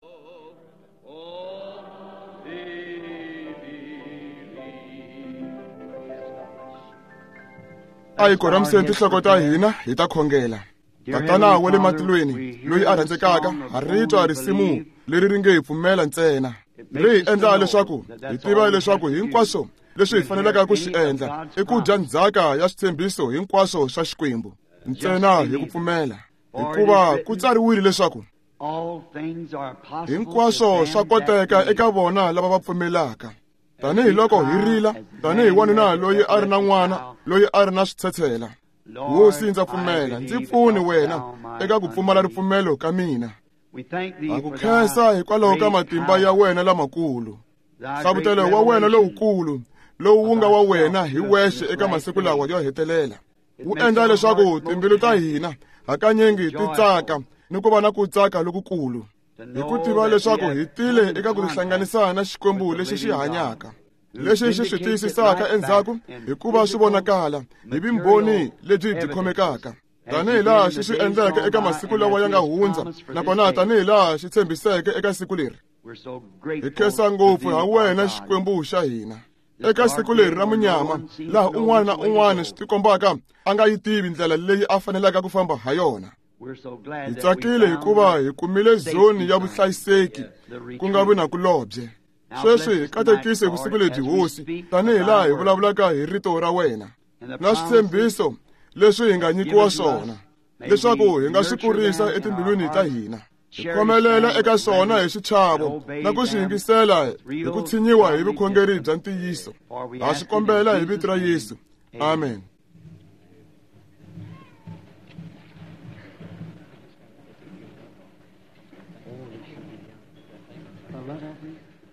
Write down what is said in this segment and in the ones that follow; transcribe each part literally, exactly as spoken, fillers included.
A hi koramiseni tinhloko ta hina hi ta khongela. Tatana wa le matilweni loyi a rhandzekaka, ha ri twa risimu leri ri nge hi pfumela ntsena. Ri hi endla leswaku hi tiva leswaku hinkwaswo leswi hi faneleke ku swi endla i ku dya ndzhaka ya switshembiso hinkwaswo swa Xikwembu ntsena hi ku pfumela, hikuva ku tsariwile leswaku hinkwaswo swa koteka eka vona lava va pfumelaka. Tanihi loko hi rila tanihi wanuna loyi a ri na n'wana loyi a ri na switshetshela, Hosi ndza pfumela, ndzi pfuni wena eka ku pfumala ripfumelo ka mina. Ha ku khensa hikwalaho ka matimba ya wena lamakulu, hlavutelo wa wena lowukulu lowu wu nga wa wena hi wexe eka masiku lawa yo hetelela. Wu endla leswaku timbilu ta hina hakanyingi ti tsaka ni ku va na ku tsaka lokukulu, hi ku tiva leswaku hi tile eka ku tihlanganisa na Xikwembu lexi xi hanyaka, lexi xi swi tiyisisaka endzhaku hikuva swi vonakala hi vumbhoni lebyi byi khomekaka, tanihi laha xi swi endleke eka masiku lawa ya nga hundza, nakona tanihi laha xi tshembiseke eka siku leri. Hi khensa ngopfu ha wena Xikwembu xa hina eka siku leri ra munyama, laha un'wana na un'wana swi tikombaka a nga yi tivi ndlela leyi a fanelaka ku famba ha yona. Hi tsakile hikuva hi kumile zoni ya vuhlayiseki ku nga vi na kulobye. Sweswi hi katekise vusiku lebyi, Hosi, tanihi laha hi vulavulaka hi rito ra wena na switshembiso leswi hi nga nyikiwa swona, leswaku hi nga swi kurisa etimbilwini ta hina, hi khomelela eka swona hi xichavo na ku swi yingisela hi ku tshinyiwa hi vukhongeri bya ntiyiso. Ha swi kombela hi vito ra Yesu, amen.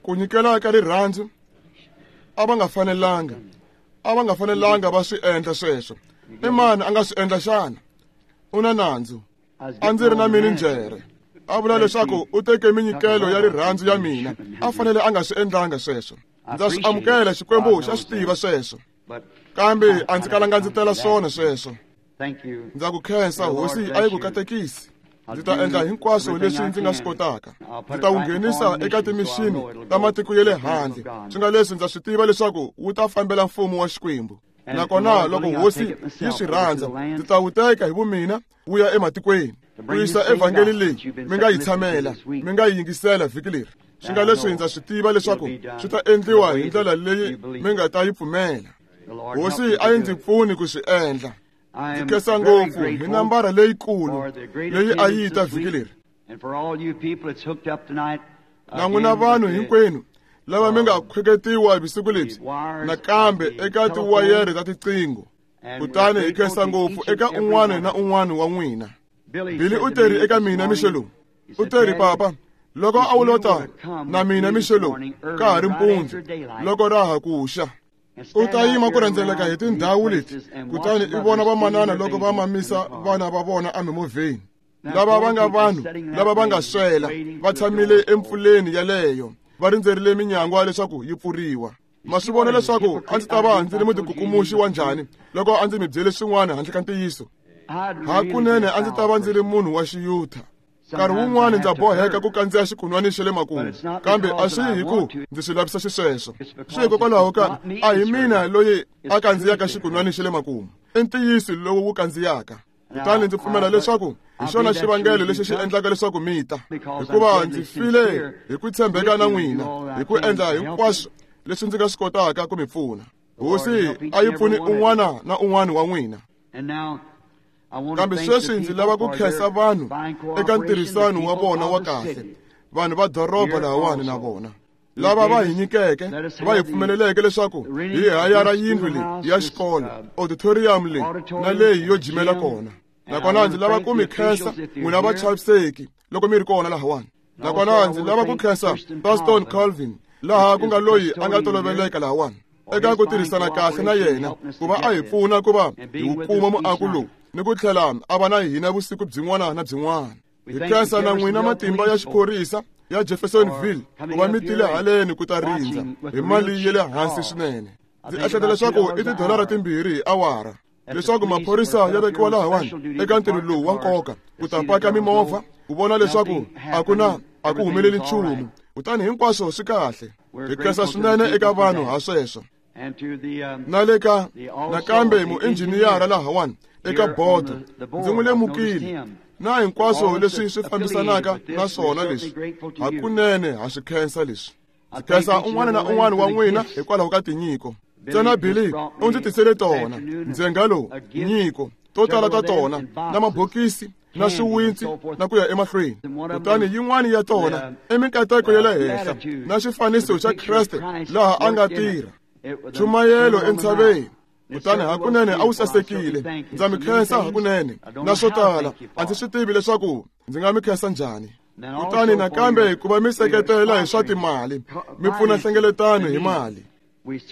Ku nyikela ka rirhandzu a va nga fanelanga, a va nga fanelanga va swi endla sweswo. I mani a nga swi endla xana? U na nandzu. A ndzi ri na mininjhere a vula leswaku u teke minyikelo ya rirhandzu ya mina, a fanele a nga swi endlanga sweswo. Ndza swi amukela, Xikwembu xa swi tiva sweswo, kambe a ndzi kalanga ndzi tela swona sweswo. Ndza ku khensa, Hosi a yi ku katekisi. Ndzi ta endla hinkwaswo leswi ndzi nga swi kotaka. Ndzi ta wu nghenisa eka timixini ta matiko ya le handle, swi nga leswi ndza swi tiva leswaku wu ta fambela mfumo wa Xikwembu. Nakona loko Hosi yi swi rhandza, ndzi ta wu teka hi vumina wu ya ematikweni ku yisa evhangeli leyi mi nga yi tshamela, mi nga yi yingisela vhiki leri. Swi nga leswi ndza swi tiva leswaku swi ta endliwa hi ndlela leyi mi nga ta yi pfumela. Hosi a yi ndzi pfuni ku swi endla. Ndzi khensa ngopfu hi nambara leyikulu leyi a yi ta vhiki leri. Na n'wina vanhu hinkwenu lava mi nga khweketiwa vusiku lebyi nakambe eka tiwayere ta tiqingho, kutani hi khensa ngopfu eka un'wana na un'wana wa n'wina. Billy u teri eka mina mixo lowu, u teri, papa, loko a wu lota na mina mixo lowu ka ha ri mpundzu loko ra ha ku xa, u ta yima ku rhendzeleka hi tindhawu leti, kutani i vona vamanana loko va mamisa vana va vona emimovheni, lava va nga vanhu lava va nga swela va tshamile empfuleni yaleyo va rindzerile minyangwa leswaku yi pfuriwa. Ma swi vona leswaku a ndzi ta va ndzi ri mutikukumuxi wa njhani loko a ndzi mi byele swin'wana handle ka ntiyiso? Hakunene a ndzi ta va ndzi ri munhu wa xiyutha. Nkarhi wun'wana ndza boheka ku kandziya xikunwani xa le makumu, kambe a swi hi ku ndzi swi lavisa xisweswo. Swi hikokwalaho ka a hi mina loyi a kandziyaka xikunwani xa le makumu, i ntiyiso lowu wu kandziyaka. Kutani ndzi pfumela leswaku hi xona xivangelo lexi xi endlaka leswaku mi ta, hikuva ndzi file hi ku tshembeka na n'wina, hi ku endla hinkwaswo leswi ndzi nga swi kotaka ku mi pfuna. Hosi a yi pfuni un'wana na un'wana wa n'wina. Kambe sweswi ndzi lava ku khensa vanhu eka ntirhisano wa vona wa kahle, vanhu va doroba lahawani na vona lava va hi nyikeke, va hi pfumeleleke leswaku hi hayara yindlu leyi ya xikolo, auditorium leyi na leyi yo jimela kona. Nakona ndzi lava ku mi khensa n'wina vachaviseki loko mi ri kona lahawani. Nakona ndzi lava ku khensa Pastor Calvin, laha ku nga loyi a nga toloveleka lahawani, eka ku tirhisana kahle na yena ku va a hi pfuna ku va hi wu kuma muako lowu ni ku tlhela a va na hina vusiku byin'wana na byin'wana. Hi khensa na n'wina matimba ya xiphorisa ya Jeffersonville ku va mi tile haleni ku ta rindza hi mali ya le hansi swinene. Ndzi ehleketa leswaku i tidolara timbirhi hi awara leswaku maphorisa ya vekiwa lahawani eka ntirho lowu wa nkoka ku ta paka mimovha ku vona leswaku a ku na A ku humeleli nchumu. Kutani hinkwaswo swi kahle. Hi khensa swinene eka vanhu ha sweswo. Na le ka nakambe muinjhiniyara lahawani eka bodo ndzi n'wi lemukile na hinkwaswo leswi swi fambisanaka na swona leswi. Hakunene ha swi khensa leswi. Ndzi khensa un'wana na un'wana wa n'wina hikwalaho ka tinyiko. Ntsena Billy u ndzi tisele tona ndzenga lowu nyiko to tala ta tona na mabokisi na swiwintsi na ku ya emahlweni. Kutani yin'wana ya tona i minkateko ya le henhla na xifaniso xa Kreste laha a nga tirha chumayelo entshaveni. Kutani hakunene a wu sasekile. Ndza mi khensa hakunene na swo tala a ndzi swi tivi leswaku ndzi nga mi khensa njhani. Kutani nakambe ku va mi seketela hi swa timali, mi pfuna nhlengeletano hi mali.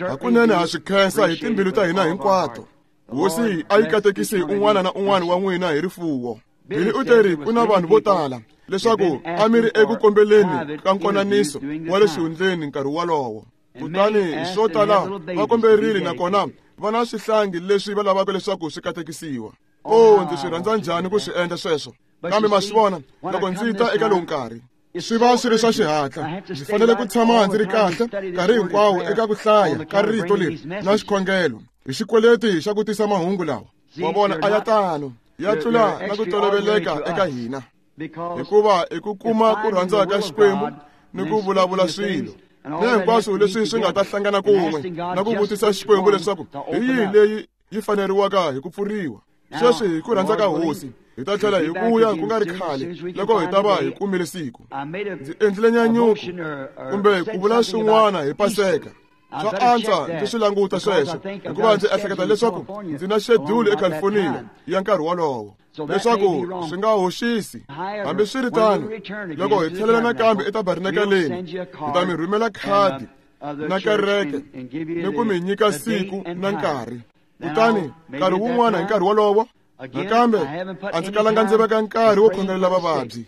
Hakunene ha swi khensa hi timbilu ta hina hinkwato. Hosi a yi katekisi un'wana na un'wana wa n'wina hi rifuwo. Billy u teri ku na vanhu vo tala leswaku a mi ri eku kombeleni ka nkonaniso wa le xihundleni nkarhi wolowo. Kutani swo tala va komberile nakona va na swihlangi leswi va lavaka leswaku swi katekisiwa. O ndzi swi rhandza njhani ku swi endla sweswo. Kambe ma swi vona loko ndzi ta eka lowu nkarhi swi va swi ri swa xihatla. Ndzi fanele ku tshama ndzi ri kahle nkarhi hinkwawo eka ku hlaya ka rito leri na xikhongelo hi xikweleti xa ku tisa mahungu lawa. Wa vona a ya tano ya tlula na ku toloveleka eka hina, hikuva i ku kuma ku rhandza ka Xikwembu ni ku vulavula swilo na hinkwaswo leswi swi nga ta hlangana kun'we na ku vutisa Xikwembu leswaku hi yihi leyi yi faneriwaka hi ku pfuriwa. Sweswi hi ku rhandza ka Hosi hi ta tlhela hi vuya ku nga ri khale loko hi ta va hi kumile siku. Ndzi endlile nyanyuko kumbe ku vula swin'wana hi Paseka. Swa antswa ndzi swi languta sweswo hikuva ndzi ehleketa leswaku ndzi na xedulu eCalifornia ya nkarhi wolowo leswaku swi nga hoxisi. Hambiswiritano, loko hi tlhelela nakambe etabernakeleni hi ta mi rhumela khadi na kereke ni ku mi nyika siku na nkarhi. Kutani nkarhi wun'wana hi nkarhi wolowo nakambe a ndzi kalanga ndzi veka nkarhi wo khongelela vavabyi.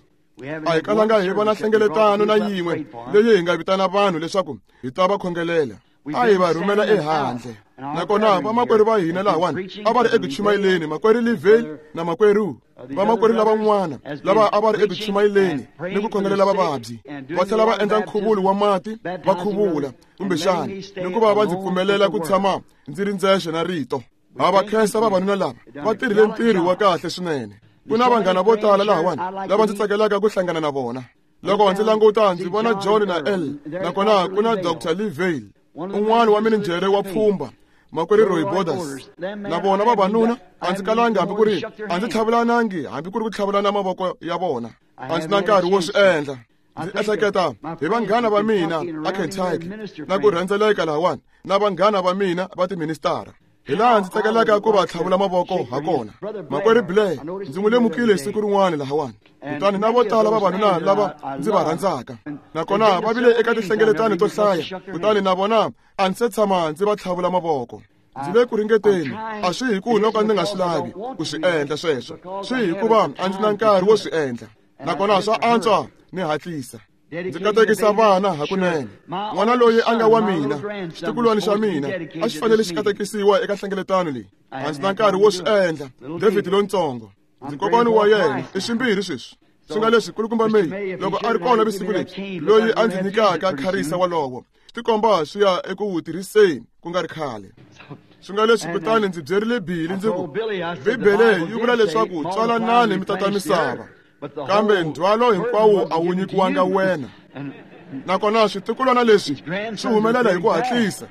A hi kalanga hi vona nhlengeletano na yin'we leyi hi nga vitana vanhu leswaku hi ta va khongelela. A hi va rhumela ehandle. Nakona vamakwerhu va hina lahawani a va ri eku chumayeleni, makwerhu Livale na makwerhu vamakwerhu lavan'wana lava a va ri eku chumayeleni ni ku khongelela vavabyi, va tlhela va endla nkhuvulo wa mati va khuvula kumbexana ni ku va va ndzi pfumelela ku tshama ndzi ri ndzexe na rito. Ha va khensa vavanuna lava va tirhile ntirho wa kahle swinene. Ku na vanghana vo tala lahawani lava ndzi tsakelaka ku hlangana na vona. Loko ndzi languta ndzi vona John na L, nakona ku na Doctor Livale, un'wana wa mininjhere wa pfhumba, makwerhu Roy Borders. Na vona vavanuna a ndzi kalanga hambi ku ri a ndzi tlhavulanangi hambi ku ri ku tlhavulana mavoko ya vona. A ndzi na nkarhi wo swi endla. Ndzi ehleketa hi vanghana va mina a Kentucky na ku rhendzeleka lahawani na vanghana va mina va tiministara. Hi laha ndzi tsakelaka ku va tlhavula mavoko ha kona. Makwerhu Blair ndzi n'wi lemukile siku rin'wana lahawani. Kutani na vo tala vavanuna lava ndzi va rhandzaka nakona va vile eka tinhlengeletano to hlaya, kutani na vona a ndzi se tshama ndzi va tlhavula mavoko. Ndzi le ku ringeteni, a swi hi ku no ka ndzi nga swi lavi ku swi endla sweswo, swi hikuva a ndzi na nkarhi wo swi endla nakona swa antswa ni hatlisa. Ndzi katekisa vana hakunene. N'wana loyi a nga wa mina, xitukulwana xa mina, a xi fanele xi katekisiwa eka nhlengeletano leyi. A ndzi na nkarhi wo swi endla. David lontsongo, ndzi kokwana wa yena i swimbirhi sweswi. Swi nga leswi kulukumba May loko a ri kona vusiku lebyi, loyi a ndzi nyikaka kharisa wolowo, swi tikomba swi ya eku wu tirhiseni ku nga ri khale. Swi nga leswi kutani ndzi byerile Billy ndzi ku, Bibele yi vula leswaku tswalanani mi tata misava, kambe ndzhwalo hinkwawo a wu nyikiwanga wena. Nakona switukulwana leswi swi humelela hi ku hatlisa.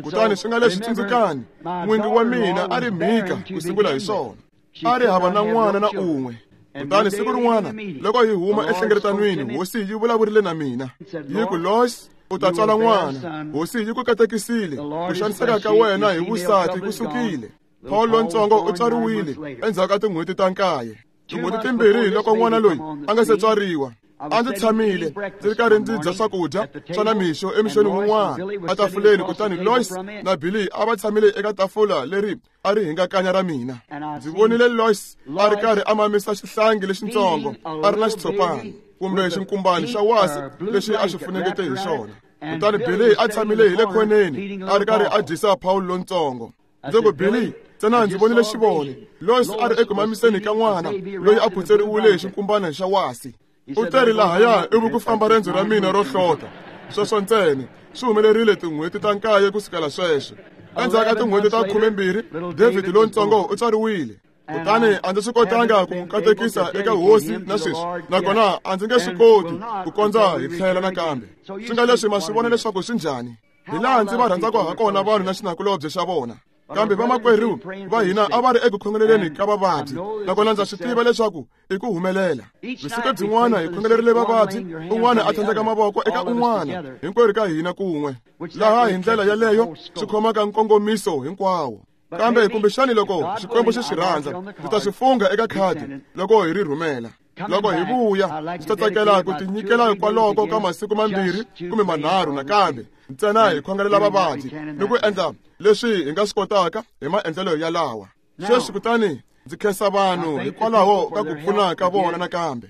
Kutani swi nga leswi tsundzukani, n'wingi wa mina a ri mhika ku sungula hi swona. A ri hava na n'wana na un'we. Kutani siku rin'wana loko hi huma enhlengeletanweni, Hosi yi vulavurile na mina yi ku, Lois, u ta tswala n'wana. Hosi yi ku katekisile, ku xaniseka ka wena hi vusati ku sukile. Paul lontsongo u tswariwile endzhaku ka tin'hweti ta nkaye. Tin'hweti timbirhi loko n'wana loyi a nga se tswariwa, a ndzi tshamile ndzi ri karhi ndzi dya swakudya swa namixo emixweni wun'wana etafuleni, kutani Lois na Billy a va tshamile eka tafula leri a ri hingakanya ra mina. Ndzi vonile Lois a ri karhi a mamisa xihlangi lexitsongo a ri na xitshopana kumbe xinkumbani xa wasi lexi a xi funengete hi xona. Kutani Billy a tshamile hi le khoneni a ri karhi a dyisa Paul lontsongo. Ndzi ku, Billy, ntsena ndzi vonile xivoni. Lois a ri eku mamiseni ka n'wana loyi a phutseriwile hi xinkumbana xa wasi. U teri lahaya ivi ku famba rendzo ra mina ro hlota. Sweswo ntsena swi humelerile tin'hweti ta nkaye ku sukela sweswo. Endzhaku ka tin'hweti ta khumembirhi, David lontsongo u tswariwile. Kutani a ndzi swi kotanga ku n'wi katekisa eka hosi na sweswi, nakona a ndzi nge swi koti ku kondza hi tlhela nakambe. Swi nga leswi ma swi vona leswaku swi njhani, hi laha ndzi va rhandzaka ha kona vanhu na xinakulobye xa vona. Kambe vamakwerhu va hina a va ri eku khongeleleni ka vavabyi, nakona ndza swi tiva leswaku i ku humelela. Vusiku byin'wana hi khongelerile vavabyi, un'wana a tlhandleka mavoko eka un'wana, hinkwerhu ka hina kun'we. Laha hi ndlela yaleyo swi khomaka nkongomiso hinkwawo. Kambe kumbexani loko Xikwembu xi swi rhandza, ndzi ta swi fungha eka khadi loko hi ri rhumela. Loko hi vuya, ndzi ta tsakela ku tinyikela kwaloko ka masiku mambirhi kumbe manharhu nakambe, ntsena hi khongelela vavabyi ni ku endla leswi hi nga swi kotaka hi maendlelo yalawa. Sweswi kutani ndzi khensa vanhu hikwalaho ka ku pfuna ka vona nakambe.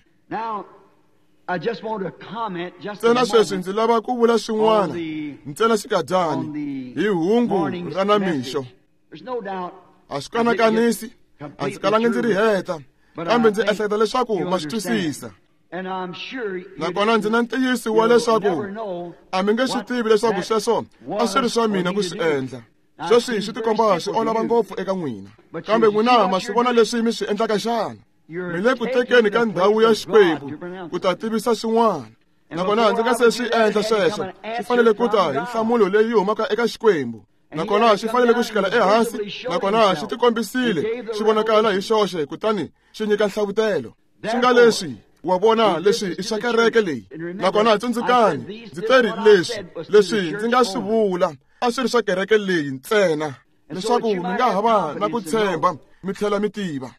Ntsena sweswi ndzi lava ku vula swin'wana ntsena xikadyani hi hungu ra namixo. A swi kanakanisi, a ndzi kalangi ndzi ri heta, kambe ndzi ehleketa leswaku ma swi twisisa. Nakona ndzi na ntiyiso wa leswaku a mi nge swi tivi leswaku sweswo a swi ri swa mina ku swi endla. Sweswi swi tikomba swi olova ngopfu eka n'wina, kambe n'wina ma swi vona leswi mi swi endlaka xana? Mi le ku tekeni ka ndhawu ya Xikwembu ku ta tivisa swin'wana. Nakona ndzi nga se swi endla sweswo, swi fanele ku ta hi nhlamulo leyi humaka eka Xikwembu. Nakona xi fanele ku xikela ehansi, nakona xi tikombisile xi vonakala hi xoxe, kutani xi nyika nhlavutelo. Swi nga leswi wa vona leswi i swa kereke leyi. Nakona tsundzukani, ndzi teri leswi leswi ndzi nga swi vula a swi ri swa kereke leyi ntsena, leswaku mi nga ha va na ku tshemba mi tlhela mi tiva.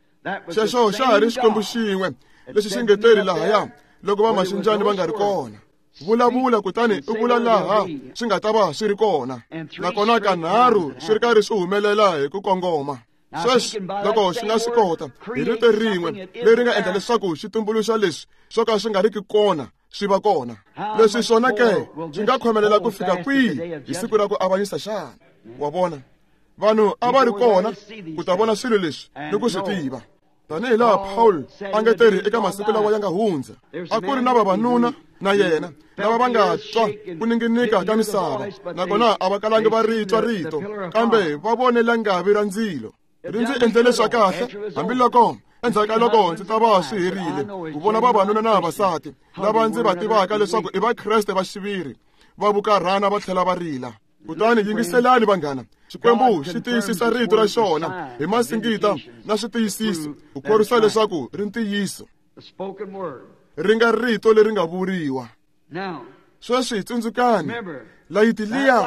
Xexo xa ha ri Xikwembu xin'we lexi xi nge teri lahaya loko vamaxinjani va nga ri kona. Vulavula kutani u vula laha swi nga ta va swi ri kona. Nakona kanharhu swi ri karhi swi humelela hi ku kongoma. Sweswi loko xi nga swi kota hi rito rin'we leri nga endla leswaku xi tumbuluxa leswi swo ka swi nga riki kona swi va kona, leswi swona ke swi nga khomelela ku fika kwihi hi siku ra ku avanyisa xana? Wa vona, vanhu a va ri kona ku ta vona swilo leswi ni ku swi tiva. Tanihi laha Paul a nge tirhi eka masiku lawa ya nga hundza, a ku ri na vavanuna na yena lava va nga twa ku ninginika ka misava, nakona a va kalangi va ri twa rito, kambe va vone langavi ra ndzilo. Ri ndzi endlele swa kahle, hambiloko endzhaku ka loko ndzi ta va swi herile ku vona vavanuna na vavasati lava ndzi va tivaka leswaku i Vakreste va xiviri, va vukarhana va tlhela va rila. Kutani yingiselani vanghana, Xikwembu xi tiyisisa rito ra xona hi masingita na switiyisiso ku khorwisa leswaku ri ntiyiso, ri nga rito leri nga vuriwa. Sweswi tsundzukani, layiti liya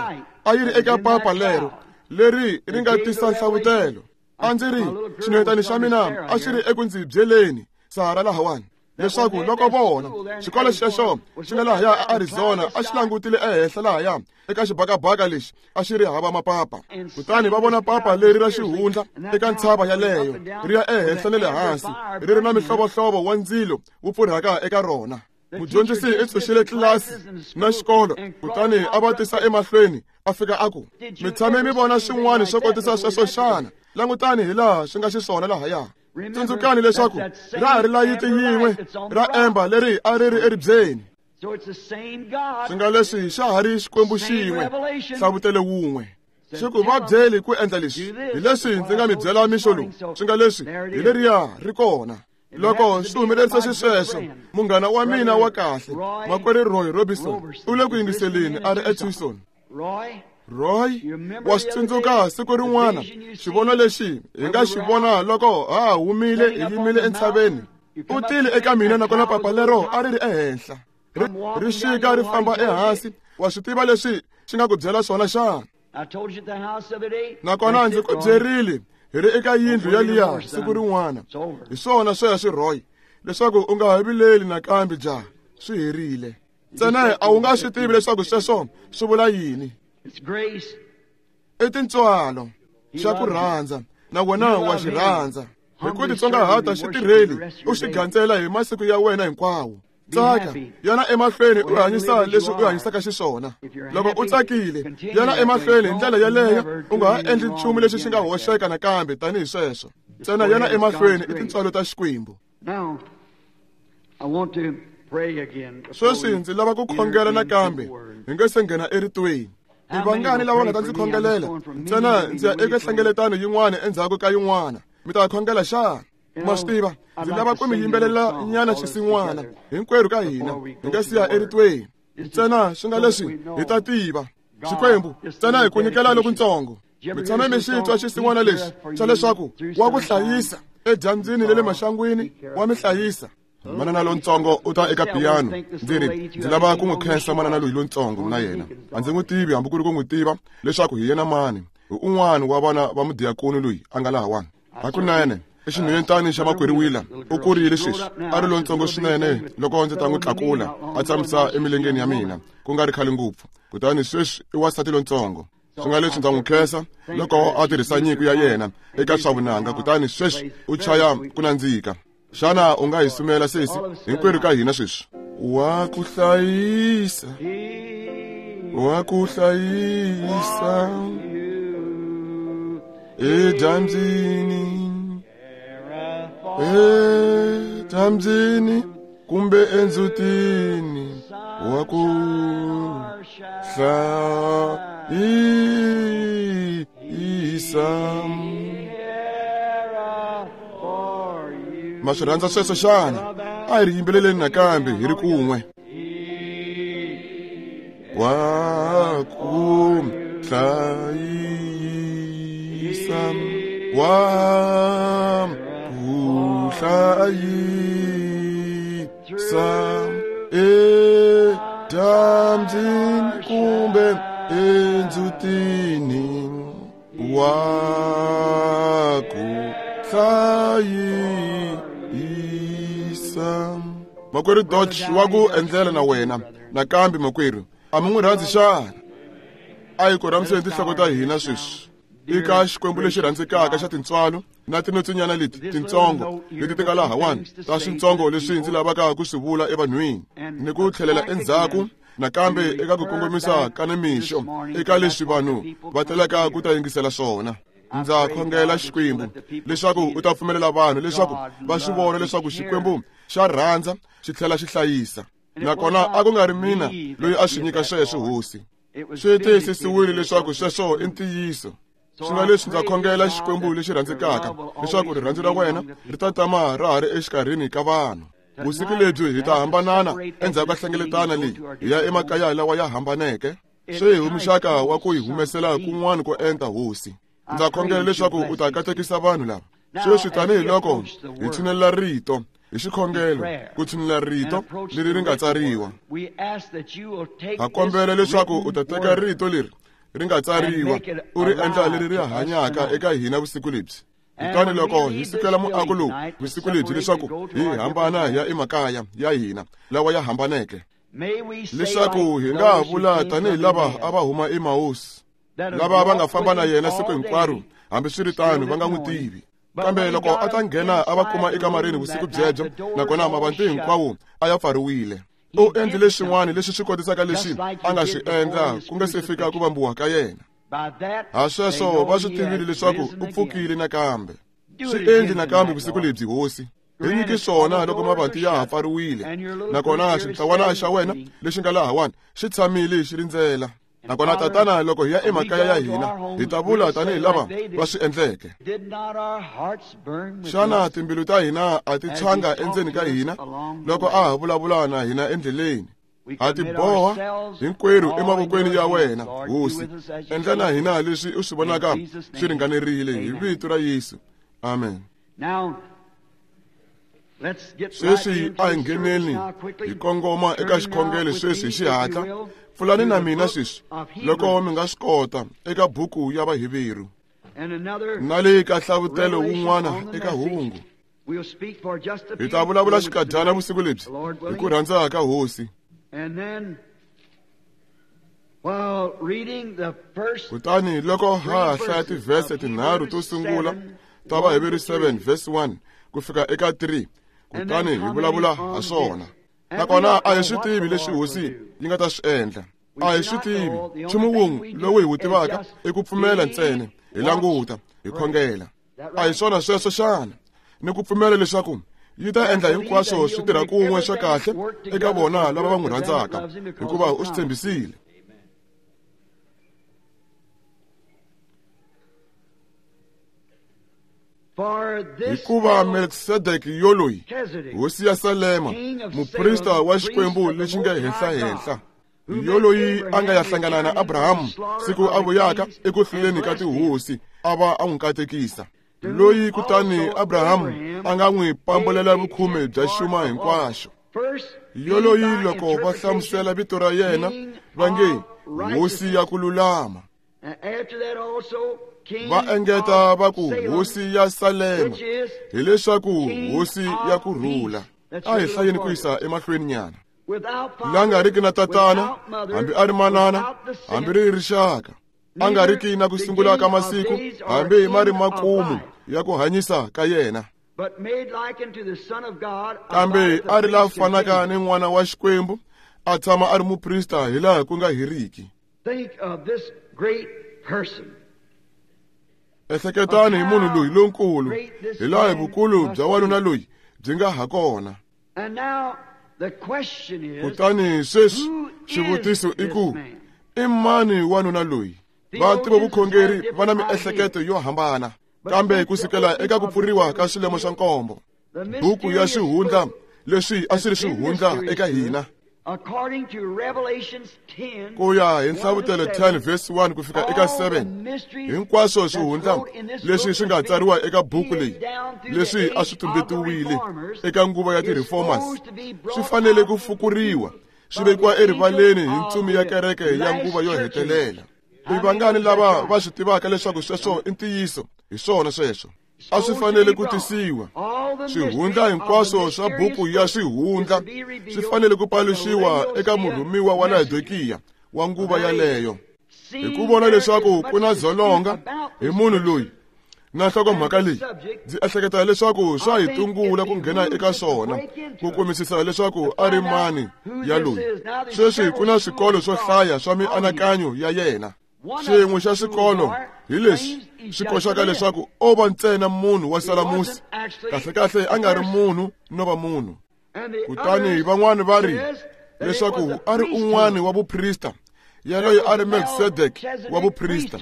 a yi ri eka papa lero leri ri nga tisa nhlavutelo. A ndzi ri xinhwetani xa mina a xi ri eku ndzi byeleni Sara lahawani leswaku loko vona xikolo xexo xi nga lahaya eArizona a xi langutile ehenhla lahaya eka xibakabaka lexi a xi ri hava mapapa, kutani va vona papa leri ra xihundla eka ntshava yaleyo ri ya ehenhla na le hansi, ri ri na mihlovohlovo wa ndzilo wu pfurhaka eka rona. Mudyondzisi i tshunxile tlilasi na xikolo, kutani a va tisa emahlweni a fika a ku, mi tshame mi vona swin'wana swo kotisa sweswo xana? Langutani hi laha swi nga xiswona lahaya. Tsundzukani leswaku ra ha ri layiti yin'we ra emba leri a ri ri eribyeni. Swi nga leswi xa ha ri Xikwembu xin'we, hlavutelo wun'we. Xi ku va byeli ku endla leswi, hi leswi ndzi nga mi byela mixo lowu. Swi nga leswi hi leriya ri kona. Loko swi humelerisa xisweswo, munghana wa mina wa kahle, makwerhu Roy Robinson, u le ku yingiseleni a ri eTucson. Roy, wa swi tsundzuka siku rin'wana xivono lexi hi nga xi vona loko ha ha humile hi yimile entshaveni? U tile eka mina nakona papa lero a ri ri ehenhla, ri xika ri famba ehansi. Wa swi tiva leswi xi nga ku byela swona xana? Nakona ndzi ku byerile hi ri eka yindlu yaliya siku rin'wana. Hi swona sweswo Roy, leswaku u nga ha vileli nakambe jaha, swi herile. Ntsena a wu nga swi tivi leswaku sweswo swi vula yini. I tintswalo xa ku rhandza, na wena wa xi rhandza. Hi ku titsongahata xitirheli u xi gandzela hi masiku ya wena hinkwawo. Tsaka, yana emahlweni u hanyisa leswi u hanyisaka xiswona. Loko u tsakile, yana emahlweni hi ndlela yaleyo, u nga ha endli nchumu lexi xi nga hoxeka nakambe tanihi sweswo. Ntsena yana emahlweni i tintswalo ta Xikwembu. Sweswi ndzi lava ku khongela nakambe hi nge se nghena eritweni. I vangani lava nga ta ndzi khongelela? Ntsena ndzi ya eka hlengeletano yin'wana endzhaku ka yin'wana. Mi ta khongela xana? Ma swi tiva, ndzi lava ku mi yimbelela nyana xisin'wana hinkwerhu ka hina hi nga siya eritweni. Ntsena swi nga leswi hi ta tiva Xikwembu ntsena hi ku nyikela lokuntsongo. Mi tshame mi xi twa xisin'wana lexi xa leswaku wa ku hlayisa edyambyini le le maxangwini, wa mi hlayisa. Manana lontsongo u ta eka piyano. Ndzi ri ndzi lava ku n'wi khensa manana loyi lontsongo na yena. A ndzi n'wi tivi hambi ku ri ku n'wi tiva leswaku hi yena mani. Hi un'wana wa vana va mudiyakoni loyi a nga lahawani. Hakunene i xinhwanyetani xa makwerhu Wheeler. U kurile sweswi, a ri lontsongo swinene loko ndzi ta n'wi tlakula a tshamisa emilengeni ya mina ku nga ri khale ngopfu. Kutani sweswi i wansati lontsongo. Swi nga leswi ndza n'wi khensa loko a tirhisa nyiko ya yena eka swa vunanga, kutani sweswi u chaya ku nandzika. Xana u nga hi sumela sesi hinkwerhu ka hina sweswi? Wa ku hlayisa, wa ku hlayisa edyambyini, edyambyini kumbe endzhutini, wa ku hlayisa. Ma swi rhandza sweswo xana? A hi ri yimbeleleni nakambe hi ri kun'we. Wa ku hlayisa, wa ku hlayisa edyambyini kumbe endzhutini, wa ku hlayisa. Makwerhu Dodge wa ku endlela na wena nakambe makwerhu. A mi n'wi rhandzi xana? A hi korhamiseni tinhloko ta hina sweswi eka Xikwembu lexi rhandzekaka xa tintswalo na tinotsinyana leti tintsongo leti ti nga lahawani ta swintsongo leswi ndzi lavaka ku swi vula evanhwini, ni ku tlhelela endzhaku nakambe eka ku kongomisa ka nimixo eka leswi vanhu va telaka ku ta yingisela swona. Ndza khongela Xikwembu leswaku u ta pfumelela vanhu leswaku va swi vona leswaku Xikwembu xa rhandza xi tlhela xi hlayisa. Nakona a ku nga ri mina loyi a swi nyika sweswo Hosi. Swi tiyisisiwile leswaku sweswo i ntiyiso. Swi nga leswi ndza khongela Xikwembu lexi rhandzekaka leswaku rirhandzu ra wena ri ta tama ra ha ri exikarhini ka vanhu. Vusiku lebyi hi ta hambanana endzhaku ka hlengeletana leyi hi ya emakaya lawa ya hambaneke. Swi hi muxaka wa ku hi humesela kun'wana ko enta Hosi. Ndza khongela leswaku u ta katekisa vanhu lava sweswi tanihiloko hi tshinelela rito hi xikhongelo, ku tshinelela rito leri ri nga tsariwa. Ha kombela leswaku u ta teka rito leri ri nga tsariwa u ri endla leri ri hanyaka eka hina vusiku lebyi. Kutani loko hi sukela muako lowu vusiku lebyi leswaku hi hambana hi ya emakaya ya hina lawa ya hambaneke, leswaku hi nga vula tanihi lava a va huma eMaosi, lava va nga famba na yena siku hinkwaro hambiswiritano va nga n'wi tivi. Kambe loko a ta nghena a va kuma ekamareni vusiku byebyo, nakona mavanti hinkwawo a ya pfariwile. U endlile xin'wana lexi swi kotisaka lexi a nga xi endla ku nga se fika ku vambiwa ka yena. Ha sweswo va swi tivile leswaku u pfukile nakambe. Swi endli nakambe vusiku lebyi Hosi. Hi nyiki swona loko mavanti ya ha pfariwile, nakona xintlawana xa wena lexi nga lahawani xi tshamile xi rindzela. Nakona tatana loko hi ya emakaya ya hina hi ta vula tanihi lava va swi endleke. Xana timbilu ta hina a ti tshwanga endzeni ka hina loko a ha vulavula na hina endleleni? Ha ti boha hinkwerhu emavokweni ya wena Hosi. Endla na hina leswi u swi vonaka swi ringanerile hi vito ra Yesu. Amen. Sweswi a hi ngheneni hi kongoma eka xikhongelo sweswi hi xihatla. Pfulani na mina sweswi loko mi nga swi kota eka buku ya Vaheveru na le ka hlavutelo wun'wana eka hungu. Hi ta vulavula xikadyana vusiku lebyi hi ku rhandza ka Hosi. Kutani loko ha hlaya tivhese tinharhu to sungula ta Vaheveru seven verse one ku fika eka three, kutani hi vulavula ha swona. Nakona a hi swi tivi leswi Hosi yi nga ta swi endla. A hi swi tivi. Nchumu wun'we lowu hi wu tivaka i ku pfumela ntsena, hi languta, hi khongela. A hi swona sweswo xana? Ni ku pfumela leswaku Yi ta endla hinkwaswo swi tirha kun'we swa kahle eka vona lava va n'wi rhandzaka, hikuva u swi tshembisile. Hikuva Melkisedeke yoloyi, hosi ya Salema, muprista wa Xikwembu lexi nga henhla-henhla, yoloyi a nga ya hlangana na Abrahamu siku a vuyaka eku hluleni ka tihosi, a va a n'wi katekisa. Loyi kutani Abrahamu a nga n'wi pambulela vukhume bya xuma hinkwaxo. Yoloyi loko va hlamusela vito ra yena va nge hosi ya ku lulama. Va engeta va ku hosi ya Salema, hileswaku hosi ya ku rhula. A hi hlayeni ku yisa emahlweni nyana. La nga riki na tatana, hambi a ri manana, hambi ri rixaka, a nga riki na ku sungula ka masiku, hambi ma ri makumu ya ku hanyisa ka yena, kambe a ri la fanaka ni n'wana wa Xikwembu, a tshama a ri muprista hilaha ku nga heriki. Ehleketani hi munhu loyi lonkulu, hilaha vukulu bya wanuna loyi byi nga ha kona. Kutani sweswi xivutiso i ku, i mani wanuna loyi? Vativi vukhongeri va na miehleketo yo hambana, kambe ku sukela eka ku pfuriwa ka swilemo swa nkombo, buku ya xihundla leswi a swi ri xihundla eka hina, ku ya hi Nhlavutelo ten verse one ku fika eka seven, hinkwaswo swihundla leswi swi nga tsariwa eka buku leyi, leswi a swi tumbetiwile eka nguva ya ti-reformers, swi fanele ku fukuriwa swi vekiwa erivaleni hi ntsumi ya kereke ya nguva yo hetelela. I vangani lava va swi tivaka leswaku sweswo i ntiyiso? Hi swona sweswo. A swi fanele ku tisiwa. Swihundla hinkwaswo swa buku ya swihundla swi fanele ku paluxiwa eka murhumiwa wa Laodikiya wa nguva yaleyo, hi ku vona leswaku ku na dzolonga hi munhu loyi na nhlokomhaka leyi. Ndzi ehleketa leswaku swa hi tungula ku nghena eka swona, ku kumisisa leswaku a ri mani ya loyi. Sweswi ku na swikolo swo hlaya swa mianakanyo ya yena. Xin'we xa swikolo hi leswi swi koxaka leswaku o va ntsena munhu wa salamusi, kahlekahle a nga ri munhu no va munhu. Kutani van'wani va ri leswaku a ri un'wana wa vuprista, yaloyo a ri Melkisedeke wa vuprista,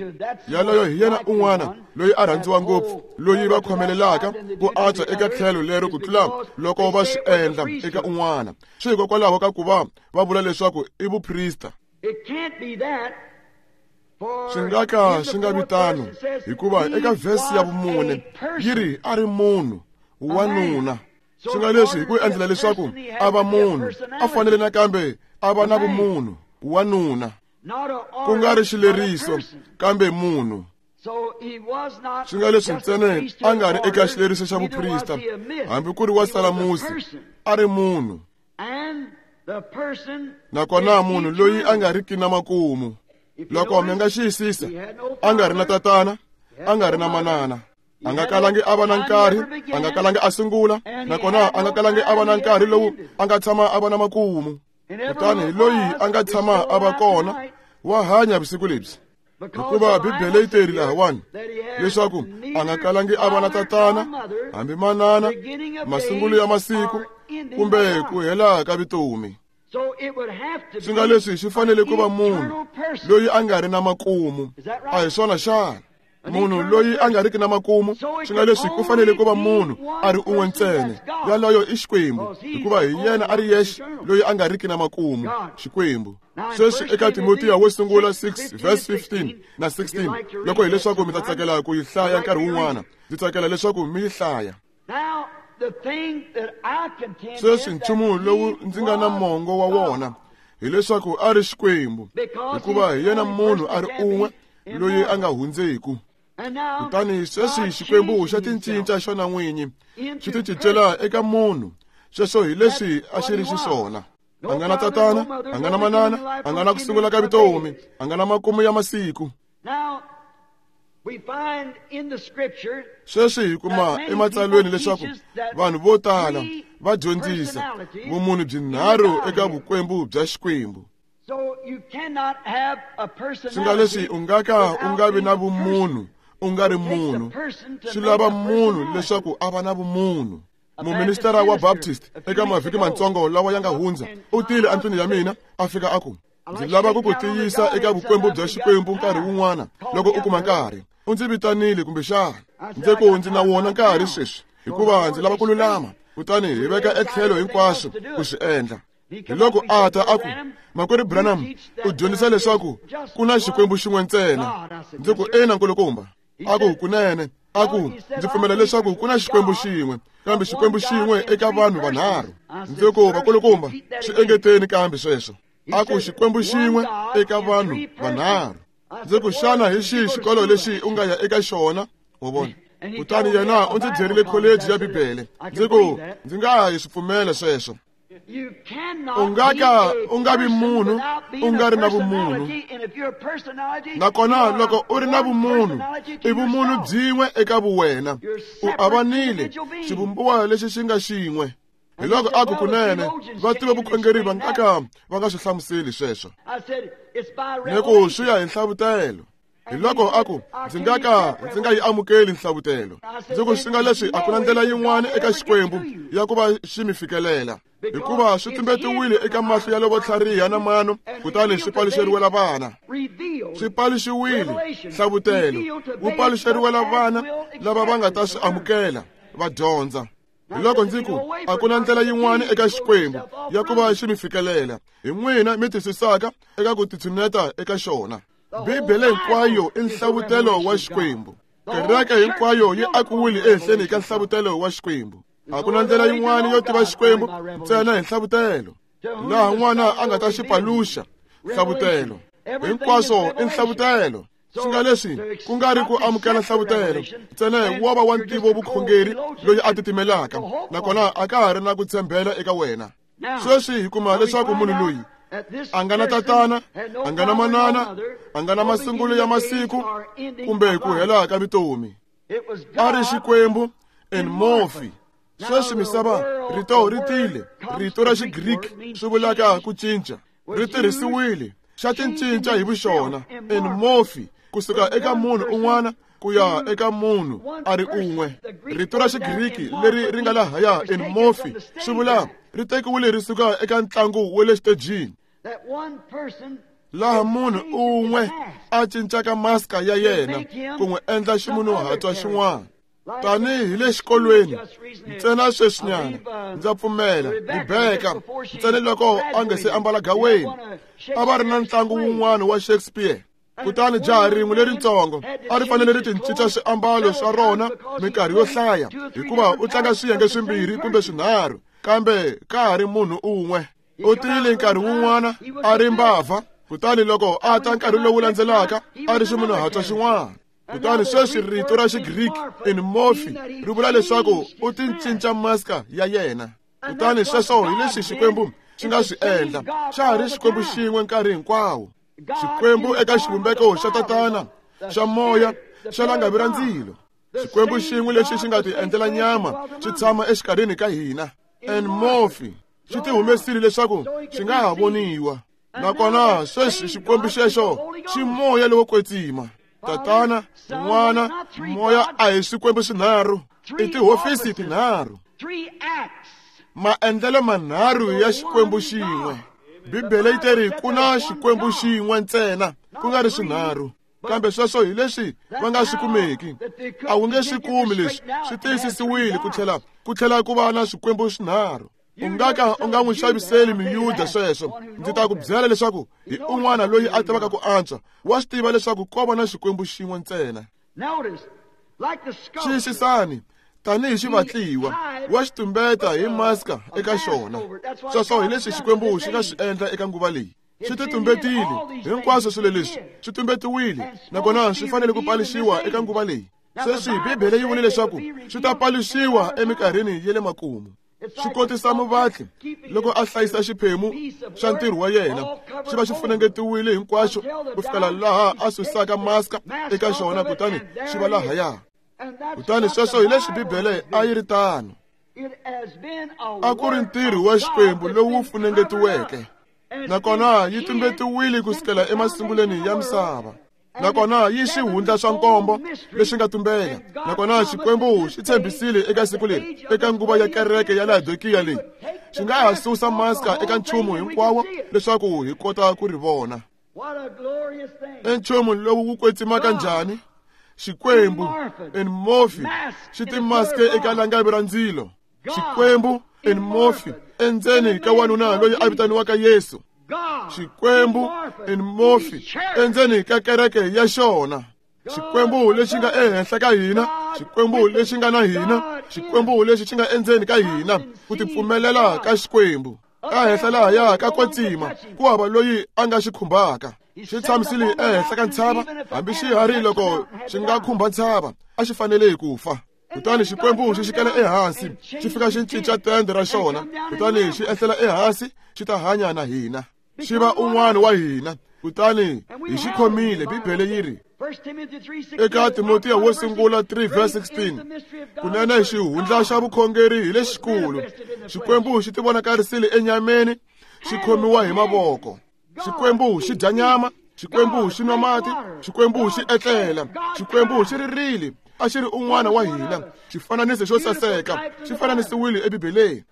yaloyo hi yena un'wana loyi a rhandziwa ngopfu, loyi va khomelelaka ku antswa eka tlhelo lero ku tlula loko va swi endla eka un'wana, swi hikokwalaho ka ku va va vula leswaku i vuprista. Swi nga ka swi nga vi tano, hikuva eka vhesi ya vumune yi ri a ri munhu wanuna. Swi nga leswi hi ku endlela leswaku a va munhu, a fanele nakambe a va na vumunhu, wanuna, ku nga ri xileriso kambe munhu. Swi nga leswi ntsena a nga ri eka xileriso xa vuprista, hambi ku ri wa salamusi, a ri munhu. Nakona munhu loyi a nga riki na makumu. Loko mi nga xiyisisa, a nga ri na tatana, a nga ri na manana, a nga kalangi a va na nkarhi, a nga kalangi a sungula, nakona a nga kalangi a va na nkarhi lowu a nga tshama a va na makumu. Kutani hi loyi a nga tshama a va kona, wa hanya vusiku lebyi. Hikuva Bibele yi teri lahawani leswaku a nga kalangi a va na tatana, hambi manana, masungulo ya masiku, kumbe ku hela ka vutomi. Swi nga leswi swi fanele ku va munhu loyi a nga ri na makumu. A hi swona xana? Munhu loyi a nga riki na makumu, swi nga leswi ku fanele ku va munhu a ri un'we ntsena, yaloyo i Xikwembu, hikuva hi yena a ri yexe loyi a nga riki na makumu, Xikwembu. Sweswi eka Timotiya wo sungula six verse fifteen na sixteen, loko hileswaku mi ta tsakela ku yi hlaya nkarhi wun'wana, ndzi tsakela leswaku mi yi hlaya. Sweswi nchumu lowu ndzi nga na mongo wa wona hileswaku a ri Xikwembu, hikuva hi yena munhu a ri un'we loyi a nga hundzeku. Kutani sweswi Xikwembu xa ticinca xona n'winyi, xi ticincela eka munhu. Sweswo hi leswi a xi ri xiswona. A nga na tatana, a nga na manana, a nga na ku sungula ka vutomi, a nga na makumu ya masiku. Sweswi hi kuma ematsalweni leswaku vanhu vo tala va dyondzisa vumunhu byinharhu eka vukwembu bya Xikwembu. Swi nga leswi u nga ka u nga vi na vumunhu u nga ri munhu. Swi lava munhu leswaku a va na vumunhu. Muministara wa Baptist eka mavhiki matsongo lawa ya nga hundza u tile endlwini ya mina a fika a ku ndzi lava ku ku tiyisa eka vukwembu bya Xikwembu nkarhi wun'wana loko u kuma nkarhi. U ndzi vitanile kumbexana ndzi ku ndzi na wona nkarhi sweswi hikuva ndzi lava ku lulama, kutani hi veka etlhelo hinkwaswo ku swi endla. Hi loko a ta a ku makwerhu Branham u dyondzisa leswaku ku na Xikwembu xin'we ntsena. Ndzi ku ina nkulukumba. A ku kunene. A ku ndzi pfumela leswaku ku na Xikwembu xin'we kambe Xikwembu xin'we eka vanhu vanharhu. Ndzi ku vakulukumba swi engeteni kambe sweswo. A ku Xikwembu xin'we eka vanhu vanharhu. Ndzi ku xana hi xihi xikolo lexi u nga ya eka xona? Wa vona. Kutani yena u ndzi byerile kholeji ya Bibele. Ndzi ku ndzi nga ha yi swi pfumela sweswo. U nga ka u nga vi munhu u nga ri na vumunhu, nakona loko u ri na vumunhu i vumunhu byin'we eka vuwena. U avanile xivumbiwa lexi xi nga xin'we. Hi loko a ku kunene va tiva vukhongeri va nga ka va nga swi hlamuseli sweswo. Ni ku swi ya hi nhlavutelo. Hi loko a ku ndzi nga ka ndzi nga yi amukeli nhlavutelo. Ndzi ku swi nga leswi a ku na ndlela yin'wana eka Xikwembu ya ku va xi mi fikelela, hikuva swi tumbetiwile eka mahlo ya lavo tlhariha na mano, kutani swi paluxeriwela vana. Swi paluxiwile nhlavutelo wu paluxeriwela vana lava va nga ta swi amukela va dyondza. Hi loko ndzi ku a ku na ndlela yin'wana eka Xikwembu ya ku va xi mi fikelela, hi n'wina mi twisisaka eka ku titshuneta eka xona. Bibele hinkwayo i nhlavutelo wa Xikwembu. Kereke hinkwayo yi akiwile ehenhleni ka nhlavutelo wa Xikwembu. A ku na ndlela yin'wana yo tiva Xikwembu ntsena hi nhlavutelo, laha n'wana a nga ta xi paluxa nhlavutelo. Hinkwaswo i nhlavutelo. Swi nga leswi ku nga ri ku amukela nhlavutelo ntsena wo va wa ntivo vukhongeri loyi a titimelaka, nakona a ka ha ri na ku tshembela eka wena. Sweswi hi kuma leswaku munhu loyi a nga na tatana, a nga na manana, a nga na masungulo ya masiku kumbe ku hela ka vutomi. A ri Xikwembu en morphe. Sweswi misava rito ri tile, rito ra Xigriki swi vulaka ku cinca, ri tirhisiwile xa tincinca hi vuxona en morphe kusuka eka munhu un'wana ku ya eka munhu a ri un'we. Rito ra Xigriki leri ri nga lahaya en morphe swi vula ri tekiwile ri suka eka ntlangu wa le xitejini, laha munhu un'we a cincaka maska ya yena ku n'wi endla ximunhuhatwa xin'wana. Tanihi le xikolweni ntsena sweswinyana ndza pfumela Rebeka ntsena loko a nga se ambala gaweni a va ri na ntlangu wun'wana wa Shakespeare. Kutani jaha rin'we leritsongo a ri fanele ri tincinca swiambalo swa rona minkarhi yo hlaya, hikuva u tlanga swiyenge swimbirhi kumbe swinharhu, kambe ka ha ri munhu un'we. U tile nkarhi wun'wana a ri mbavha, kutani loko a ta nkarhi lowu landzelaka a ri ximunhuhatwa xin'wana. Kutani sweswi rito ra Xigriki en morphe ri vula leswaku u tincinca maska ya yena. Kutani sweswo hi leswi Xikwembu xi nga swi endla, xa ha ri Xikwembu xin'we nkarhi hinkwawo. Xikwembu eka xivumbeko xa tatana, xa moya, xa langavi ra ndzilo. Xikwembu xin'we lexi xi nga ti endlela nyama xi tshama exikarhini ka hina. En morphe xi ti humesile leswaku xi nga ha voniwa. Nakona sweswi Xikwembu xexo xi moya lowo kwetsima. Tatana, N'wana, Moya a hi swikwembu swinharhu, i tihofisi tinharhu, maendlelo manharhu ya Xikwembu xin'we. Bibele yi teri ku na Xikwembu xin'we ntsena, ku nga ri swinharhu. Kambe sweswo hi leswi va nga swi kumeki. A wu nge swi kumi leswi, swi tiyisisiwile ku tlhela ku tlhela ku va na swikwembu swinharhu. U nga ka u nga n'wi xaviseli miyuda sweswo. Ndzi ta ku byela leswaku hi un'wana loyi a tivaka ku antswa wa swi tiva leswaku ko va na Xikwembu xin'we ntsena. Xiyisisani, tanihi xivatliwa wa xi tumbeta hi maska eka xona. Sweswo hi leswi Xikwembu xi nga swi endla eka nguva leyi. Swi ti tumbetile hinkwaswo swilo leswi swi tumbetiwile, nakona swi fanele ku paluxiwa eka nguva leyi. Sweswi Bibele yi vule leswaku swi ta paluxiwa eminkarhini ya le makumu. Swi kotisa muvatli loko a hlayisa xiphemu xa ntirho wa yena xi va xi funengetiwile hinkwaxo ku fikela laha a susaka maska eka xona, kutani xi va lahaya. Kutani sweswo hi leswi Bibele a yi ri tano. A ku ri ntirho wa Xikwembu lowu funengetiweke, nakona yi tumbetiwile kusukela emasungulweni ya misava. Nakona yi xihundla swa nkombo lexi nga tumbela. Nakona Xikwembu xi tshembisile eka siku leri, eka nguva ya kereke ya Laodikiya leyi, xi nga ha susa maska eka nchumu hinkwawo leswaku hi kota ku ri vona. I nchumu lowu wu kwetsimaka njhani? Xikwembu in mofi xi timaske eka langavi ra ndzilo. Xikwembu in mofi endzeni ka wanuna loyi a vitaniwaka Yesu. Xikwembu in mofi endzeni ka kereke ya xona. Xikwembu lexi nga ehenhla ka hina, Xikwembu lexi nga na hina, Xikwembu lexi xi nga endzeni ka hina, ku tipfumelela ka Xikwembu. Ehenhla lahaya ka kwetsima, ku hava loyi a nga xi khumbaka. Xi tshamisile ehenhla ka ntshava, hambi xiharhi loko xi nga khumba ntshava, a xi fanele ku fa. Kutani Xikwembu xi xikela ehansi, xi fika xi cinca tende ra xona, kutani xi ehlela ehansi, xi ta hanya na hina. Xi va un'wana wa hina, kutani hi xi khomile. Bibele yi ri eka Timotiya wo sungula three verse sixteen, kunene xihundla xa vukhongeri hi lexikulu. Xikwembu xi tivonakarisile enyameni, xi khomiwa hi mavoko. Xikwembu xi dya nyama, Xikwembu xi nwa mati, Xikwembu xi etlela, Xikwembu xi ririle. A xi ri un'wana wa hina. Xifananiso xo saseka xi fananisiwile eBibeleni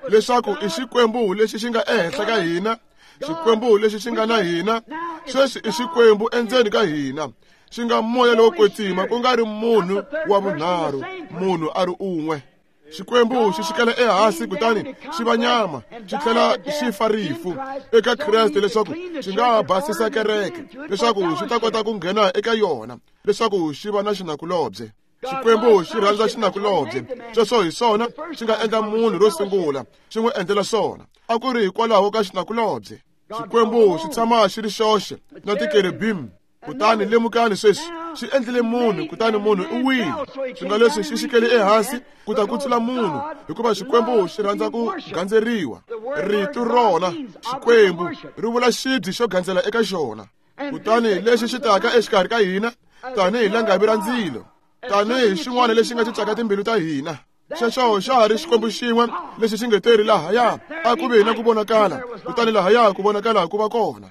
leswaku i Xikwembu lexi xi nga ehenhla ka hina, Xikwembu lexi xi nga na hina. Sweswi i Xikwembu endzeni ka hina, xi nga moya lowo kwetsima, ku nga ri munhu wa vunharhu, munhu a ri un'we. Xikwembu xi xikela ehansi kutani xi va nyama, xi tlhela xi fa rifu eka Kreste leswaku xi nga basisa kereke, leswaku xi ta kota ku nghena eka yona, leswaku xi va na xinakulobye. Xikwembu xi rhandza xinakulobye. Sweswo hi swona xi nga endla munhu ro sungula, xi n'wi endlela swona. A ku ri hikwalaho ka xinakulobye. Xikwembu xi tshama xi ri xoxe na tikerubim. Kutani lemukani sweswi, xi endlile munhu, kutani munhu u wile. Swi nga leswi xi xikele ehansi ku ta kutsula munhu, hikuva Xikwembu xi rhandza ku gandzeriwa. Rito rona Xikwembu ri vula xibye xo gandzela eka xona. Kutani lexi xi taka exikarhi ka hina tanihi langavi ra ndzilo, tanihi xin'wana lexi nga cincaka timbilu ta hina. Xexo xa ha ri Xikwembu xin'we lexi xi nge teri lahaya a ku vi na ku vonakala, kutani lahaya ku vonakala ku va kona.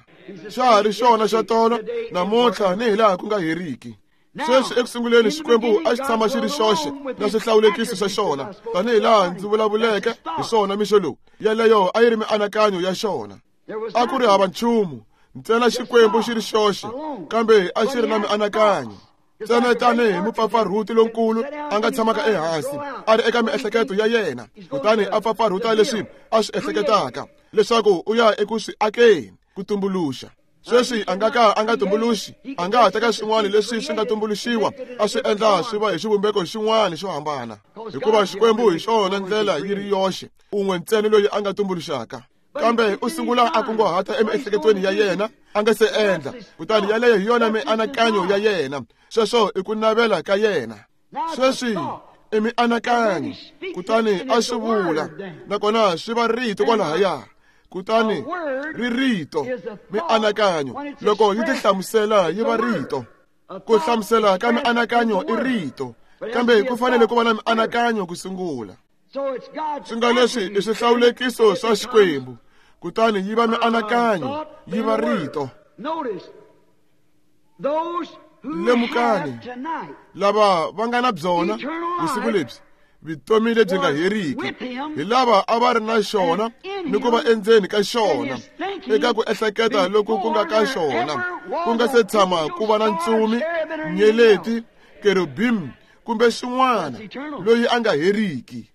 Xa ha ri xona xa tolo, namuntlha ni hilaha ku nga heriki. Sweswi ekusunguleni Xikwembu a xi tshama xi ri xoxe na swihlawulekiso swa xona, tanihi laha ndzi vulavuleke hi swona mixo lowu. Yeleyo a yi ri mianakanyo ya xona. A ku ri hava nchumu, ntsena Xikwembu xi ri xoxe, kambe a xi ri na mianakanyo. Ntsena tanihi mupfapfarhuti lonkulu a nga tshamaka ehansi a ri eka miehleketo ya yena, kutani a pfapfarhuta leswi a swi ehleketaka leswaku u ya eku swi akeni, ku tumbuluxa. Sweswi a nga ka a nga tumbuluxi, a nga ha teka swin'wana leswi swi nga tumbuluxiwa a swi endla swi va hi xivumbeko xin'wana xo hambana, hikuva Xikwembu hi xona ndlela yi ri yoxe, un'we ntsena loyi a nga tumbuluxaka. Kambe u sungula a kunguhata emiehleketweni ya yena a nga se endla, kutani yaleyo hi yona mianakanyo ya yena. Sweswo i ku navela ka yena. Sweswi i mianakanyo, kutani a swi vula, nakona swi va rito kwalahaya. Kutani ri rito, mianakanyo loko yi tihlamusela yi va rito. Ku hlamusela ka mianakanyo i rito, kambe ku fanele ku va na mianakanyo ku sungula. Swi nga leswi i swihlawulekiso swa Xikwembu, kutani yi va mianakanyo, yi va rito. Lemukani, lava va nga na byona vusiku lebyi, vutomi lebyi nga heriki, hi lava a va ri na xona ni ku va endzeni ka xona, eka ku ehleketa loku ku nga ka xona, ku nga se tshama ku va na ntsumi, nyeleti, kerubim kumbe xin'wana loyi a nga heriki.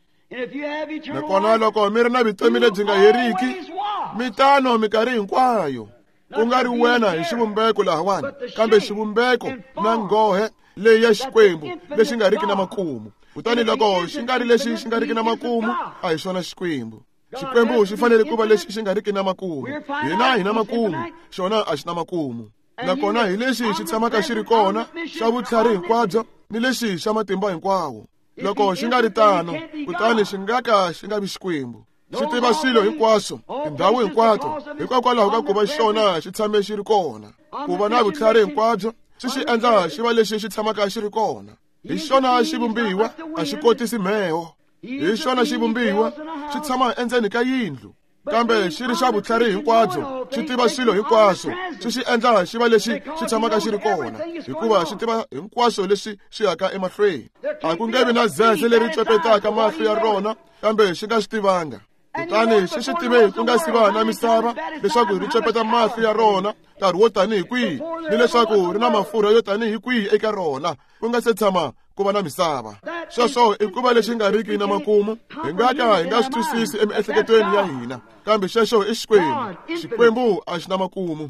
Nakona loko mi ri na vutomi lebyi nga heriki, mi tano minkarhi hinkwayo. Ku nga ri wena hi xivumbeko lahawani, kambe xivumbeko na nghohe leyi ya Xikwembu lexi nga riki na makumu. Kutani loko xi nga ri lexi xi nga riki na makumu, a hi xona Xikwembu. Xikwembu xi fanele ku va lexi xi nga riki na makumu. Hina hi na makumu, xona a xi na makumu. Nakona hi lexi xi tshamaka xi ri kona xa vutlhari hinkwabyo ni lexi xa matimba hinkwawo. Loko xi nga ri tano, kutani xi nga ka xi nga vi Xikwembu. Xi tiva swilo hinkwaswo, tindhawu hinkwato, hikokwalaho ka ku va xona xi tshame xi ri kona. Ku va na vutlhari hinkwabyo swi xi endla xi va lexi xi tshamaka xi ri kona. Hi xona xivumbiwa, a xi kotisi mheho. Hi xona xivumbiwa, xi tshama endzeni ka yindlu. Kambe xi ri xa vutlhari hinkwabyo, xi tiva swilo hinkwaswo, xi xi endla xi va lexi xi tshamaka xi ri kona, hikuva xi tiva hinkwaswo leswi swi yaka emahlweni. A ku nge vi na zeze leri tswepetaka mahlo ya rona, kambe xi nga swi tivanga. Kutani xi swi tive ku nga si va na misava leswaku ri tswepeta mahlo ya rona nkarhi wo tanihi kwihi, ni leswaku ri na mafurha yo tanihi kwihi eka rona, ku nga se tshama ku va na misava. Sweswo i ku va lexi nga riki na makumu, hi nga ka hi nga swi twisisi emiehleketweni ya hina, kambe xexo i Xikwembu. Xikwembu a xi na makumu.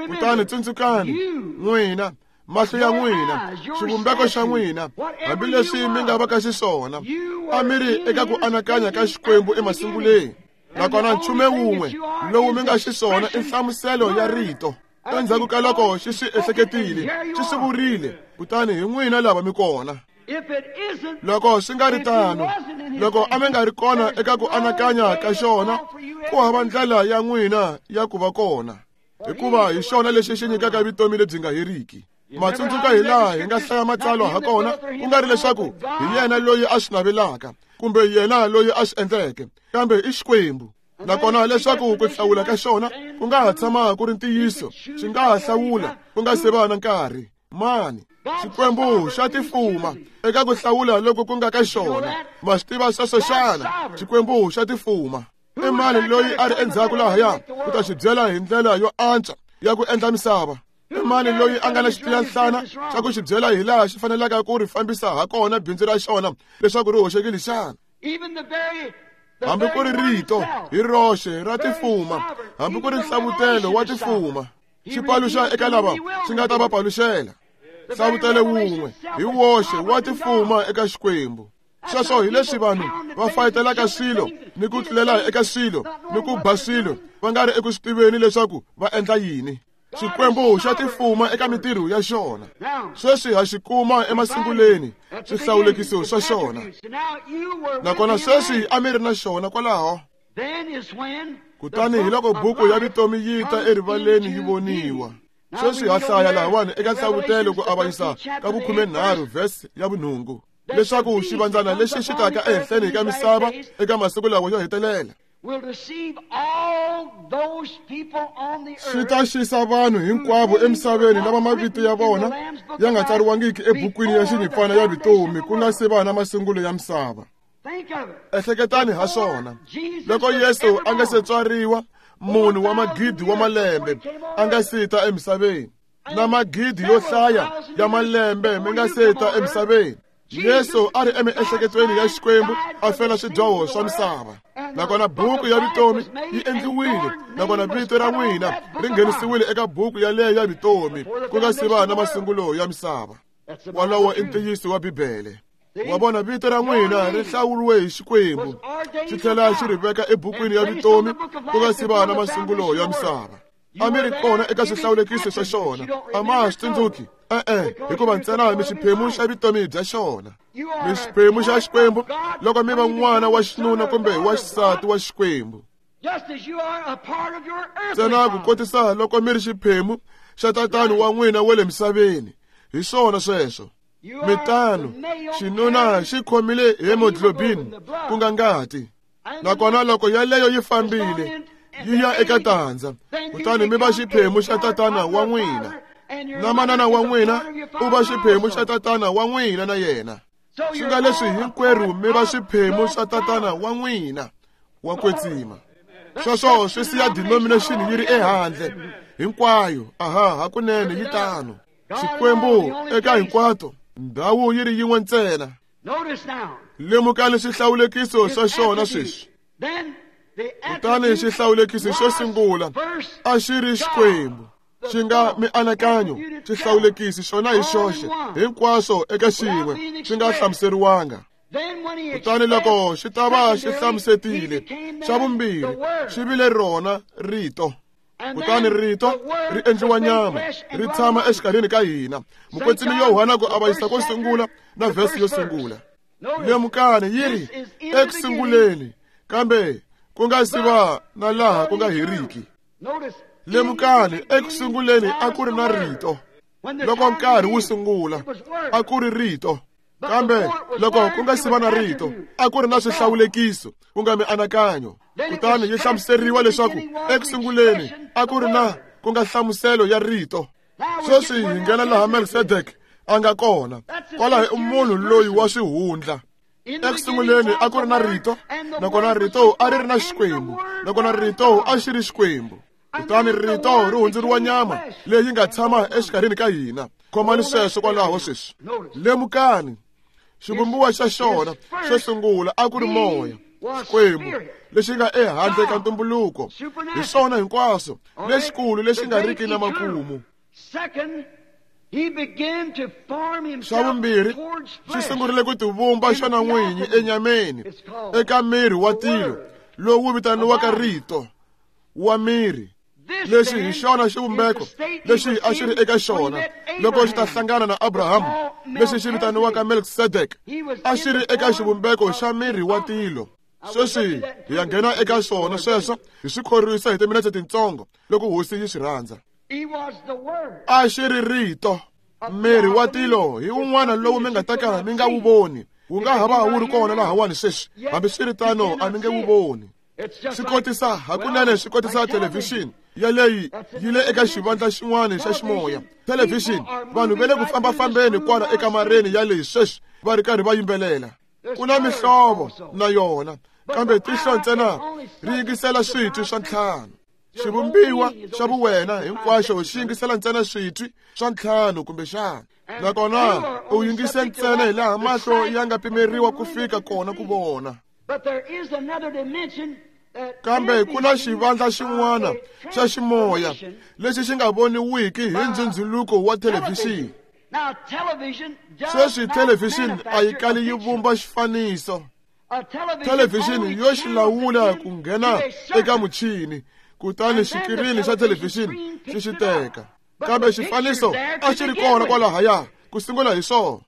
Kutani tsundzukani, n'wina, mahlo ya n'wina, xivumbeko xa n'wina, hambileswi mi nga va ka xiswona, a mi ri eka ku anakanya ka Xikwembu emasunguleni. Nakona nchumu wun'we lowu mi nga xiswona i nhlamuselo ya rito. Endzhaku ka loko xi swi ehleketile, xi swi vurile, kutani hi n'wina lava mi kona. Loko swi nga ri tano, loko a mi nga ri kona eka ku anakanya ka xona, ku hava ndlela ya n'wina ya ku va kona, hikuva hi xona lexi xi nyikaka vutomi lebyi nga heriki. Matsundzuka hi laha hi nga hlaya matsalwa ha kona, ku nga ri leswaku hi yena loyi a swi navelaka kumbe yena loyi a swi endleke, kambe i Xikwembu. Nakona leswaku ku hlawula ka xona ku nga ha tshama ku ri ntiyiso, xi nga ha hlawula ku nga se va na nkarhi. Mani, Xikwembu xa tifuma eka ku hlawula loko ku nga ka xona. Ma swi tiva sweswo xana? Xikwembu xa tifuma. I mani loyi a ri endzhaku lahaya ku ta xi byela hi ndlela yo antswa ya ku endla misava? I mani loyi a nga na xitiyanhlana xa ku xi byela hi laha xi fanelaka ku ri fambisa ha kona bindzu ra xona leswaku ri hoxekile xana? Hambi ku ri rito hi roxe ra tifuma, hambi ku ri nhlavutelo wa tifuma, xi paluxa eka lava xi nga ta va paluxela. Nhlavutelo wun'we hi woxe wa tifuma eka Xikwembu. Sweswo hi leswi vanhu va fayitelaka swilo ni ku tlulela eka swilo ni ku ba swilo va nga ri eku swi tiveni leswaku va endla yini. Xikwembu xa tifuma eka mintirho ya xona. Sweswi ha xi kuma emasunguleni swihlawulekiso swa xona. Nakona sweswi a mi ri na xona kwalaho. Kutani hi loko buku ya vutomi yi ta erivaleni yi voniwa. Sweswi ha hlaya lahawani eka nhlavutelo ku avanyisa ka vukhumenharhu vhesi ya vunhungu, leswaku xivandzana lexi xi taka ehenhleni ka misava eka masiku lawa yo hetelela xi ta xisa vanhu hinkwavo emisaveni lava mavito ya vona ya nga tsariwangiki ebukwini ya xinyimpfana ya vutomi ku nga se va na masungulo ya misava. Ehleketani ha swona. Loko Yesu a nga se tswariwa, munhu wa magidi wa malembe a nga se ta emisaveni, na magidi yo hlaya ya malembe mi nga se ta emisaveni, Yesu a ri emiehleketweni ya Xikwembu a fela swidyoho swa misava. Nakona buku ya vutomi yi endliwile, nakona vito ra n'wina ri nghenisiwile eka buku yaleyo ya vutomi ku nga si va na masungulo ya misava. Walowo i ntiyiso wa Bibele. Wa vona, vito ra n'wina ri hlawuriwe hi Xikwembu, xi tlhela xi ri veka ebukwini ya vutomi ku nga si va na masungulo ya misava. A mi ri kona eka swihlawulekiso swa xona, a ma ha swi tsundzuki? E-e, hikuva ntsena mi xiphemu xa vutomi bya xona. Mi xiphemu xa Xikwembu loko mi va n'wana wa xinuna kumbe wa xisati wa Xikwembu. Ntsena ku kotisa loko mi ri xiphemu xa tatani wa n'wina wa le misaveni. Hi swona sweswo. Mi tano, xinuna xi khomile hemoglobin ku nga ngati. Nakona loko yaleyo yi fambile yi ya eka tandza, kutani mi va xiphemu xa tatana wa n'wina, na manana wa n'wina u va xiphemu xa tatana wa n'wina na yena. Swi nga leswi hinkwerhu mi va swiphemu swa tatana wa n'wina wa kwetsima. Sweswo swi siya denomination yi ri ehandle hinkwayo. Aha, hakunene yi tano. Xikwembu eka hinkwato, ndhawu yi ri yin'we ntsena. Lemukani swihlawulekiso swa xona sweswi. Kutani xihlawulekiso xo sungula a xi ri Xikwembu, xi nga mianakanyo. Xihlawulekisi xona hi xoxe, hinkwaswo eka xin'we, xi nga hlamuseriwanga. Kutani loko xi ta va xi hlamusetile, xa vumbirhi xi vile rona rito. Kutani rito ri endliwa nyama, ri tshama exikarhini ka hina. Mukwetsimi Yohana ku avanyisa ko sungula na vhesi yo sungula. Lemukani yi ri ekusunguleni, kambe ku nga si va na laha ku nga heriki. Lemukani, ekusunguleni a ku ri na rito. Loko nkarhi wu sungula, a ku ri rito. Kambe loko ku nga si va na rito, a ku ri na swihlawulekiso, ku nga mianakanyo. Kutani yi hlamuseriwa leswaku eku sunguleni a ku ri na ku nga hlamuselo ya rito. Sweswi hi nghena laha Melkisedeke a nga kona. Kwalaho i munhu loyi wa swihundla. Eku sunguleni a ku ri na rito, nakona rito a ri ri na Xikwembu, nakona rito a xi ri Xikwembu. Kutani rito ri hundzuriwa nyama leyi nga tshama exikarhini ka hina. Khomani sweswo kwalaho sweswi. Lemukani, xivumbiwa xa xona xo sungula a ku ri moya, Xikwembu lexi nga ehandle ka ntumbuluko. Hi swona hinkwaswo lexikulu lexi nga riki na makumu. Xa vumbirhi, xi sungurile ku tivumba xona n'winyi enyameni eka miri wa tilo lowu vitaniwaka rito wa miri. Lexi hi xona xivumbeko lexi a xi ri eka xona loko xi ta hlangana na Abrahamu, lexi xi vitaniwaka Melkisedeke, a xi ri eka xivumbeko xa miri wa tilo. Sweswi hi ya nghena eka swona sweswo hi swi khorwisa hi timinetse tintsongo loko hosi yi swi rhandza. A xi ri rito. Miri wa tilo hi wun'wana lowu mi nga ta ka mi nga wu voni. Wu nga ha va wu ri kona lahawani sweswi, hambiswiritano a mi nge wu voni. Swi kotisa hakunene swi kotisa thelevhixini yaleyi yi le eka xivandla xin'wana xa ximoya. Thelevhixini, vanhu va le ku fambafambeni kwala ekamareni yaleyi sweswi va ri karhi va yimbelela. Ku na mihlovo na yona, kambe tihlo ntsena ri yingisela switwi swa ntlhanu. Xivumbiwa xa vuwena hinkwaxo xi yingisela ntsena switwi swa ntlhanu kumbexana. Nakona u yingise ntsena hi laha mahlo ya nga pimeriwa ku fika kona ku vona. Kambe ku na xivandla xin'wana xa ximoya lexi xi nga voniwiki hi ndzhundzhuluko wa thelevhixini. Sweswi thelevhixini a yi kali yi vumba xifaniso. Thelevhixini yo xi lawula ku nghena eka muchini, kutani xikirini xa thelevhixini xi xi teka. Kambe xifaniso a xi ri kona kwalahaya ku sungula hi swona.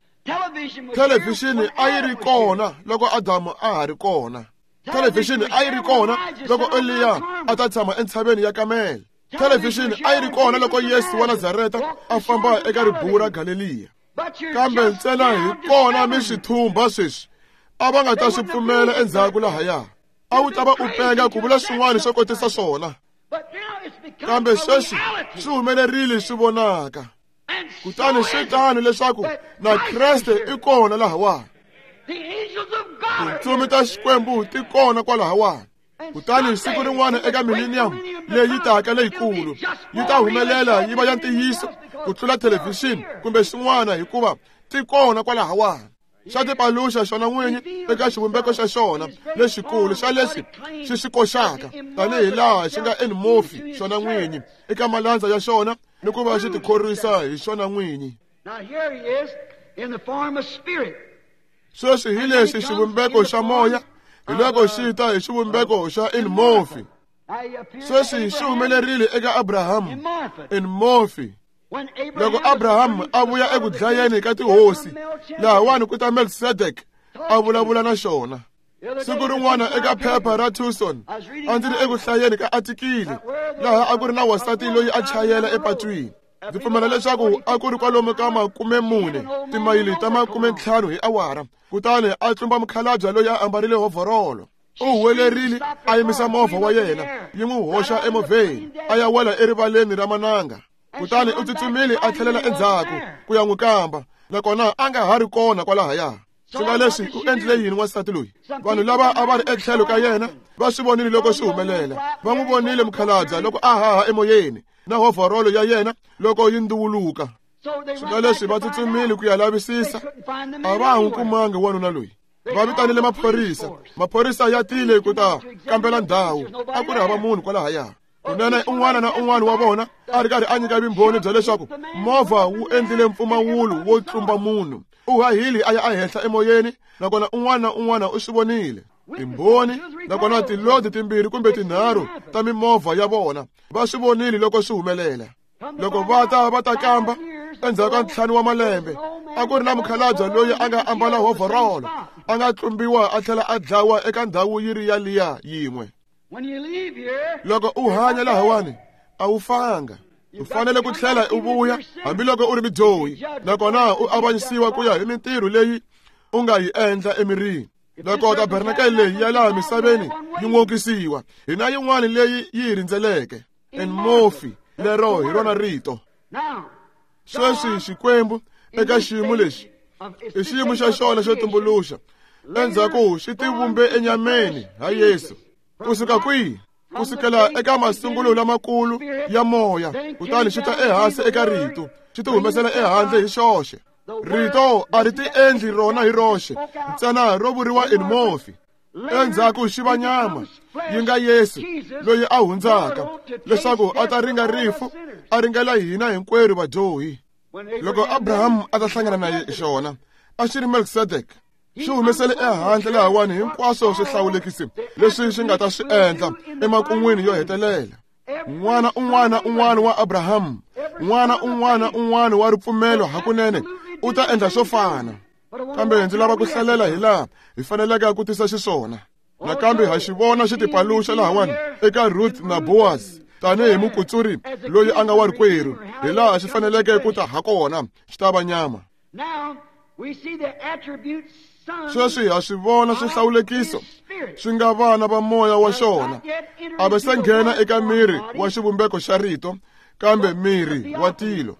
Thelevhixini a yi ri kona loko Adamu a ha ri kona. Thelevhixini a yi ri kona loko Eliya a ta tshama entshaveni ya Kamele. Thelevhixini a yi ri kona loko Yesu wa Nazareta a famba eka ribuwu ra Galeliya. Kambe ntsena hi kona mi swi thumba sweswi, a va nga ta swi pfumela endzhaku lahaya. A wu ta va u penga ku vula swin'wana swo kotisa swona. Kambe sweswi swi humelerile swi vonaka. Kutani swi tano leswaku na Kreste i kona lahawani. Tintsumi ta Xikwembu ti kona kwalahawani. Kutani siku rin'wana eka millennium leyi taka leyikulu yi ta humelela yi va ya ntiyiso ku tlula thelevhixini kumbe xin'wana, hikuva ti kona kwalahawani. Xa tipaluxa xona n'winyi eka xivumbeko xa xona lexikulu xa leswi xi xi koxaka, tanihi laha xi nga enmofi xona n'winyi eka malandza ya xona ni ku va xi tikhorwisa hi xona n'winyi. Sweswi hi lexi xivumbeko xa moya, hi loko xi ta hi xivumbeko xa enmofi. Sweswi xi humelerile eka Abrahamu enmofi. Loko Abrahamu a vuya eku dlayeni ka tihosi, lahawani ku ta Melkisedeke a vulavula na xona. Siku rin'wana eka phepha ra Tucson, a ndzi ri eku hlayeni ka atikili laha a ku ri na wansati loyi a chayela epatwini. Ndzi pfumela leswaku a ku ri kwalomu ka makume mune timayili ta makume ntlhanu hi awara. Kutani a tlumba mukhalabye loyi a ambarile hovhorolo. U huwelerile a yimisa movha wa yena, yi n'wi hoxa emovheni, a ya wela erivaleni ra mananga. Kutani u tsutsumile a tlhelela endzhaku ku ya n'wi kamba, nakona a nga ha ri kona kwalahaya. Swi nga leswi u endlile yini wansati loyi? Vanhu lava a va ri etlhelo ka yena va swi vonile loko swi humelela. Va n'wi vonile mukhalabye loko a haha emoyeni na hovhorolo ya yena loko yi nduwuluka. Swi nga leswi va tsutsumile ku ya lavisisa, a va ha n'wi kumangi wanuna loyi. Va vitanile maphorisa. Maphorisa ya tile ku ta kambela ndhawu, a ku ri hava munhu kwalahaya. Kunene un'wana na un'wana wa vona a ri karhi a nyika vumbhoni bya leswaku movha wu endlile mpfumawulo wo tlumba munhu. U hahile a ya ehenhla emoyeni, nakona un'wana na un'wana u swi vonile. Timbhoni nakona tilodi timbirhi kumbe tinharhu ta mimovha ya vona va swi vonile loko swi humelela. Loko va ta va ta kamba endzhaku ka ntlhanu wa malembe, a ku ri na mukhalabye loyi a nga ambala hovhorolo, a nga tlumbiwa a tlhela a dlawa eka ndhawu yi ri yaliya yin'we. Loko u hanya lahawani a wu fanga. U fanele ku tlhela u vuya hambiloko u ri mudyohi, nakona u avanyisiwa ku ya hi mintirho leyi u nga yi endla emirini. Loko tabernakele leyi ya laha misaveni yi n'okisiwa, hi na yin'wana leyi yi hi rindzeleke. En morphe, lero hi rona rito. Sweswi Xikwembu eka xiyimo lexi i xiyimo xa xona xo tumbuluxa. Endzhaku xi tivumbe enyameni ha Yesu. Kusuka kwihi? Kusukela eka masungulo lamakulu ya moya, kutani xi ta ehansi eka rito, xi ti humesela ehandle hi xoxe. Rito a ri ti endli rona hi roxe, ntsena ro vuriwa en morphe. Endzhaku xi va nyama, yi nga Yesu loyi a hundzaka, leswaku a ta ringa rifu, a ringela hina hinkwerhu vadyohi. Loko Abraham a ta hlangana na xona, a xi ri Melkisedek. Xi humesele ehandle lahawani hinkwaswo swihlawulekisi leswi swi nga ta swi endla emakun'wini yo hetelela. N'wana un'wana un'wana wa Abraham, n'wana un'wana un'wana wa ripfumelo hakunene u ta endla swo fana. Kambe ndzi lava ku hlalela hi laha hi faneleke ku tisa xiswona. Nakambe ha xi vona xi tipaluxa lahawani eka Ruth na Boaz tanihi mukutsuri loyi a nga wa rikwerhu, hi laha xi faneleke ku ta ha kona, xi ta va nyama. Sweswi ha swi vona swihlawulekiso swi nga vana va moya wa xona. A va se nghena eka miri wa xivumbeko xa rito, kambe miri wa tilo.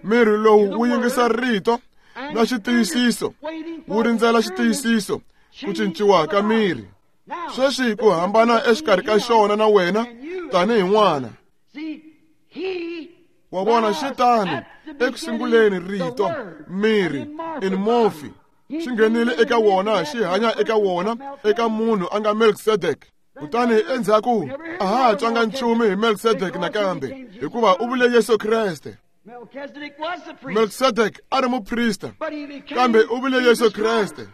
Miri lowu wu yingisa rito na xitiyisiso, wu rindzela xitiyisiso ku cinciwa ka miri. Sweswi ku hambana exikarhi ka xona na wena tanihi n'wana. Wa vona xi tano ekusunguleni rito miri in morphe xi nghenile eka wona, xi hanya eka wona, eka munhu a nga Melkisedek. Kutani endzhaku a ha ha twanga nchumu hi Melkisedek nakambe, hikuva u vule Yesu Kreste. Melkisedek a ri muprista, kambe u vule Yesu Kreste.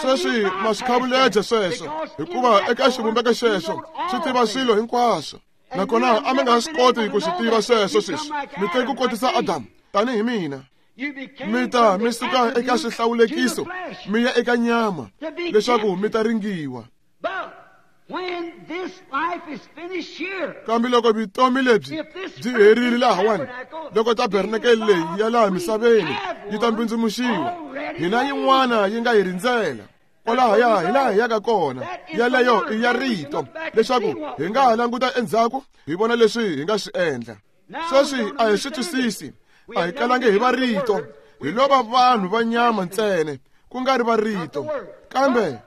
Sweswi ma swi khavuleja sweswo, hikuva eka xivumbeko xexo swi tiva swilo hinkwaswo. Nakona a mi nga swi koti ku swi tiva sweswo sweswi. Mi te ku kotisa Adamu tanihi mina. Mi ta mi suka eka swihlawulekiso mi ya eka nyama, leswaku mi ta ringiwa. Kambe loko vutomi lebyi byi herile lahawani, loko tabernakele leyi ya laha misaveni yi ta mbindzimuxiwa, hina yin'wana yi nga hi rindzela. Kwalahaya hi laha hi yaka kona, yaleyo i ya rito, leswaku hi nga ha languta endzhaku hi vona leswi hi nga swi endla. Sweswi a hi swi twisisi, a hi kalangi hi va rito, hi lo va vanhu va nyama ntsena, ku nga ri va rito. Kambe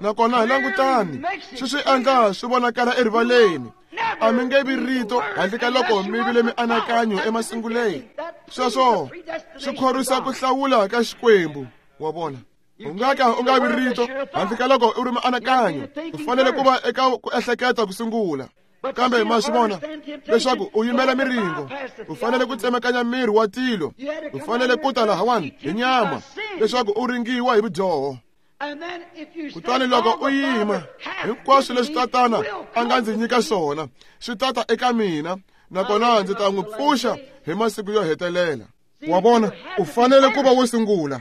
nakona langutani, swi swi endla swi vonakala erivaleni. A mi nge vi rito handle ka loko mi vile mianakanyo emasunguleni. Sweswo swi khorwisa ku hlawula ka Xikwembu, wa vona. U nga ka u nga vi rito handle ka loko u ri mianakanyo. U fanele ku va eka ku ehleketa ku sungula. Kambe ma swi vona leswaku u yimela miringo, u fanele ku tsemekanya miri wa tilo, u fanele ku ta lahawani hi nyama leswaku u ringiwa hi vudyoho. Kutani loko u yima, hinkwaswo leswi tatana a nga ndzi nyika swona swi tata eka mina, nakona ndzi ta n'wi pfuxa hi masiku yo hetelela. Wa vona, u fanele ku va wo sungula.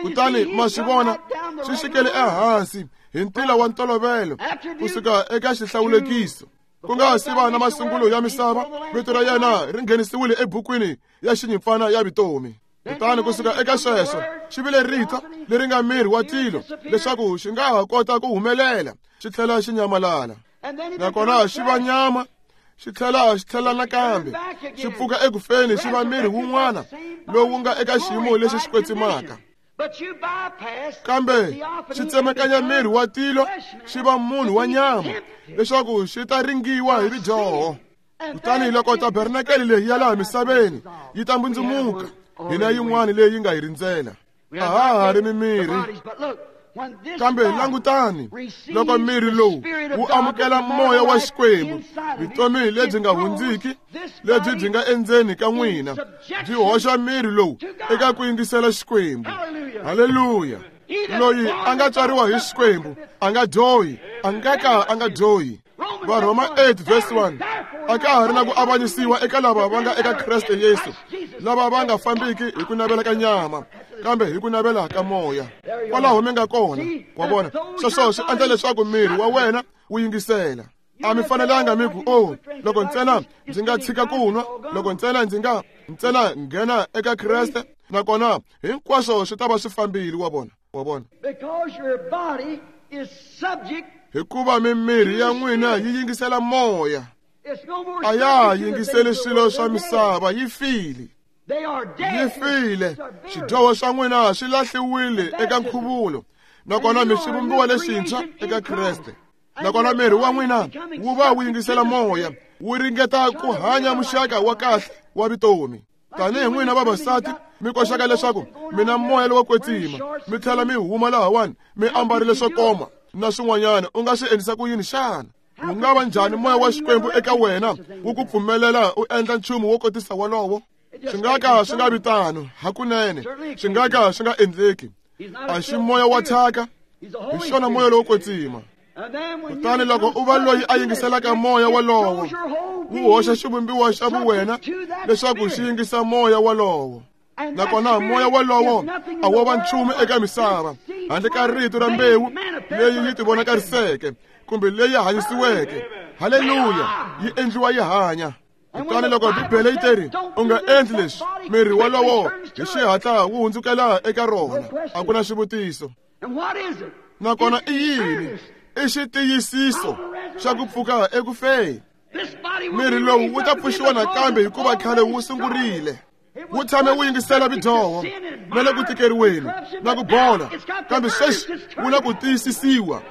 Kutani ma swi vona swi xikele ehansi hi ntila wa ntolovelo kusuka eka xihlawulekiso. Ku nga si va na masungulo ya misava, vito ra yena ri nghenisiwile ebukwini ya xinyimpfana ya vutomi. Kutani kusuka eka sweswo xi vile rito leri nga miri wa tilo, leswaku xi nga ha kota ku humelela xi tlhela xi nyamalala. Nakona xi va nyama, xi tlhela xi tlhela nakambe xi pfuka ekufeni, xi va miri wun'wana lowu nga eka xiyimo lexi xi kwetsimaka. Kambe xi tsemekanya miri wa tilo, xi va munhu wa nyama, leswaku xi ta ringiwa hi vudyoho. Kutani loko tabernakele leyi ya laha misaveni yi ta mbundzumuka, hina yin'wana leyi nga hi rindzela. A ha ha ri mimiri. Kambe langutani, loko miri lowu wu amukela moya wa Xikwembu, vutomi lebyi nga hundziki lebyi byi nga endzeni ka n'wina byi hoxa miri lowu eka ku yingisela Xikwembu. Haleluya! Loyi a nga tswariwa hi Xikwembu a nga dyohi, a nga ka a nga dyohi. Varhoma eight verse one. A ka ha ri na ku avanyisiwa eka lava va nga eka Kreste Yesu, lava va nga fambiki hi ku navela ka nyama, kambe hi ku navela ka moya. Kwalaho mi nga kona, wa vona. Sweswo swi endla leswaku miri wa wena wu yingisela. A mi fanelanga mi ku, oh, loko ntsena ndzi nga tshika ku nwa, loko ntsena ndzi nga ntsena nghena eka Kreste, nakona hinkwaswo swi ta va swi fambile, wa vona. Wa vona? Hikuva mimiri ya n'wina yi yingisela moya. A ya ha yingiseli swilo swa misava, yi file. Yi file. Xidyoho swa n'wina swi lahliwile eka nkhuvulo, nakona mi xivumbiwa lexintshwa eka Kreste. Nakona miri wa n'wina wu va wu yingisela moya, wu ringeta ku hanya muxaka wa kahle wa vutomi. Tanihi n'wina vavasati mi koxaka leswaku mi na moya lowo kwetsima, mi tlhela mi huma lahawani mi ambarile swo koma na swin'wanyana, u nga swi endlisa ku yini xana? Wu nga va njhani moya wa Xikwembu eka wena wu ku pfumelela u endla nchumu wo kotisa wolowo? Swi nga ka swi nga vi tano hakunene, swi nga ka swi nga endleki. A xi moya wa thyaka, hi xona moya lowo kwetsima. Kutani loko u va loyi a yingiselaka moya wolowo, wu hoxa xivumbiwa xa vuwena leswaku xi yingisa moya wolowo. Nakona moya wolowo a wo va nchumu eka misava handle ka rito ra mbewu leyi yi tivonakariseke kumbe leyi hanyisiweke. Haleluya! Yi endliwa yi hanya. Kutani loko Bibele yi teri u nga endli leswi, miri wolowo hi xihatla wu hundzukela eka rona. A ku na xivutiso. Nakona i yini? I xitiyisiso xa ku pfuka eku feni. Miri lowu wu ta pfuxiwa nakambe hikuva khale wu sungurile. Wu tshame wu yingisela vidyoho na le ku tikeriweni na ku bola, kambe sweswi wu na ku tiyisisiwa,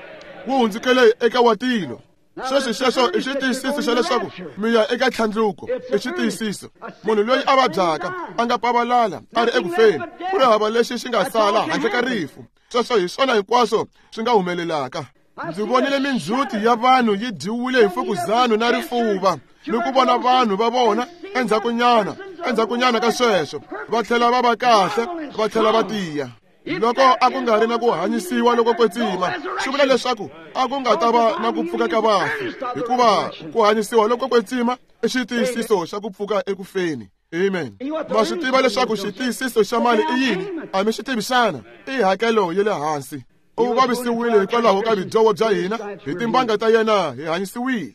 wu hundzukele eka wa tilo. Sweswi xexo i xitiyisiso xa leswaku mi ya eka tlhandluko. I xitiyisiso. Munhu loyi a vabyaka a nga pavalala a ri eku feni, ku ri hava lexi xi nga sala handle ka rifu. Sweswo hi swona hinkwaswo swi nga humelelaka. Ndzi vonile mindzhuti ya vanhu yi dyiwile hi mfukuzano na rifuva, ni ku vona vanhu va vona endzhakunyana endzhakunyana ka sweswo va tlhela va va kahle, va tlhela va tiya. Loko a ku nga ri na ku hanyisiwa loko kwetsima, swi vula leswaku a ku nga ta va na ku pfuka ka vafi, hikuva ku hanyisiwa loko kwetsima i xitiyisiso xa ku pfuka eku feni. Amen. Ma swi tiva leswaku xitiyisiso xa mali i yini? A mi xi tivi xana? I hakelo ya le hansi. U vavisiwile hikwalaho ka vidyoho bya hina, hi timbanga ta yena hi hanyisiwile.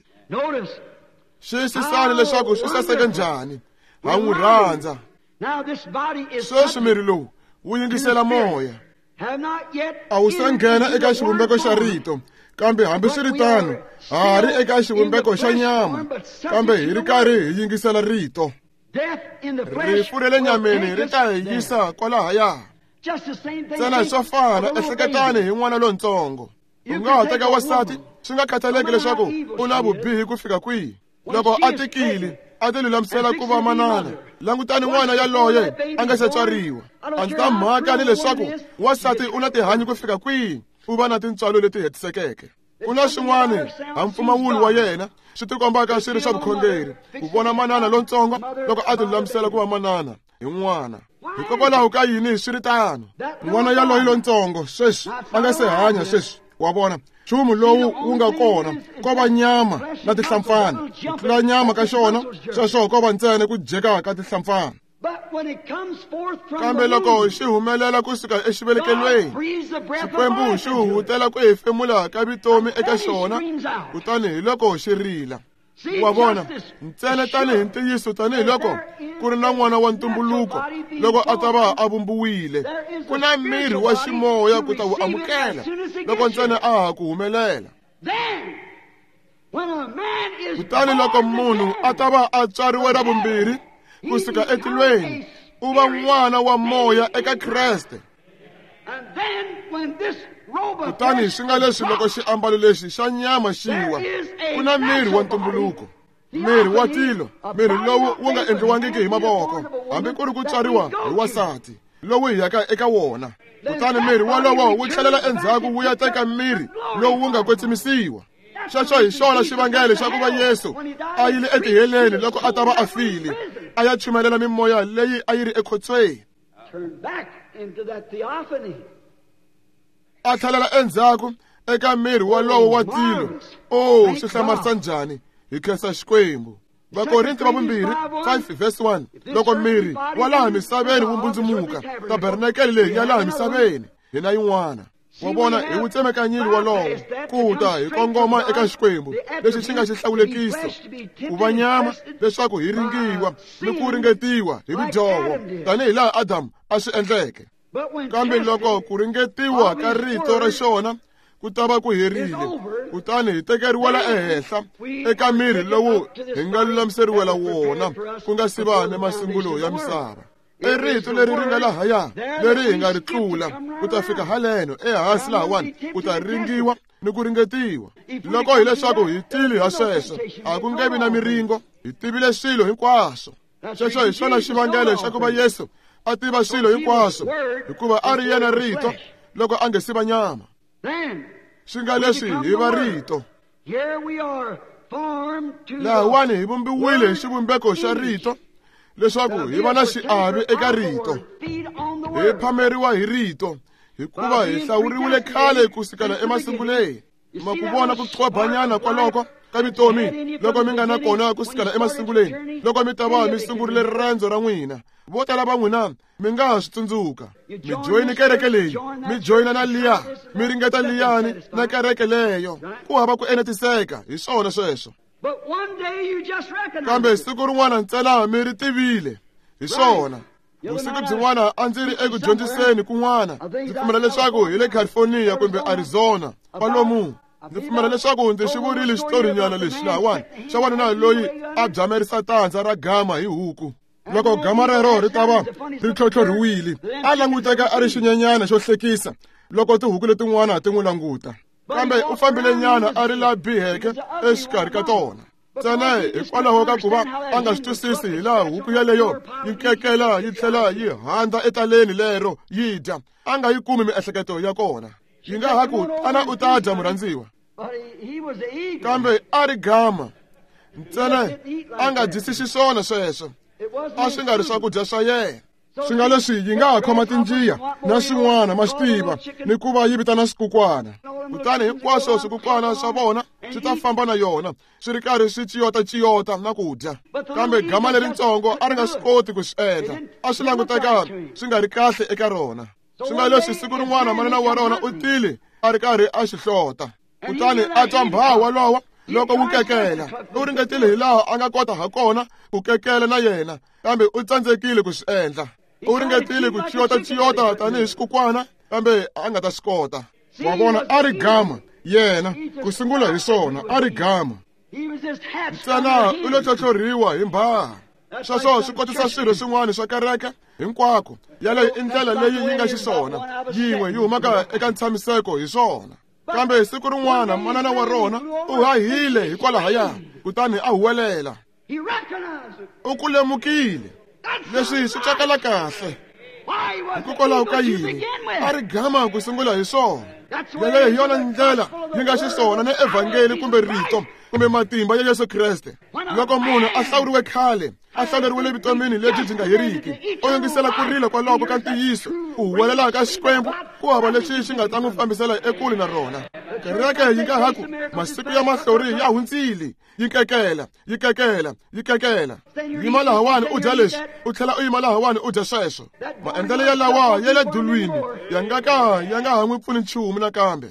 Xiyisisani leswaku swi saseke njhani. Ha n'wi rhandza. Sweswi miri lowu wu yingisela moya. A wu se nghena eka xivumbeko xa rito, kambe hambiswiritano ha ha ri eka xivumbeko xa nyama, kambe hi ri karhi hi yingisela rito. Rifu ra le nyameni ri ta hi yisa kwalahaya. Ntsena swo fana, ehleketani hi n'wana lontsongo. U nga ha teka wansati, swi nga khathaleki leswaku u na vubihi ku fika kwihi. Loko a tikile, a ti lulamisela ku va manana. Langutani n'wana yaloye a nga se tswariwa. A ndzi ta mhaka ni leswaku wansati u na tihanyi ku fika kwihi, u va na tintswalo leti hetisekeke. Ku na swin'wana ha mpfumawulo wa yena swi tikombaka swi ri swa vukhongeri, ku vona manana lontsongo loko a ti lulamisela ku va manana hi n'wana. Hikokwalaho ka yini swi ri tano? N'wana yaloye lontsongo sweswi a nga se hanya sweswi, wa vona nchumu lowu wu nga kona ko va nyama na tihlampfana. Ku tlula nyama ka xona, sweswo ko va ntsena ku dyeka ka tihlampfana. Kambe loko xi humelela kusuka exivelekelweni, Xikwembu xi huhutela ku hefemula ka vutomi eka xona, kutani hi loko xi rila. Wa vona, ntsena tanihi ntiyiso tanihiloko ku ri na n'wana wa ntumbuluko loko a ta va a vumbiwile, ku na miri wa ximoya ku ta wu amukela loko ntsena a ha ku humelela. Kutani loko munhu a ta va a tswariwe ra vumbirhi kusuka etilweni, u va n'wana wa moya eka Kreste. Kutani swi nga leswi loko xiambalo lexi xa nyama xi wa, ku na miri wa ntumbuluko, miri wa tilo, miri lowu wu nga endliwangiki hi mavoko, hambi ku ri ku tswariwa hi wansati, lowu hi yaka eka wona. Kutani miri wolowo wu tlhelela endzhaku wu ya teka miri lowu wu nga kwetsimisiwa. Xexo hi xona xivangelo xa ku va Yesu a yile etiheleni loko a ta va a file, a ya chumelela mimoya leyi a yi ri ekhotsweni. A tlhelela endzhaku eka miri wolowo wa tilo. Oh, swi hlamarisa njhani! Hi khensa Xikwembu. Vakorinti va vumbirhi five verse one. Loko miri wa laha misaveni wu mbundzumuka, tabernakele leyi ya laha misaveni hi na yin'wana. Wa vona, hi wu tsemekanyile wolowo ku ta hi kongoma eka Xikwembu lexi xi nga xihlawulekiso, ku va nyama leswaku hi ringiwa ni ku ringetiwa hi vudyoho tanihi laha Adamu a swi endleke. Kambe loko ku ringetiwa ka rito ra xona ku ta va ku herile, kutani hi tekeriwela ehenhla eka miri lowu hi nga lulamiseriwela wona ku nga si va ni masungulo ya misava. I rito leri ri nga lahaya leri hi nga ri tlula ku ta fika haleno ehansi lahawani ku ta ringiwa ni ku ringetiwa. Loko hileswaku hi tile ha sweswo, a ku nge vi na miringo, hi tivile swilo hinkwaswo. Sweswo hi swona xivangelo xa ku va Yesu a tiva swilo hinkwaswo, hikuva a ri yena rito loko a nge si va nyama. Swi nga leswi hi va rito. Lahawani hi vumbiwile hi xivumbeko xa rito leswaku hi va na xiave eka rito. Hi phameriwa hi rito hikuva hi hlawuriwile khale ku sukela emasunguleni. Ma ku vona ku qobanyana kwaloko ka vutomi loko mi nga na kona ku sukela emasunguleni, loko mi ta va mi sungurile rirendzo ra n'wina. Vo tala va n'wina mi nga ha swi tsundzuka. Mi joyini kereke leyi, mi joyina na liya, mi ringeta liyani na kereke leyo. Ku hava ku enetiseka hi swona sweswo. Kambe siku rin'wana ntsena mi ri tivile hi swona. Vusiku byin'wana a ndzi ri eku dyondziseni kun'wana, ndzi pfumela leswaku hi le California kumbe Arizona kwalomu. Ndzi pfumela leswaku ndzi xi vurile xitorinyana lexi lahawani xa wanuna loyi a byamerisa tandza ra gama hi huku. Loko gama rero ri ta va ri tlhotlhorhiwile, a languteka a ri xinyenyana xo hlekisa loko tihuku letin'wana ti n'wi languta. Kambe u fambile nyana a ri la biheke exikarhi ka tona. Ntsena hikwalaho ka ku va a nga swi twisisi hi laha huku yeleyo yi kekela yi tlhela yi handza etaleni lero yi dya, a nga yi kumi miehleketo ya kona. Yi nga ha ku tana u ta dya murhandziwa. Kambe a ri gama ntsena a nga dyisi xiswona sweswo, a swi nga ri swakudya swa yena. Swi nga leswi yi nga ha khoma tinjiya na swin'wana ma swi tiva ni ku va yi vitana swikukwana, kutani hinkwaswo swikukwana swa vona swi ta famba na yona swi ri karhi swi ciyota-ciyota na ku dya. Kambe gama leritsongo a ri nga swi koti ku swi endla, a swi languteka swi nga ri kahle eka rona. Swi nga leswi siku rin'wana manana wa rona u tile a ri karhi a xi hlota, kutani a twa mbhaha walowo loko wu kekela. U ringetile hi laha a nga kota ha kona ku kekela na yena, kambe u tsandzekile ku swi endla. U ringetile ku ciyota-ciyota tanihi xikukwana, kambe a nga ta swi kota. Wa vona, a ri gama yena ku sungula hi swona, a ri gama ntsena u lo tlhotlhorhiwa hi mbhaha. Sweswo swi kotisa swirho swin'wana swa kereke hinkwako. Yaleyo i ndlela leyi yi nga xiswona, yin'we yi humaka eka ntshamiseko hi swona. Kambe siku rin'wana manana wa rona u hahile hikwalahaya, kutani a huwelela. U ku lemukile leswi swi tsakela kahle. Hikokwalaho ka yini a ri gama ku sungula hi swona? Yaleyo hi yona ndlela yi nga xiswona na evhangeli kumbe rito kumbe matimba ya Yesu Kreste. Loko munhu a hlawuriwe khale, a hlawuleriwile vutomini lebyi byi nga heriki, u yingisela ku rila kwaloko ka ntiyiso, ku huwelela ka Xikwembu, ku hava lexi xi nga ta n'wi fambisela ekule na rona. Kereke yi nga ha ku masiku ya mahlori ya hundzile, yi kekela, yi kekela, yi kekela. Yima lahawani u dya leswi, u tlhela u yima lahawani u dya sweswo. Maendlelo ya lawa ya le dulwini ya nga ka ya nga ha n'wi pfuni nchumu nakambe.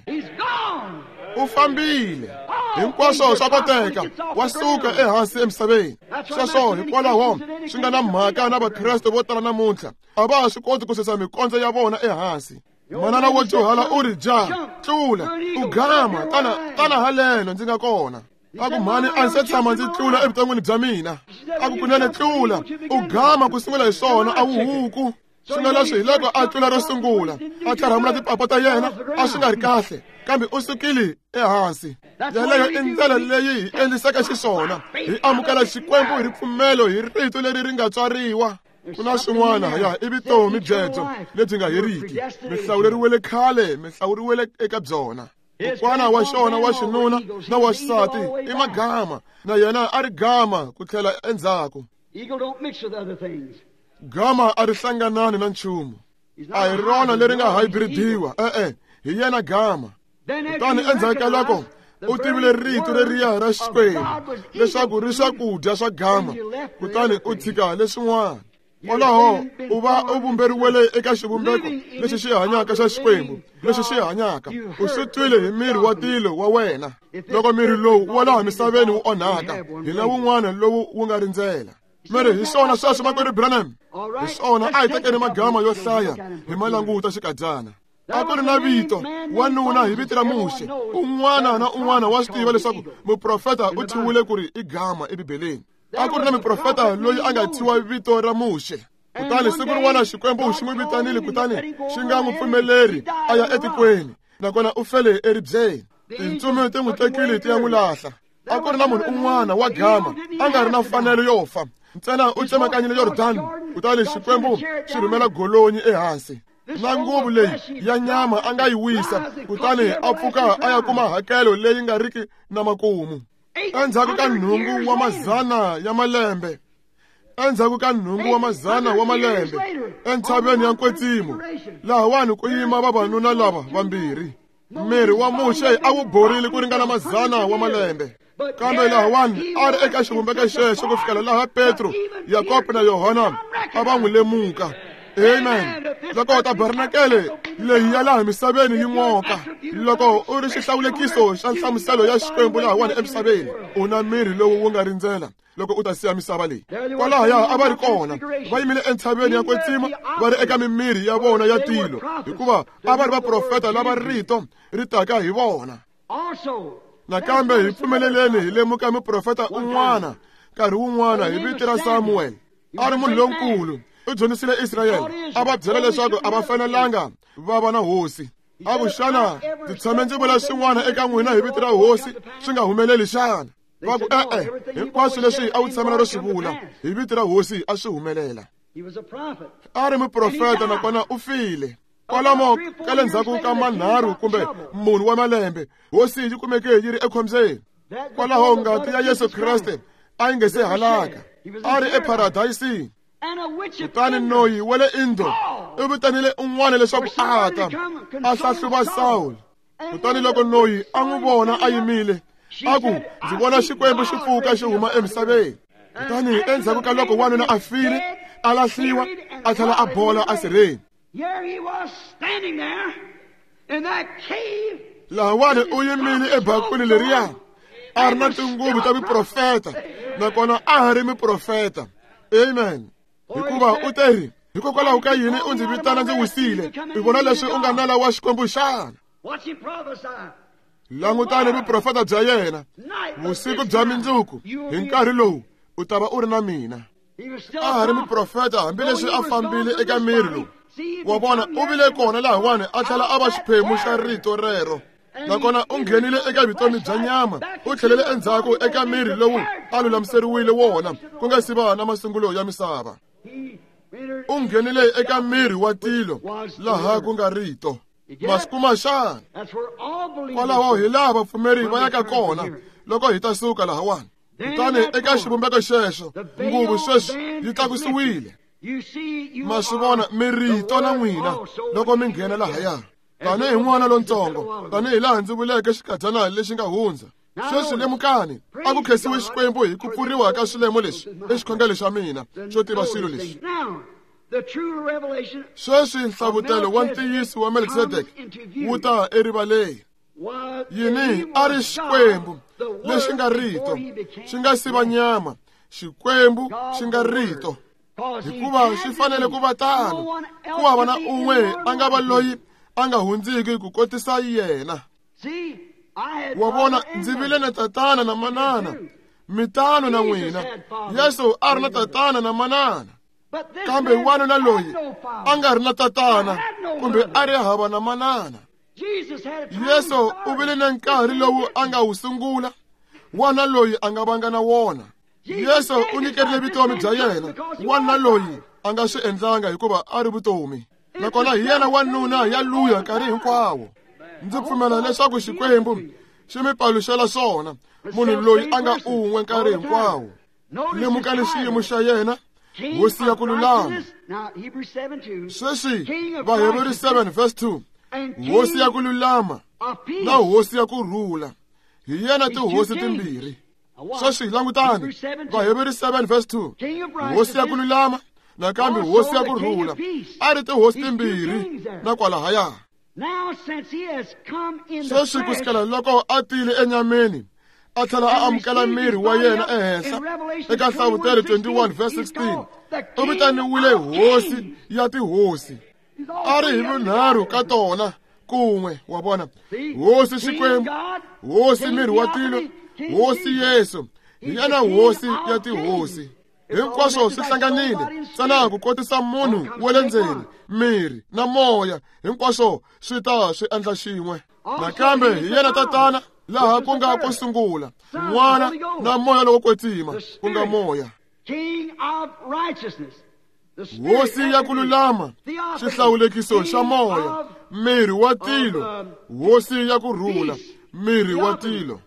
U fambile. Hinkwaswo swa koteka, wa suka ehansi emisaveni. Sweswo hikwalaho swi nga na mhaka na Vakreste vo tala namuntlha, a va ha swi koti ku susa mikondzo ya vona ehansi. Manana wo dyuhala u ri dya, tlula, u gama, tana tana haleno ndzi nga kona. A ku mhani a ndzi se tshama ndzi tlula evuton'wini bya mina. A ku kunene tlula, u gama ku sungula hi swona, a wu huku. Swi nga leswi hi loko a tlula ro sungula, a tlharhamula tipapa ta yena, a swi nga ri kahle, kambe u sukile ehansi. Yaleyo i ndlela leyi hi endlisaka xiswona, hi amukela Xikwembu hi ripfumelo hi rito leri ri nga tswariwa. Ku na swin'wana ya i vutomi byebyo lebyi nga heriki, mi hlawuleriwele khale, mi hlawuriwele eka byona. Kokwana wa xona wa xinuna na wa xisati i magama, na yena a ri gama ku tlhela endzhaku. Gama a ri hlanganani na nchumu, a hi rona leri nga hybridiwa, e-e, hi yena gama. Kutani endzhaku ka loko u tivile rito leriya ra Xikwembu leswaku ri swakudya swa gama, kutani u tshika leswin'wana. Kwalaho u va u vumberiwele eka xivumbeko lexi xi hanyaka xa Xikwembu, lexi xi hanyaka. U swi twile hi miri wa tilo wa wena. Loko miri lowu wa laha misaveni wu onhaka, hi na wun'wana lowu wu nga rindzela. Mi ri hi swona sweswo makwerhu Branham? Hi swona, a hi tekeni magama yo hlaya hi ma languta xikadyana. A ku ri na vito wanuna hi vito ra Muxe. Un'wana na un'wana wa swi tiva leswaku muprofeta u thyiwile ku ri i gama eBibeleni. A ku ri na muprofeta loyi a nga thyiwa vito ra Muxe. Kutani siku rin'wana Xikwembu xi n'wi vitanile, kutani xi nga n'wi pfumeleri a ya etikweni, nakona u fele eribyeni. Tintsumi ti n'wi tekile ti ya n'wi lahla. A ku ri na munhu un'wana wa gama a nga ri na mfanelo yo fa, ntsena u tsemakanyile Yordani, kutani Xikwembu xi rhumela golonyi ehansi. Na nguvu leyi ya nyama a nga yi wisa, kutani a pfuka a ya kuma hakelo leyi nga riki na makumu. Endzhaku ka nhungu wa mazana ya malembe, endzhaku ka nhungu wa mazana wa malembe, entshaveni ya Nkwetsimo, lahawani ku yima vavanuna lava vambirhi. Miri wa Muxe a wu borile ku ringana mazana wa malembe, kambe lahawani a ri eka xivumbeko xexo ku fikela laha Petro, Yakobo na Yohana a va n'wi lemuka. Amen. Loko tabernakele leyi ya laha misaveni yi n'oka, loko u ri xihlawulekiso xa nhlamuselo ya Xikwembu lahawani emisaveni, u na miri lowu wu nga rindzela loko u ta siya misava leyi. Kwalahaya a va ri kona, va yimile entshaveni ya Kwetsima, va ri eka mimiri ya vona ya tilo, hikuva a va ri vaprofeta lava rito ri taka hi vona. Nakambe hi pfumeleleni hi lemuka muprofeta un'wana nkarhi wun'wana hi vito ra Samuel. A ri munhu lonkulu, u dyondzisile Israyele, a va byela leswaku a va fanelanga va va na hosi. A ku, xana ndzi tshame ndzi vula swin'wana eka n'wina hi vito ra hosi swi nga humeleli xana? Va ku, e-e, hinkwaswo leswi a wu tshamela ro swi vula hi vito ra hosi a swi humelela. A ri muprofeta, nakona u file. Kwalomo ka le ndzhaku ka manharhu kumbe munhu wa malembe, hosi yi kumeke yi ri ekhombyeni. Kwalaho ngati ya Yesu Kreste a yi nge se halaka, a ri eparadayisini. Kutani noyi wa le Indo u vitanile un'wana leswaku a ta a hlahluva Sawulo. Kutani loko noyi a n'wi vona a yimile, a ku, ndzi vona Xikwembu xi pfuka xi huma emisaveni. Kutani endzhaku ka loko wanuna a file, a lahliwa, a tlhela a bola esirheni. Lahawani u yimile ebakweni leriya, a ri na tinguvu ta miprofeta, nakona a ha ri miprofeta. Amen. Hikuva u teri, hikokwalaho ka yini u ndzi vitana ndzi wisile? U vona leswi u nga nala wa Xikwembu xana? Langutani vuprofeta bya yena. Vusiku bya mindzuku, hi nkarhi lowu u ta va u ri na mina. A ha ri muprofeta hambileswi a fambile eka miri lowu. Wa vona, u vile kona lahawani a tlhela a va xiphemu xa rito rero. Nakona u nghenile eka vutomi bya nyama, u tlhelele endzhaku eka miri lowu a lulamiseriwile wona ku nga si va na masungulo ya misava. U nghenile eka miri wa tilo laha ku nga rito. Ma swi kuma xana? Kwalaho hi laha vapfumeri va yaka kona loko hi ta suka lahawani. Kutani eka xivumbeko xexo, nguvu sweswi yi tlakusiwile. Ma swi vona, mi rito na n'wina loko mi nghena lahaya. Tanihi n'wana lontsongo, tanihi laha ndzi vuleke xikadyana lexi nga hundza. Sweswi lemukani, a ku khensiwe Xikwembu hi ku pfuriwa ka swilemo leswi i xikhongelo xa mina xo tiva swilo leswi. Sweswi nhlavutelo wa ntiyiso wa Melkisedeke wu ta erivaleni. Yini? A ri Xikwembu lexi nga rito, xi nga siva nyama, Xikwembu xi nga rito. Hikuva xi fanele ku va tano, ku hava na un'we a nga va loyi a nga hundziki ku kotisa yena. Wa vona, ndzi vile na tatana na manana, mitano na n'wina. Yesu a ri na tatana na manana, kambe wanuna loyi a nga ri na tatana kumbe a ri hava na manana. Yesu u vile na nkarhi lowu a nga wu sungula, wana loyi a nga vanga na wona. Yesu u nyikerile vutomi bya yena, wana loyi a nga swi endlanga hikuva a ri vutomi. Nakona hi yena wanuna ya luya nkarhi hinkwawo. Ndzi pfumela leswaku Xikwembu xi mi paluxela swona, munhu loyi a nga un'we nkarhi hinkwawo. Lemukani xiyimo xa yena, hosi ya ku lulama. Sweswi Vaheberi seven verse two, hosi ya ku lulama na hosi ya ku rhula, hi yena tihosi timbirhi. Sweswi langutani Vaheberi seven verse two, hosi ya ku lulama nakambe hosi ya ku rhula, a ri tihosi timbirhi na kwalahaya. Sweswi ku sukela loko a tile enyameni, A tlhela a amukela miri wa yena ehenhla eka Nhlavutelo twenty-one verse sixteen. U vitaniwile hosi ya tihosi. A ri hi vunharhu ka tona kun'we, wa vona. Hosi Xikwembu, hosi miri wa tilo, hosi Yesu, hi yena hosi ya tihosi. Hinkwaswo swi hlanganile ntsena ku kotisa munhu wa le ndzeni, miri na moya, hinkwaswo swi ta swi endla xin'we. Nakambe hi yena tatana laha ku nga ko sungula, n'wana na moya lowo kwetsima ku nga moya. Hosi ya ku lulama, xihlawulekiso xa moya, miri wa tilo, hosi ya ku rhula, miri wa tilo.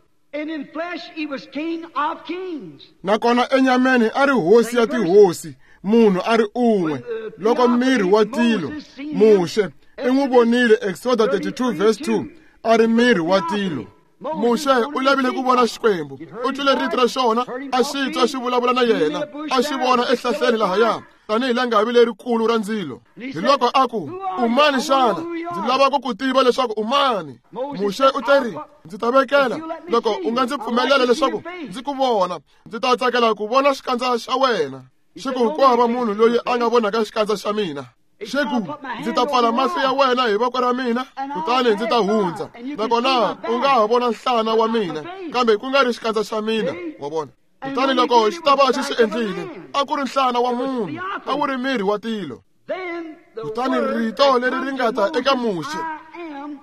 Nakona enyameni a ri hosi ya tihosi, munhu a ri un'we. Loko miri wa tilo, Muxe i n'wi vonile Exodus thirty-two verse two, a ri miri wa tilo. Muxe u lavile ku vona Xikwembu, u twile rito ra xona, a xi twa xi vulavula na yena, a xi vona ehlahleni lahaya tanihi langavi lerikulu ra ndzilo. Hi loko a ku, u mani xana? Ndzi lava ku ku tiva leswaku u mani. Muxe u teri, ndzi ta vekela loko u nga ndzi pfumelela leswaku ndzi ku vona, ndzi ta tsakela ku vona xikandza xa wena. Xi ku, ku hava munhu loyi a nga vonaka xikandza xa mina. Xi ku, ndzi ta pfala mahlo ya wena hi voko ra mina, kutani ndzi ta hundza. Nakona u nga ha vona nhlana wa mina, kambe ku nga ri xikandza xa mina, wa vona. Kutani loko xi ta va xi swi endlile, a ku ri nhlana wa munhu, a wu ri miri wa tilo. Kutani rito leri ri nga ta eka Muxe,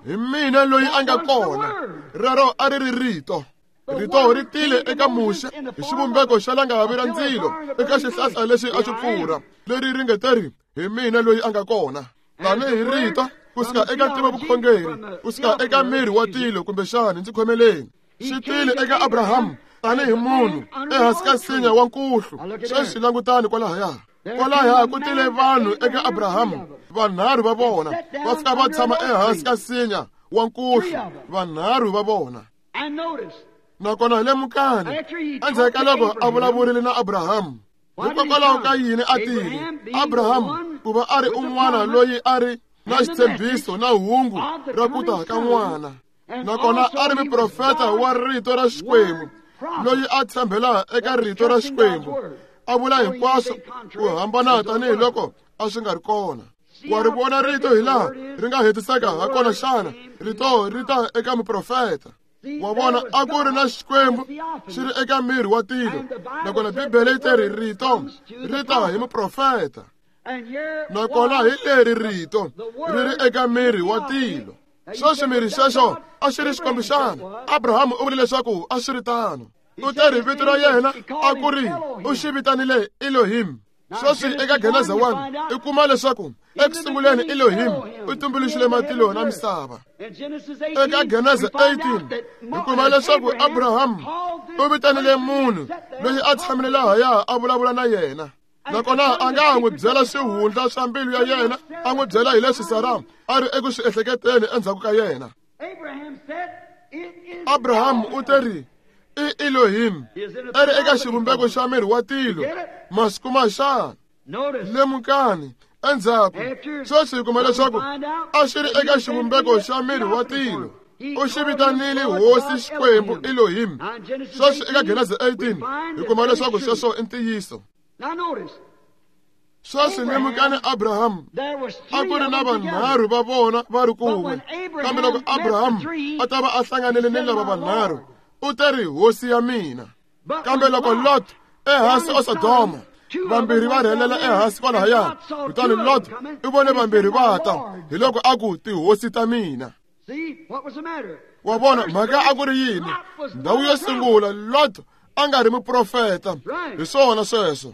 hi mina loyi a nga kona, rero a ri ri rito. Rito ri tile eka Muxe hi xivumbeko xa langavi ra ndzilo eka xihlahla lexi a xi pfurha, leri ri nge teri, hi mina loyi a nga kona. Tanihi rito kusuka eka ntivovukhongeri, kusuka eka miri wa tilo, kumbexani ndzi khomeleni. Xi tile eka Abrahamu tanihi munhu ehansi ka nsinya wa nkuhlu. Sweswi langutani kwalahaya. Kwalahaya ku tile vanhu eka Abrahamu, vanharhu va vona va fika va tshama ehansi ka nsinya wa nkuhlu, vanharhu va vona. Nakona hi lemukani endzhaku ka loko a vulavurile na Abrahamu, hikokwalaho ka yini a tile? Abrahamu ku va a ri un'wana loyi a ri na xitshembiso na hungu ra ku ta ka n'wana, nakona a ri muprofeta wa rito ra Xikwembu loyi a tshembela eka rito ra Xikwembu, a vula hinkwaswo ku hambana tanihiloko a swi nga ri kona. Wa ri vona rito hi laha ri nga hetiseka hakona xana? Rito ri ta eka muprofeta. Wa vona, a ku ri na Xikwembu xi ri eka miri wa tilo, nakona Bibele yi teri rito ri ta hi muprofeta. Nakona hi leri rito ri ri eka miri wa tilo. Sweswi miri xexo a xi ri Xikwembu xana? Abrahamu u vule leswaku a swi ri tano. U teri vito ra yena a ku ri u xi vitanile Elohim. Sweswi eka Geneza one i kuma leswaku ekusunguleni Elohim u tumbuluxile matilo na misava. Eka Geneza eighteen hi kuma leswaku Abrahamu u vitanile munhu loyi a tshamile lahaya a vulavula na yena. Nakona a nga ha n'wi byela swihundla swa mbilu ya yena, a n'wi byela hi leswi Sara a ri eku swi ehleketeni endzhaku ka yena. Abrahamu u teri i Elohim, a ri eka xivumbeko xa miri wa tilo, masiku ma xana? Lemukani endzhaku sweswi hi kuma leswaku a xi ri eka xivumbeko xa miri wa tilo. U xi vitanile hosi Xikwembu Elohim. Sweswi eka Geneza eighteen hi kuma leswaku sweswo i ntiyiso. Sweswi lemukani Abrahamu a ku ri na vanharhu va vona va ri kun'we, kambe loko Abrahamu a ta va a hlanganile ni lava vanharhu, u teri hosi ya mina. Kambe loko Lot ehansi eSodoma, vambirhi va rhelela ehansi kwalahaya, kutani Lot u vone vambirhi va ta, hi loko a ku tihosi ta mina. Wa vona mhaka a ku ri yini? Ndhawu yo sungula, Lot a nga ri muprofeta. Hi swona sweswo.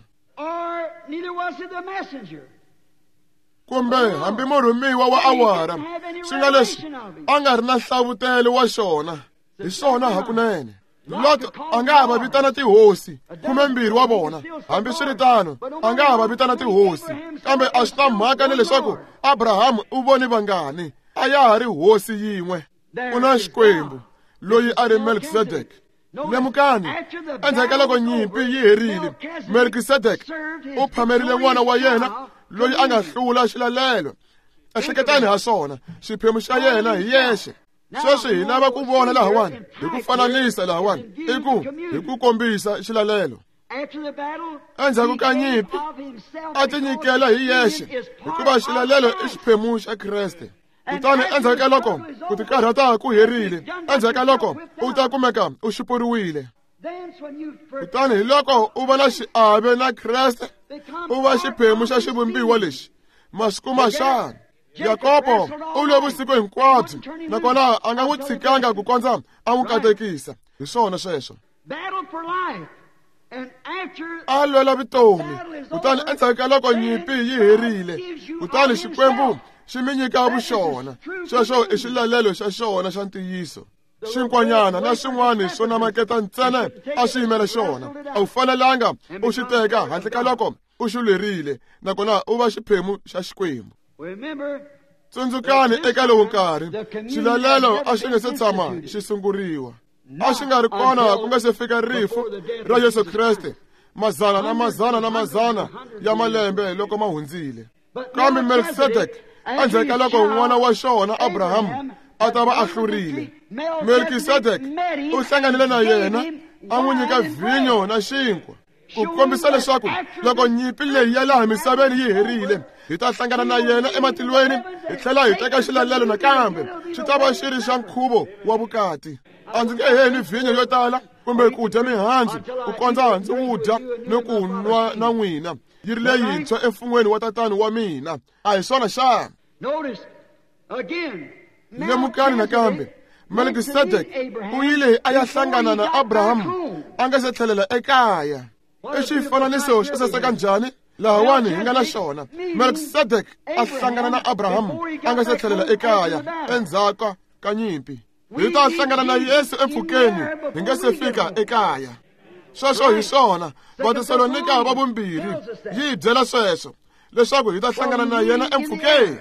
Kumbe hambi murhumiwa wa awara, swi nga leswi a nga ri na nhlavutelo wa xona. Hi swona hakunene. Lot a nga ha va vitana tihosi, khumembirhi wa vona. Hambiswiritano, a nga ha va vitana tihosi, kambe a swi na mhaka ni leswaku Abrahamu u vone vangani, a ya ha ri hosi yin'we. Ku na Xikwembu loyi a ri Melkisedek. Lemukani, endzhaku ka loko nyimpi yi herile, Melkisedek u phamerile n'wana wa yena loyi a nga hlula xilalelo. Ehleketani ha swona, xiphemu xa yena hi yexe. Sweswi hi lava ku vona lahawani hi ku fananisa lahawani i ku hi ku kombisa xilalelo. Endzhaku ka nyimpi a tinyikela hi yexe hikuva xilalelo i xiphemu xa Kreste. Kutani endzhaku ka loko ku tikarhata ku herile, endzhaku ka loko u ta kumeka u xupuriwile, kutani hi loko u va na xiave na Kreste, u va xiphemu xa xivumbiwa lexi. Masiku ma xana Yakobo u lwe vusiku hinkwabyo, nakona a nga n'wi tshikanga ku kondza a n'wi katekisa. Hi swona sweswo. A lwela vutomi, kutani endzhaku ka loko nyimpi yi herile, kutani Xikwembu xi mi nyika vuxona. Sweswo i xilalelo xa xona xa ntiyiso. Xinkwanyana na xin'wana swo namaketa ntsena a swi yimela xona. A wu fanelanga u xi teka handle ka loko u xi lwerile, nakona u va xiphemu xa Xikwembu. Tsundzukani eka lowu nkarhi xilalelo a xi nga se tshama xi sunguriwa. A xi nga ri kona ku nga se fika rifu ra Yesu Kreste, mazana na mazana na mazana ya malembe loko ma hundzile. Kambe Melkisedek endzhaku ka loko n'wana wa xona Abrahamu a ta va a hlurile, Melkisedek u hlanganile na yena a n'wi nyika vhinyo na xinkwa, ku kombisa leswaku loko nyimpi leyi ya laha misaveni yi herile, hi ta hlangana na yena ematilweni, hi tlhela hi teka xilalelo nakambe. Xi ta va xi ri xa nkhuvo wa vukati. A ndzi nge heli vhinyo yo tala kumbe ku dya mihandzu ku kondza ndzi wu dya ni ku nwa na n'wina yi ri leyintshwa emfun'weni wa tatani wa mina. A hi swona xana? Lemukani nakambe, Melkisedek u yile a ya hlangana na Abrahamu a nga se tlhelela ekaya. I xifananiso xo saseka njhani lahawani hi nga na xona. Melkisedek a hlangana na Abrahamu a nga se tlhelela ekaya endzhaku ka nyimpi. Hi ta hlangana na Yesu empfhukeni hi nga se fika ekaya. Sweswo hi swona. Vatesalonika va vumbirhi yi hi byela sweswo, leswaku hi ta hlangana na yena empfhukeni.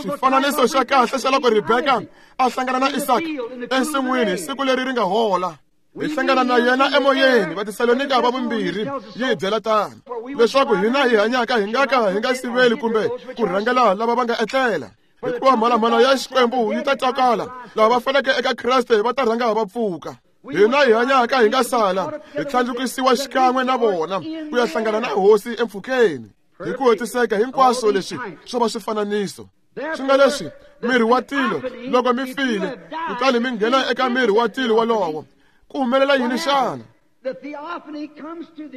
Xifananiso xa kahle xa loko Rebeka a hlangana na Isaka ensin'wini siku leri ri nga hola. Hi hlangana na yena emoyeni. Vatesalonika va vumbirhi yi hi byela tano, leswaku hina hi hanyaka hi nga ka hi nga siveli kumbe ku rhangela lava va nga etlela, hikuva mhalamhala ya Xikwembu yi ta twakala. Lava va faneke eka Kreste va ta rhanga va pfuka. Hina hi hanyaka hi nga sala hi tlhandlukisiwa xikan'we na vona ku ya hlangana na Hosi empfhukeni. Hi ku hetiseka hinkwaswo leswi swo va swifananiso. Swi nga leswi miri wa tilo loko mi file, kutani mi nghena eka miri wa tilo wolowo, ku humelela yini xana?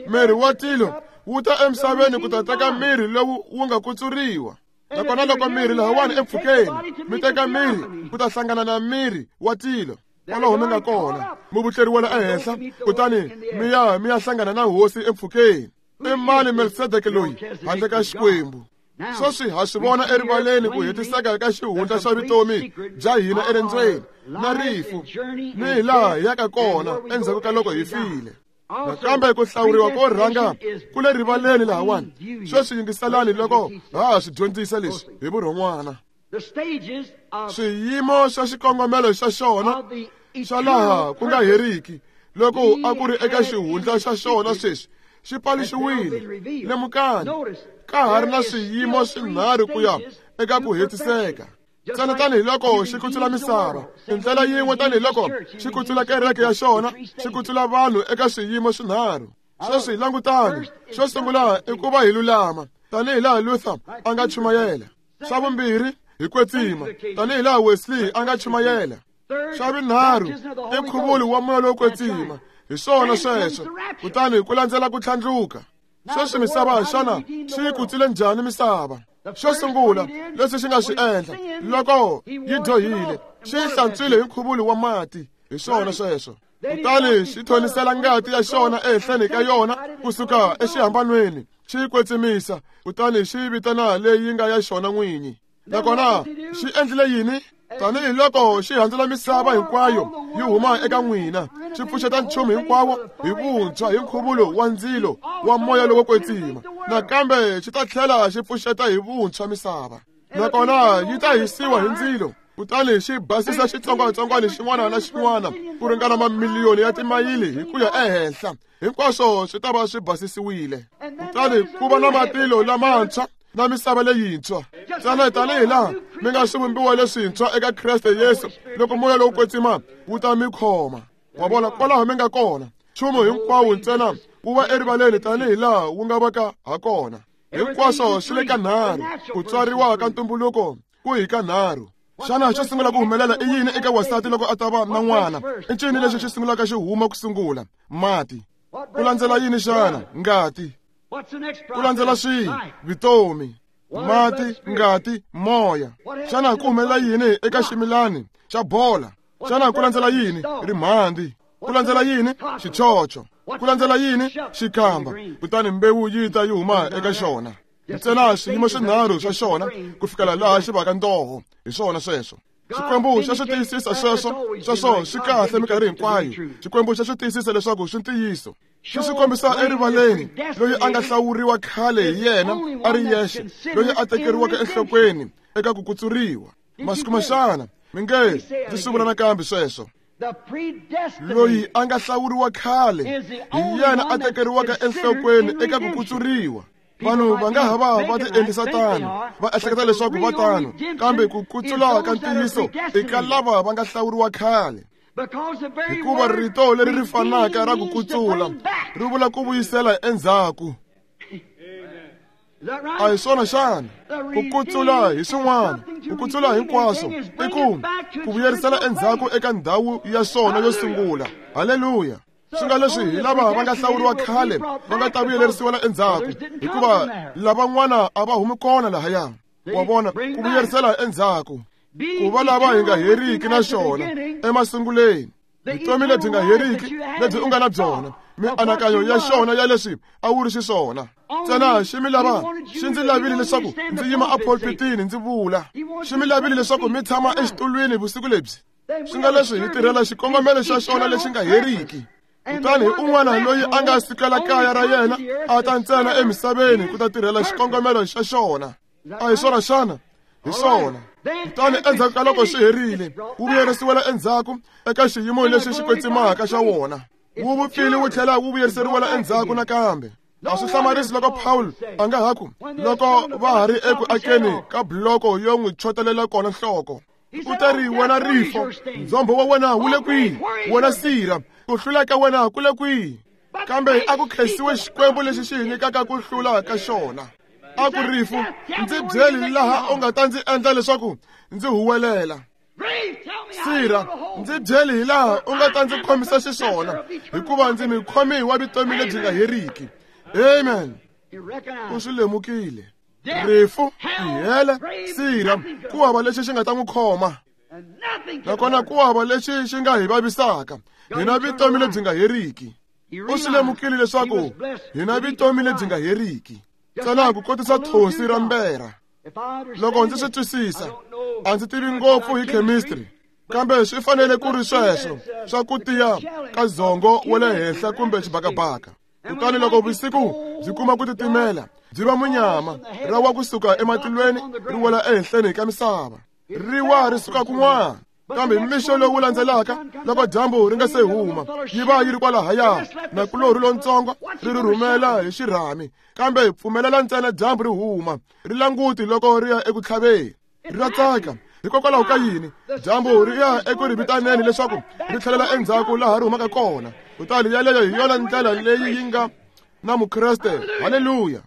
Miri wa tilo wu ta emisaveni ku ta teka miri lowu wu nga kutsuriwa. Nakona loko miri lahawani empfhukeni mi teka miri ku ta hlangana na miri wa tilo kwalaho mi nga kona, mi vutleriwela ehenhla, kutani mi ya mi ya hlangana na Hosi empfhukeni. I mani Melkisedeke loyi handle ka Xikwembu? Sweswi ha swi vona erivaleni ku hetiseka ka xihundla xa vutomi bya hina erendzweni na rifu, ni hi laha hi yaka kona endzhaku ka loko hi file. Nakambe ku hlawuriwa ko rhanga ku le rivaleni lahawani. Sweswi yingiselani loko ha ha swi dyondzisa leswi hi vurhon'wana. Swiyimo swa xikongomelo xa xona xa laha ku nga heriki loko a ku ri eka xihundla xa xona sweswi xi paluxiwile. Lemukani, ka ha ri na swiyimo swinharhu ku ya eka ku hetiseka. Ntsena tanihiloko xi kutsula misava hi ndlela yin'we, tanihiloko xi kutsula kereke ya xona, xi kutsula vanhu eka swiyimo swinharhu. Sweswi langutani, xo sungula i ku va hi lulama, tanihilaha Luther a nga chumayela. Xa vumbirhi hi kwetsima, tanihilaha Wesley a nga chumayela. Xa vunharhu i nkhuvulo wa moya lowo kwetsima. Hi swona sweswo. Kutani ku landzela ku tlhandluka. Sweswi misava xana xi yi kutsule njhani misava? Xo sungula leswi xi nga swi endla loko yi dyohile, xi yi hlantswile hi nkhuvulo wa mati. Hi swona sweswo. Kutani xi thonisela ngati ya xona ehenhleni ka yona kusuka exihambanweni, xi yi kwetsimisa, kutani xi yi vitana leyi nga ya xona n'winyi. Nakona xi endlile yini? Tanihiloko xi handzula misava hinkwayo yi huma eka n'wina, xi pfuxeta nchumu hinkwawo hi vuntshwa hi nkhuvulo wa ndzilo wa moya lowo kwetsima. Nakambe xi ta tlhela xi pfuxeta hi vuntshwa misava, nakona yi ta hisiwa hi ndzilo, kutani xi basisa xitsongwatsongwana xin'wana na xin'wana ku ringana mamiliyoni ya timayili hi ku ya ehenhla. Hinkwaswo swi ta va swi basisiwile. Kutani ku va na matilo lamantshwa na misava leyintshwa. Ntsena tanihilaha mi nga swivumbiwa leswintshwa eka Kreste Yesu loko moya lowu kwetsima wu ta mi khoma. Wa vona kwalaho mi nga kona, nchumu hinkwawo ntsena wu va erivaleni tanihi laha wu nga vaka ha kona. Hinkwaswo swi le ka nharhu, ku tswariwa ka ntumbuluko ku hi ka nharhu. Xana xo sungula ku humelela i yini eka wansati loko a ta va na n'wana? I ncini lexi xi sungulaka xi huma ku sungula? Mati. Ku landzela yini xana? Ngati. Ku landzela swihi? Vutomi. Mati, ngati, moya. Xana ku humelela yini eka ximilani xa bola? Xana ku landzela yini? Rimhandi. Ku landzela yini? Xichocho. Ku landzela yini? Xikamba. Kutani mbewu yi ta yi huma eka xona. Ntsena xiyimo xinharhu xa xona ku fikela laha xi vaka ntoho. Hi swona sweswo. Xikwembu xa swi tiyisisa sweswo, sweswo swi kahle minkarhi hinkwayo. Xikwembu xa swi tiyisisa leswaku swi ntiyiso. Xi swi kombisa erivaleni loyi a nga hlawuriwa khale hi yena a ri yexe, loyi a tekeriwaka enhlokweni eka ku kutsuriwa. Masiku maxana mi nge ndzi swi vula nakambe sweswo. Loyi a nga hlawuriwa khale hi yena a tekeriwaka enhlokweni eka ku kutsuriwa. Vanhu va nga ha va va ti endlisa tano, va ehleketa leswaku va tano, kambe ku kutsula ka ntiyiso i ka lava va nga hlawuriwa khale. Hikuva rito leri ri fanaka ra ku kutsula ri vula ku vuyisela endzhaku. A hi swona xana? Ku kutsula hi swin'wana, ku kutsula hinkwaswo i ku ku vuyerisela endzhaku eka ndhawu ya swona yo sungula. Haleluya! Swi nga leswi hi lava va nga hlawuriwa khale va nga ta vuyelerisiwela endzhaku, hikuva lavan'wana a va humi kona lahaya. Wa vona, ku vuyerisela endzhaku, ku va lava hi nga heriki na xona emasunguleni. Vutomi lebyi nga heriki lebyi u nga na byona, mianakanyo ya xona ya leswi a wu ri xiswona. Ntsena xi mi lava, xi ndzi lavile leswaku ndzi yima epulpitini ndzi vula. Xi mi lavile leswaku mi tshama exitulwini vusiku lebyi. Swi nga leswi hi tirhela xikongomelo xa xona lexi nga heriki. Kutani hi un'wana loyi a nga sukela kaya ra yena a ta ntsena emisaveni ku ta tirhela xikongomelo xa xona. A hi swona xana? Hi swona. Kutani endzhaku ka loko swi herile, wu vuyerisiwela endzhaku eka xiyimo lexi xi kwetsimaka xa wona. Wu vupfile wu tlhela wu vuyeriseriwela endzhaku nakambe. A swi hlamarisi loko Paul a nga ha ku loko va ha ri eku akeni ka buloko yo n'wi chotelela kona nhloko. U ta ri wena rifo, ndzhombo wa wena wu le kwihi? Wena sirha, ku hlula ka wena ku le kwihi? Kambe a ku khensiwe Xikwembu lexi xi hi nyikaka ku hlula ka xona. A ku rifu, ndzi byeli laha u nga ta ndzi endla leswaku ndzi huwelela. Sirha, ndzi byeli hi laha u nga ta ndzi khomisa xiswona, hikuva ndzi mikhomi wa vutomi lebyi nga heriki. Amen. U swi lemukile. Rifu, tihele, sirha, ku hava lexi xi nga ta n'wi khoma. Nakona ku hava lexi xi nga hi vavisaka. Hi na vutomi lebyi nga heriki. U swi lemukile leswaku hi na vutomi lebyi nga heriki. Ntsena ku kotisa thonsi ra mbera. Loko ndzi swi twisisa, a ndzi tivi ngopfu hi chemistry, kambe swi fanele ku ri sweswo swa ku tiya ka dzongo wa le henhla kumbe xibakabaka. Kutani loko vusiku byi kuma ku titimela, byi va munyama, ra wa kusuka ematilweni ri wela ehenhleni ka misava. Ri wa ri suka kun'wana. Kambe mixo lowu landzelaka loko dyambu ri nga se huma, yi va yi ri kwalahaya, nakulorhi lontsongo ri ri rhumela hi xirhami. Kambe hi pfumelela ntsena dyambu ri huma, ri languti loko ri ya eku tlhaveni. Ri ra tsaka. Hikokwalaho ka yini? Dyambu ri ya eku ri vitaneni leswaku ri tlhelela endzhaku laha ri humaka kona. Kutani yaleyo hi yona ndlela leyi yi nga na Mukreste. Haleluya!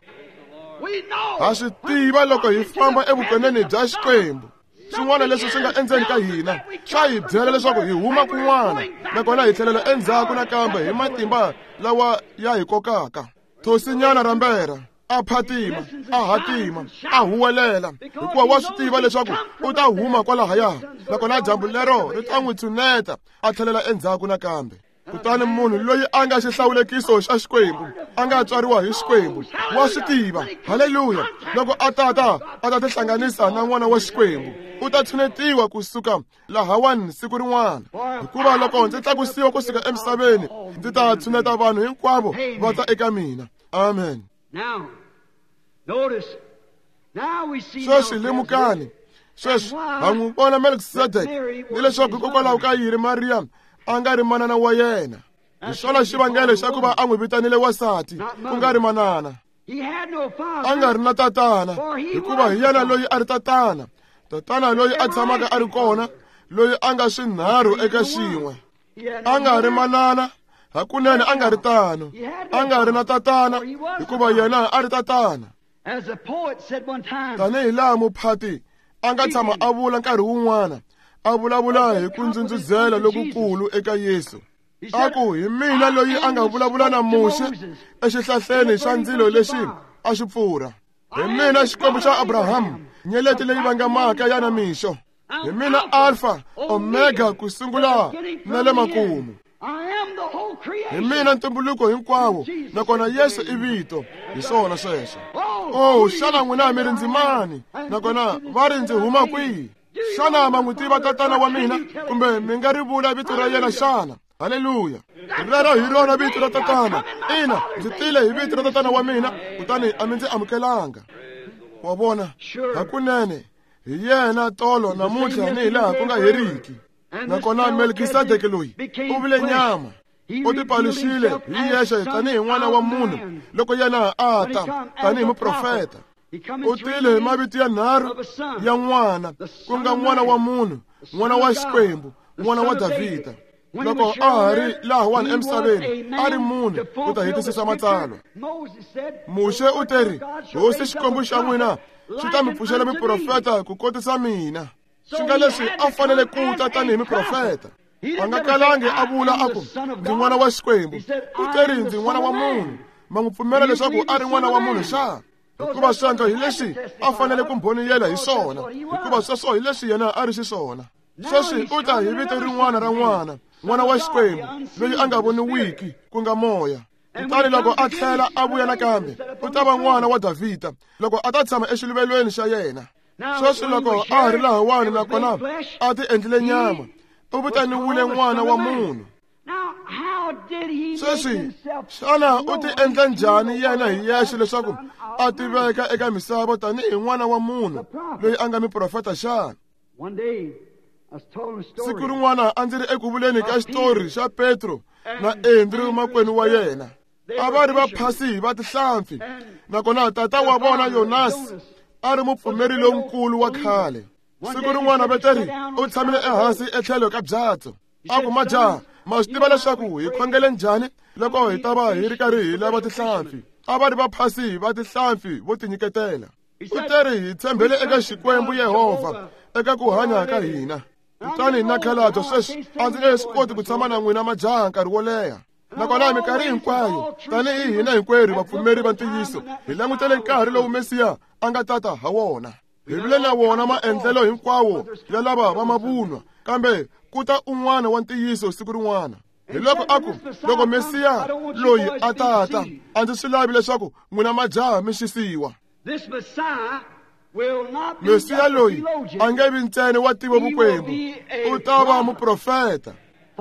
Ha swi tiva loko hi famba evukoneni bya Xikwembu. Swin'wana leswi swi nga endzeni ka hina swa hi byela leswaku hi huma kun'wana, nakona hi tlhelela endzhaku nakambe hi matimba lawa ya hi kokaka. Thosinyana ra mbera a phatima, a hatima, a huwelela, hikuva wa swi tiva leswaku u ta huma kwalahaya, nakona dyambu lero ri ta n'wi tshuneta a tlhelela endzhaku nakambe. Kutani munhu loyi a nga xihlawulekiso xa Xikwembu, a nga tswariwa hi Xikwembu, wa swi tiva. Haleluya! Loko a tata a ta tihlanganisa na n'wana wa Xikwembu, u ta tshunetiwa kusuka lahawani siku rin'wana. Hikuva loko ndzi tlakusiwa kusuka emisaveni, ndzi ta tshuneta vanhu hinkwavo va ta eka mina. Amen. Sweswi lemukani. Sweswi ha n'wi vona Melkisedeke, ni leswaku hikokwalaho ka yini Mariya a nga ri manana wa yena. Hi swona xivangelo xa ku va a n'wi vitanile wansati, ku nga ri manana. A nga ri na tatana, hikuva hi yena loyi a ri tatana. Tatana loyi a tshamaka a ri kona, loyi a nga swinharhu eka xin'we. A nga ri manana, hakunene a nga ri tano. A nga ri na tatana, hikuva yena a ri tatana. Tanihi laha muphati a nga tshama a vula nkarhi wun'wana, a vulavula hi ku ndzundzuzela lokukulu eka Yesu. A ku hi mina loyi a nga vulavula na Muxe exihlahleni xa ndzilo lexi a xi pfurha. Hi mina Xikwembu xa Abrahamu, nyeleti leyi vangamaka ya na mixo. Hi mina Alpha, Omega, ku sungula na le makumu. Hi mina ntumbuluko hinkwawo, nakona Yesu i vito. Hi swona sweswo. Oh, xana n'wina mi ri ndzi mani? Nakona va ri ndzi huma kwihi? Xana ma n'wi tiva tatana wa mina, kumbe mi nga ri vula vito ra yena xana? Haleluya! Rero hi rona vito ra tatana. Ina, ndzi tile hi vito ra tatana wa mina, kutani a mi ndzi amukelanga. Wa vona, hakunene hi yena tolo namuntlha ni hi laha ku nga heriki. Nakona Melkisedeke loyi u vile nyama, u tipaluxile hi yexe tanihi n'wana wa munhu loko yena a ta tanihi muprofeta. U tile hi mavito ya nharhu ya n'wana, ku nga n'wana wa munhu, n'wana wa Xikwembu, n'wana wa Davhida. Loko a ha ri lahawani emisaveni, a ri munhu ku ta hetisisa matsalwa. Muxe u teri, Hosi Xikwembu xa n'wina xi ta mi pfuxela miprofeta ku kotisa mina. Swi nga leswi a fanele ku ta tanihi miprofeta. A nga kalangi a vula a ku ndzi n'wana wa Xikwembu. U teri ndzi n'wana wa munhu. Ma n'wi pfumela leswaku a ri n'wana wa munhu xana? Hikuva sweswo hi leswi a fanele ku mbhoniyela hi swona, hikuva sweswo hi leswi yena a ri xiswona. Sweswi u ta hi vito rin'wana ra n'wana, n'wana wa Xikwembu, loyi a nga voniwiki, ku nga moya. Kutani loko a tlhela a vuya nakambe, u ta va n'wana wa Davhida loko a ta tshama exiluvelweni xa yena. Sweswi loko a ha ri lahawani nakona a ti endlile nyama, u vitaniwile n'wana wa munhu. Sweswi xana u ti endla njhani yena hi yexe leswaku a tiveka eka misava tanihi n'wana wa munhu loyi a nga muprofeta xana? Siku rin'wana a ndzi ri eku vuleni ka xitori xa Petro na Andrew makwenu wa yena. A va ri vaphasi va tihlampfi, nakona tata wa vona Yonasi a ri mupfumeri lonkulu wa khale. Siku rin'wana Peteri u tshamile ehansi etlhelo ka byatso. A ku, majaha, ma swi tiva leswaku hi khongele njhani loko hi ta va hi ri karhi hi lava tihlampfi? A va ri vaphasi va tihlampfi vo tinyiketela. U teri hi tshembele eka Xikwembu Yehovha eka ku hanya ka hina. Kutani na khalato sweswi a ndzi nge swi koti ku tshama na n'wina majaha nkarhi wo leha. Nakona minkarhi hinkwayo tanihi hina hinkwerhu vapfumeri va ntiyiso hi langutele nkarhi lowu Mesiya a nga tata ha wona. Hi vile na wona maendlelo hinkwawo ya lava va mavunwa, kambe ku ta un'wana wa ntiyiso siku rin'wana. Hi loko a ku, loko Mesiya loyi a tata, a ndzi swi lavi leswaku n'wina majaha mi xisiwa. Mesiya loyi a nge vi ntsena wa tiva vukwembu, u ta va muprofeta.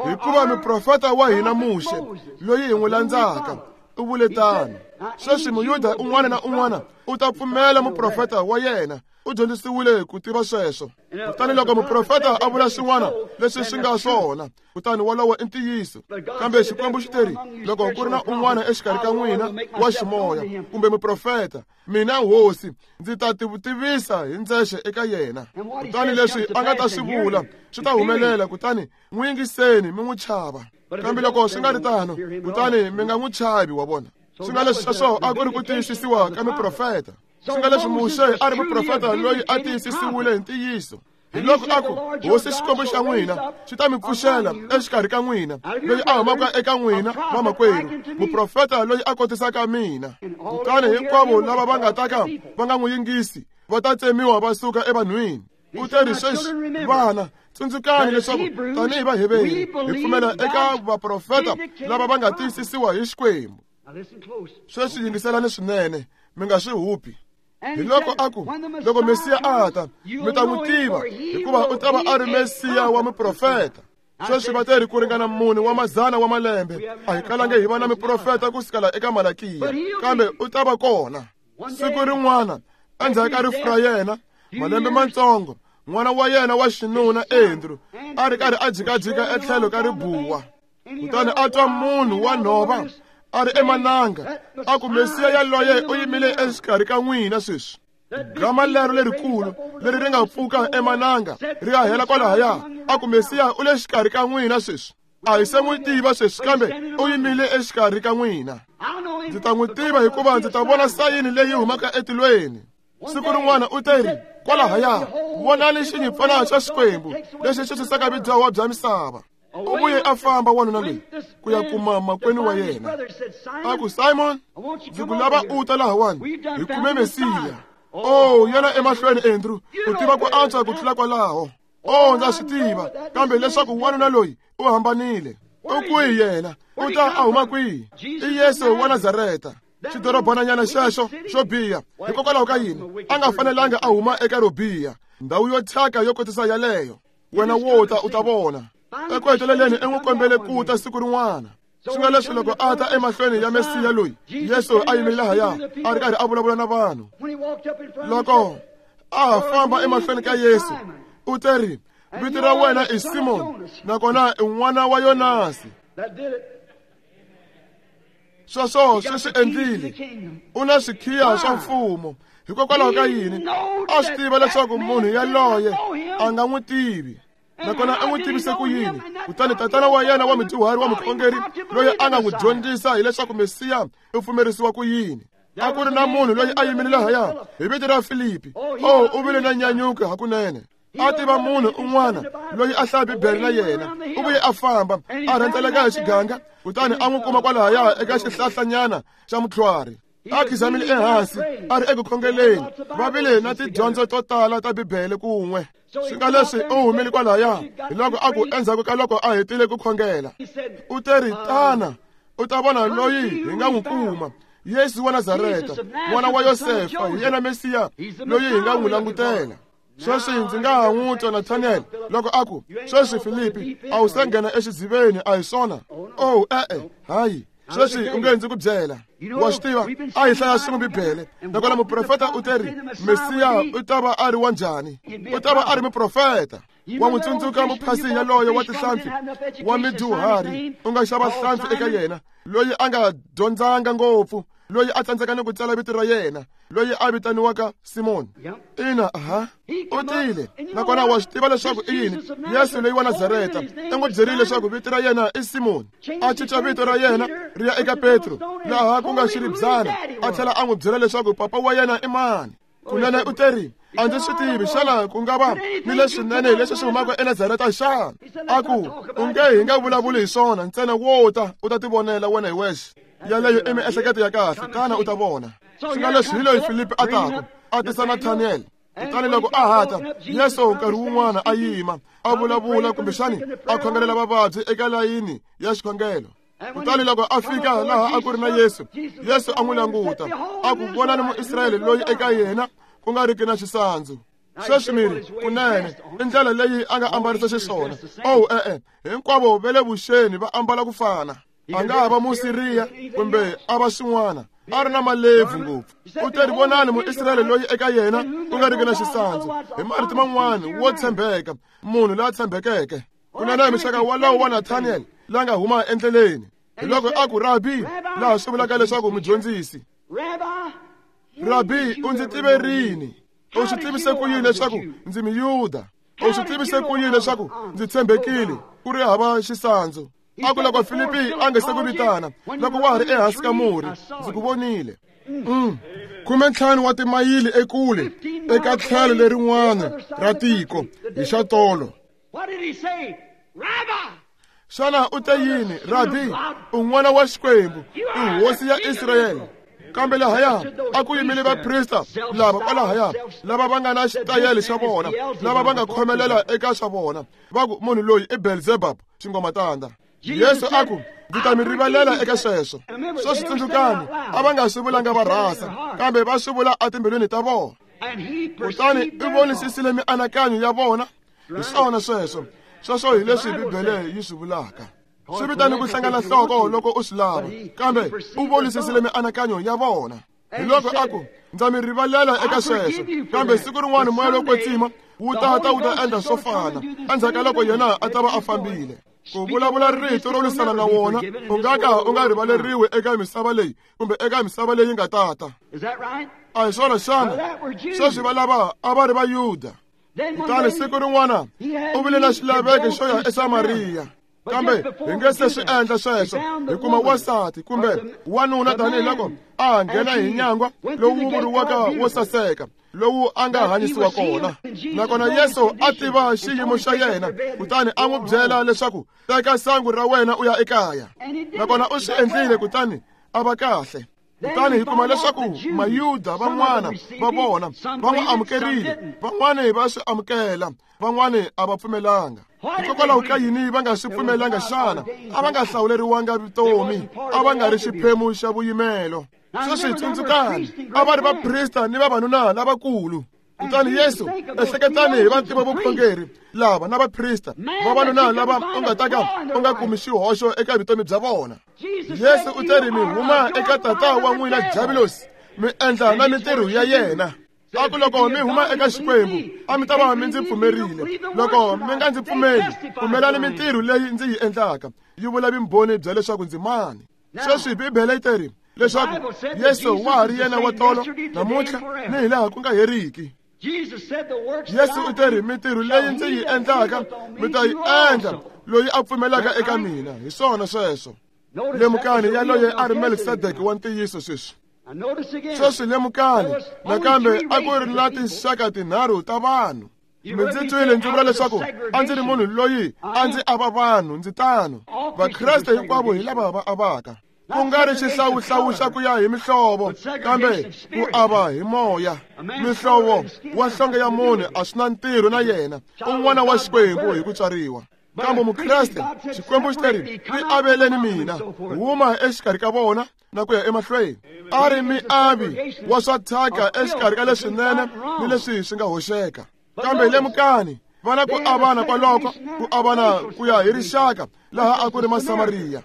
Hikuva muprofeta wa hina Muxe loyi hi n'wi landzaka u vule tano. Sweswi Muyuda un'wana na un'wana u ta pfumela muprofeta wa yena, u dyondzisiwile ku tiva sweswo. Kutani loko muprofeta a vula swin'wana leswi swi nga swona, kutani wolowo i ntiyiso. Kambe Xikwembu xi teri, loko ku ri na un'wana exikarhi ka n'wina wa ximoya kumbe muprofeta, mina Hosi ndzi ta tivisa hi ndzexe eka yena. Kutani leswi a nga ta swi vula swi ta humelela, kutani n'wi yingiseni mi n'wi chava. Kambe loko swi nga ri tano, kutani mi nga n'wi chavi. Wa vona, swi nga leswi sweswo a ku ri ku tiyisisiwa ka miprofeta. Swi nga leswi Muxe a ri muprofeta loyi a tiyisisiwile hi ntiyiso. Hi loko a ku, Hosi Xikwembu xa n'wina xi ta mi pfuxela exikarhi ka n'wina loyi a humaka eka n'wina vamakwenu, muprofeta loyi a kotisaka mina. Kutani hinkwavo lava va nga ta ka va nga n'wi yingisi va ta tsemiwa va suka evanhwini. U teri sweswi, vana, tsundzukani leswaku tanihi Vaheveri hi pfumela eka vaprofeta lava va nga tiyisisiwa hi Xikwembu. Sweswi yingiselani swinene, mi nga swi hupi. Hi loko a ku, loko Mesiya a ta, mi ta n'wi tiva, hikuva u ta va a ri Mesiya wa muprofeta. Sweswi va teri ku ringana mune wa mazana wa malembe a hi kalange hi va na miprofeta ku sukela eka Malakiya, kambe u ta va kona. Siku rin'wana endzhaku ka rifu ra yena, malembe matsongo, n'wana wa yena wa xinuna Andrew a ri karhi a jikajika etlhelo ka ribuwa. Kutani a twa munhu wa nhova a ri emananga a ku, Mesiya yaloye u yimile exikarhi ka n'wina sweswi. Gama lero lerikulu leri ri nga pfuka emananga ri ya hela kwalahaya a ku Mesiya u le xikarhi ka n'wina sweswi a hi se n'wi tiva sweswi kambe u yimile exikarhi ka n'wina ndzi ta n'wi tiva hikuva ndzi ta vona sayini leyi humaka etilweni siku rin'wana u teri kwalahaya vonani xinyimpfana xa Xikwembu lexi xi susaka vudyoho bya misava u vuye a famba wanuna loyi ku ya kuma makwenu wa yena a ku Simon ndzi ku lava u ta lahawani hi kume Mesiya oh yena emahlweni Andrew u tiva ku antswa ku tlula kwalaho oh ndza swi tiva kambe leswaku wanuna loyi u hambanile u kwihi yena u ta a huma kwihi i Yesu wa Nazareta xidorobananyana xexo xo biha hikokwalaho ka yini a nga fanelanga a huma eka ro biha ndhawu yo thyaka yo kotisa yaleyo wena wo ta u ta vona eku heteleleni i n'wi kombele ku ta siku rin'wana swi nga leswi loko a ta emahlweni ya Mesiya loyi Yesu a yimile lahaya a ri karhi a vulavula na vanhu loko a ha famba emahlweni ka Yesu u teri vito ra wena i Simon nakona i n'wana wa Yonasi sweswo swi swi endlile u na swikhiya swa mfumo hikokwalaho ka yini a swi tiva leswaku munhu yaloye a nga n'wi tivi nakona a n'wi tivise ku yini kutani tatana wa yena wa mudyuhari wa mukhongeri loyi a nga n'wi dyondzisa hileswaku Mesiya u pfumerisiwa ku yini a ku ri na munhu loyi a yimile lahaya hi vito ra Filipi oh u vile na nyanyuko hakunene a tiva munhu un'wana loyi a hlaya Bibele na yena u vuye a famba a rhendzeleka hi xiganga kutani a n'wi kuma kwalahaya eka xihlahlanyana xa mutlhwari a khizamile ehansi a ri eku khongeleni va vile na tidyondzo to tala ta Bibele kun'we swi nga leswi u humile kwalahaya hi loko a ku endzhaku ka loko a hetile ku khongela u teri tana u ta vona loyi hi nga n'wi kuma Yesu wa Nazareta n'wana wa Yosefa hi yena Mesiya loyi hi nga n'wi langutela sweswi ndzi nga ha n'wi twa Nathaniel loko a ku sweswi Filipi a wu se nghena exidziveni a hi swona oh e-e hayi sweswi u nge ndzi ku byela wa swi tiva a hi hlaya swin'we Bibele nakona muprofeta u teri Mesiya u ta va a ri wa njhani u ta va a ri muprofeta wa n'wi tsundzuka muphasi yaloye wa tihlampfi wa midyuhari u nga xava hlampfi eka yena loyi a nga dyondzanga ngopfu loyi a tsandzeka ni ku tsala vito ra yena loyi a vitaniwaka Simon ina aha u tile nakona wa swi tiva leswaku i yini Yesu loyi wa Nazareta i n'wi byerile leswaku vito ra yena i Simon a cinca vito ra yena ri ya eka Petro laha ku nga xiribyana a tlhela a n'wi byela leswaku papa wa yena i mani kunene u teri a ndzi swi tivi xana ku nga va ni leswinene leswi swi humaka eNazareta xana a ku u nge hi nga vulavuli hi swona ntsena wo ta u ta tivonela wena hi wexe yaleyo i miehleketo ya kahle tana u ta vona swi nga leswi hi loyi Filipi a taku a tisa Nathaniel kutani loko a hata Yesu nkarhi wun'wana a yima a vulavula kumbexani a khongelela vavabyi eka layini ya xikhongelo kutani loko a fika laha a ku ri na Yesu Yesu a n'wi languta a ku vonani Muisrayele loyi eka yena ku nga riki na xisandzu sweswi miri kunene i ndlela leyi a nga ambarisa xiswona oh e-e hinkwavo va le vuxeni va ambala ku fana a nga ha va Musiriya kumbe a va xin'wana a ri na malebvu ngopfu u teri vonani Muisrayele loyi eka yena ku nga riki na xisandzu hi marito man'wani wo tshembeka munhu loyi a tshembekeke kunene mixaka walowo wa Nathaniel la nga huma endleleni hi loko a ku Rabi laha swi vulaka leswaku mudyondzisi Rabi u ndzi tive rini u swi tivise ku yini leswaku ndzi Muyuda u swi tivise ku yini leswaku ndzi tshembekile ku ri hava xisandzu a ku loko Filipi a nga se ku vitana loko wa ha ri ehansi ka murhi ndzi ku vonile mm. khume ntlhanu wa timayili ekule eka tlhelo lerin'wana ra tiko hi xa tolo xana u te yini Rabi u n'wana wa Xikwembu i hosi ya Israyele kambe lahaya a ku yimile vaprista lava kwalahaya lava va nga na xitayele xa vona lava va nga khomelela eka swa vona va ku munhu loyi i Belzebub xingomatanda Yesu a ku ndzi ta mi rivalela eka sweswo sweswi tsundzukani a va nga swi vulanga va rhasa kambe va swi vula etimbilwini ta vona kutani i vonisisile mianakanyo ya vona hi swona sweswo sweswo hi leswi Bibele yi swi vulaka swi vitani ku hlangana nhloko loko u swi lava kambe u vonisisile mianakanyo ya vona hi loko a ku ndza mi rivalela eka sweswo kambe siku rin'wana moya lowo kwetsima wu ta ta wu ta endla swo fana endzhaku ka loko yena a ta va a fambile ku vulavula rito ro lwisana na wona u nga ka u nga rivaleriwi eka misava leyi kumbe eka misava leyi nga tata A hi swona xana? Sweswi va lava a va ri Vayuda. Kutani siku rin'wana u vile na xilaveko xo ya eSamariya. Kambe hi nge se swi endla sweswo hi kuma wansati kumbe wanuna tanihiloko a nghena hi nyangwa lowu vuriwaka wo saseka lowu a nga hanyisiwa kona. Nakona Yesu a tiva xiyimo xa yena, kutani a n'wi byela leswaku teka sangu ra wena u ya ekaya. Nakona u swi endlile, kutani a va kahle. Kutani hi kuma leswaku Mayuda van'wana va vona va n'wi amukerile, van'wani va swi amukela, van'wani a va pfumelanga. Hikokwalaho ka yini va nga swi pfumelanga xana? A va nga hlawuleriwanga vutomi, a va nga ri xiphemu xa vuyimelo. Sweswi tsundzukani, a va ri vaprista ni vavanuna lavakulu. Kutani Yesu ehleketani hi vantima vukhongeri lava na vaprista, vavanuna lava u nga ta ka u nga kumi xihoxo eka vutomi bya vona. Yesu u teri mi huma eka tata wa n'wina Diabulosi, mi endla na mintirho ya yena. A ku loko mi huma eka Xikwembu a mi ta va mi ndzi pfumerile. Loko mi nga ndzi pfumeli, pfumelani mintirho leyi ndzi yi endlaka, yi vula vumbhoni bya leswaku ndzi mani. Sweswi Bibele yi teri leswaku Yesu wa ha ri yena wa tolo, namuntlha ni hilaha ku nga heriki. Yesu u teri mintirho leyi ndzi yi endlaka mi ta yi endla loyi a pfumelaka eka mina. Hi swona sweswo. Lemukani yaloye a ri Melkisedeke wa ntiyiso sweswi. Sweswi lemukani nakambe a ku ri na tinxaka tinharhu ta vanhu. Mi ndzi twile ndzi vula leswaku a ndzi ri munhu loyi a ndzi ava vanhu, ndzi tano. Vakreste hinkwavo hi lava va avaka, ku nga ri xihlawuhlawu xa ku ya hi mihlovo, kambe ku ava hi moya. Mihlovo wa nhlonge ya munhu a swi na ntirho na yena, un'wana wa Xikwembu hi ku tswariwa. Kambe Mukreste, Xikwembu xi teri ti aveleni mina, huma exikarhi ka vona na ku ya emahlweni. A ri miavi wa swa thyaka exikarhi ka leswinene ni leswi swi nga hoxeka. Kambe lemukani, va na ku avana kwaloko, ku avana ku ya hi rixaka laha a ku ri Masamariya.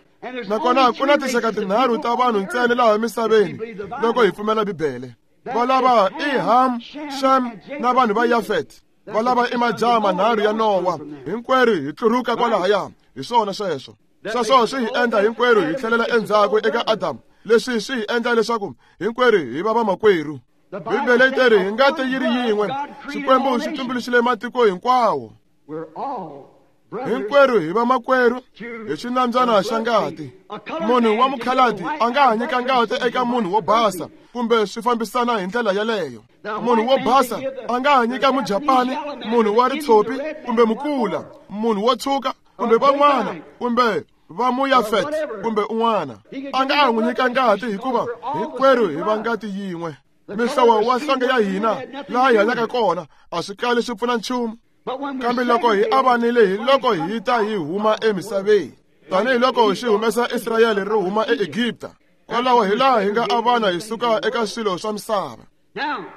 Nakona ku na tinxaka tinharhu ta vanhu ntsena laha misaveni loko hi pfumela Bibele. Va lava i Ham, Shem na vanhu va Yafet. Va lava i majaha manharhu ya Nowa. Hinkwerhu hi tluruka kwalahaya. Hi swona sweswo. Sweswo swi hi endla hinkwerhu hi tlhelela endzhaku eka Adamu. Leswi swi hi endla leswaku hinkwerhu hi va vamakwerhu. Bibele yi teri hi ngati yi ri yin'we, Xikwembu xi tumbuluxile matiko hinkwawo. Hinkwerhu hi vamakwerhu hi xinambyana xa ngati. Munhu wa mukhaladi a nga ha nyika ngati eka munhu wo basa kumbe swi fambisana hi ndlela yaleyo. Munhu wo basa a nga ha nyika Mujapani, munhu wa ritshopi kumbe mukula, munhu wo tshuka kumbe van'wana kumbe va Muyafet kumbe un'wana. A nga ha n'wi nyika ngati hikuva hinkwerhu hi va ngati yin'we. Mihlovo wa nhlonge ya hina laha hi hanyaka kona a swi kali swi pfuna nchumu. Kambe loko hi avanile hi loko hi ta hi huma emisaveni, tanihiloko xi humesa Israyele ri huma eEgipta. Kwalaho hi laha hi nga avana hi suka eka swilo swa misava.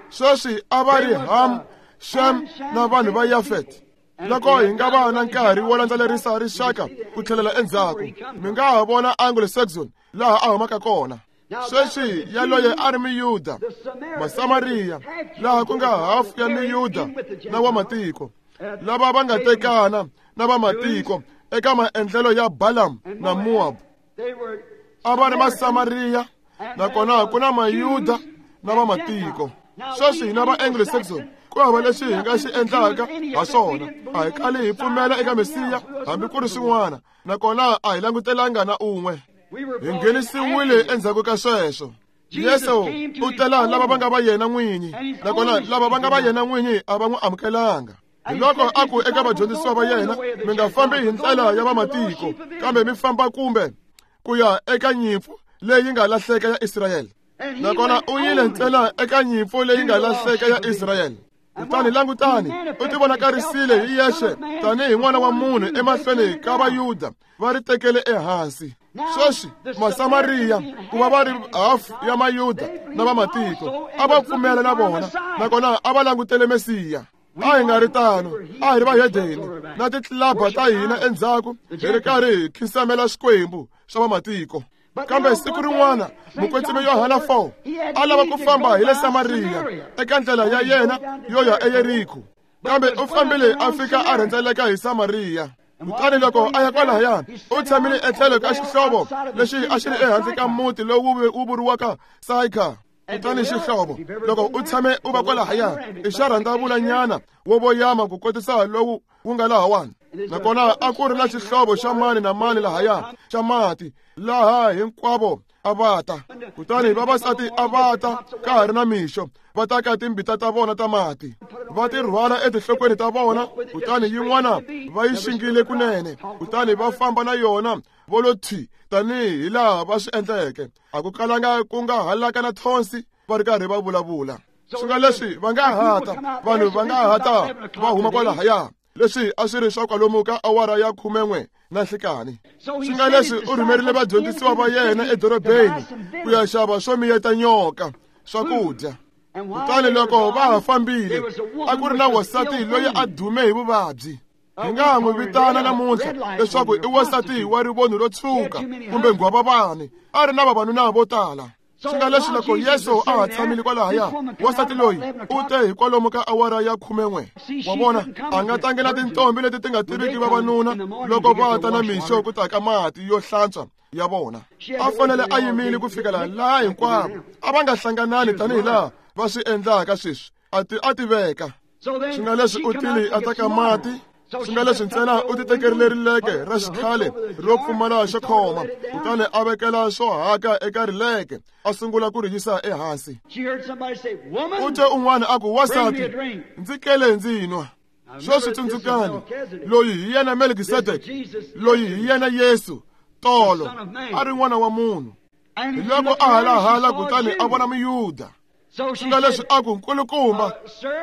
Sweswi a va ri Ham, Shem na vanhu va Yafet. Loko hi nga va na nkarhi wo landzelerisa rixaka ku tlhelela endzhaku, mi nga ha vona Anglo-Saxon laha a humaka kona. Sweswi yaloye a ri Miyuda, Masamariya, laha ku nga hafu ya Miyuda na wa matiko, lava va nga tekana na va matiko eka maendlelo ya Balaam na Moab. A va ri Masamariya, nakona ku na Mayuda na va matiko. Sweswi hina va Anglo-Saxon ku hava lexi hi nga xi endlaka ha swona. A hi kali hi pfumela eka Mesiya hambi ku ri swin'wana, nakona a hi langutelanga na un'we. Hi nghenisiwile endzhaku ka sweswo. Yesu u tela lava va nga va yena n'winyi, nakona lava va nga va yena n'winyi a va n'wi amukelanga. Hi loko a ku eka vadyondzisiwa va yena, mi nga fambi hi ndlela ya vamatiko, kambe mi famba kumbe ku ya eka nyimpfu leyi nga lahleka ya Israyele. Nakona u yile ntsena eka nyimpfu leyi nga lahleka ya Israyele. Kutani langutani, u tivonakarisile hi yexe tanihi n'wana wa munhu emahlweni ka Vayuda va ri tekele ehansi. Sweswi Masamariya ku va va ri hafu ya Mayuda na vamatiko a va pfumela na vona, nakona a va langutele Mesiya. A hi nga ri tano, a hi ri vahedeni na titlilaba ta hina endzhaku hi ri karhi hi khinsamela Xikwembu swa vamatiko. Kambe siku rin'wana Mukwetsimi Yohana four a lava ku famba hi le Samariya eka ndlela ya yena yo ya eYeriko, kambe u fambile a fika a rhendzeleka hi Samariya. Kutani loko a ya kwalahaya, u tshamile etlhelo ka xihlovo lexi a xi ri ehansi ka muti lowu wu vuriwaka Saika. Kutani xihlovo loko u tshame u va kwalahaya i xa rhandzavulanyana wo voyama ku kotisa lowu wu nga lahawani. Nakona a ku ri na xihlovo xa mani na mani lahaya xa mati laha hinkwavo a va ta. Kutani vavasati a va ta ka ha ri na mixo va ta ka timbita ta vona ta mati va ti rhwala etinhlokweni ta vona, kutani yin'wana va yi xingile kunene, kutani va famba na yona vo lo thwi tanihi laha va swi endleke. A ku kalanga ku nga halaka na thonsi va ri karhi va vulavula. Swi nga leswi va nga hata vanhu va nga hata va huma kwalahaya. Leswi a swi ri swa kwalomu ka awara ya khumen'we na nhlikani. Swi nga leswi u rhumerile vadyondzisiwa va yena edorobeni ku ya xava swo miyeta nyoka swakudya. Kutani loko va ha fambile a ku ri na wansati loyi a dume hi vuvabyi. Hi nga n'wi vitana namuntlha leswaku i wansati wa rivoni ro tshuka kumbe nghwavavani, a ri na vavanuna vo tala. Swi nga leswi loko Yesu a ha tshamile kwalahaya, wansati loyi u te hi kwalomu ka awara ya khumen'we. Wa vona, a nga tlangela tintombi leti ti nga tiviki vavanuna loko va ta na mixo ku ta ka mati yo hlantswa ya vona. A fanele a yimile ku fikela laha hinkwavo a va nga hlanganani tanihi laha va swi endlaka sweswi. A ti a tiveka. Swi nga leswi u tile a ta ka mati. Swi nga leswi ntsena u ti tekerile rileke ra xikhale ro pfumala xo khoma, kutani a vekela swo haka eka rileke a sungula ku ri yisa ehansi. U twe un'wana a ku, "Wansati, ndzi kele ndzi nwa." Sweswi tsundzukani, loyi hi yena Melkisedeke, loyi hi yena Yesu tolo a ri n'wana wa munhu. Hi loko a halahala kutani a vona Muyuda. Swi nga leswi a ku, "Nkulukumba,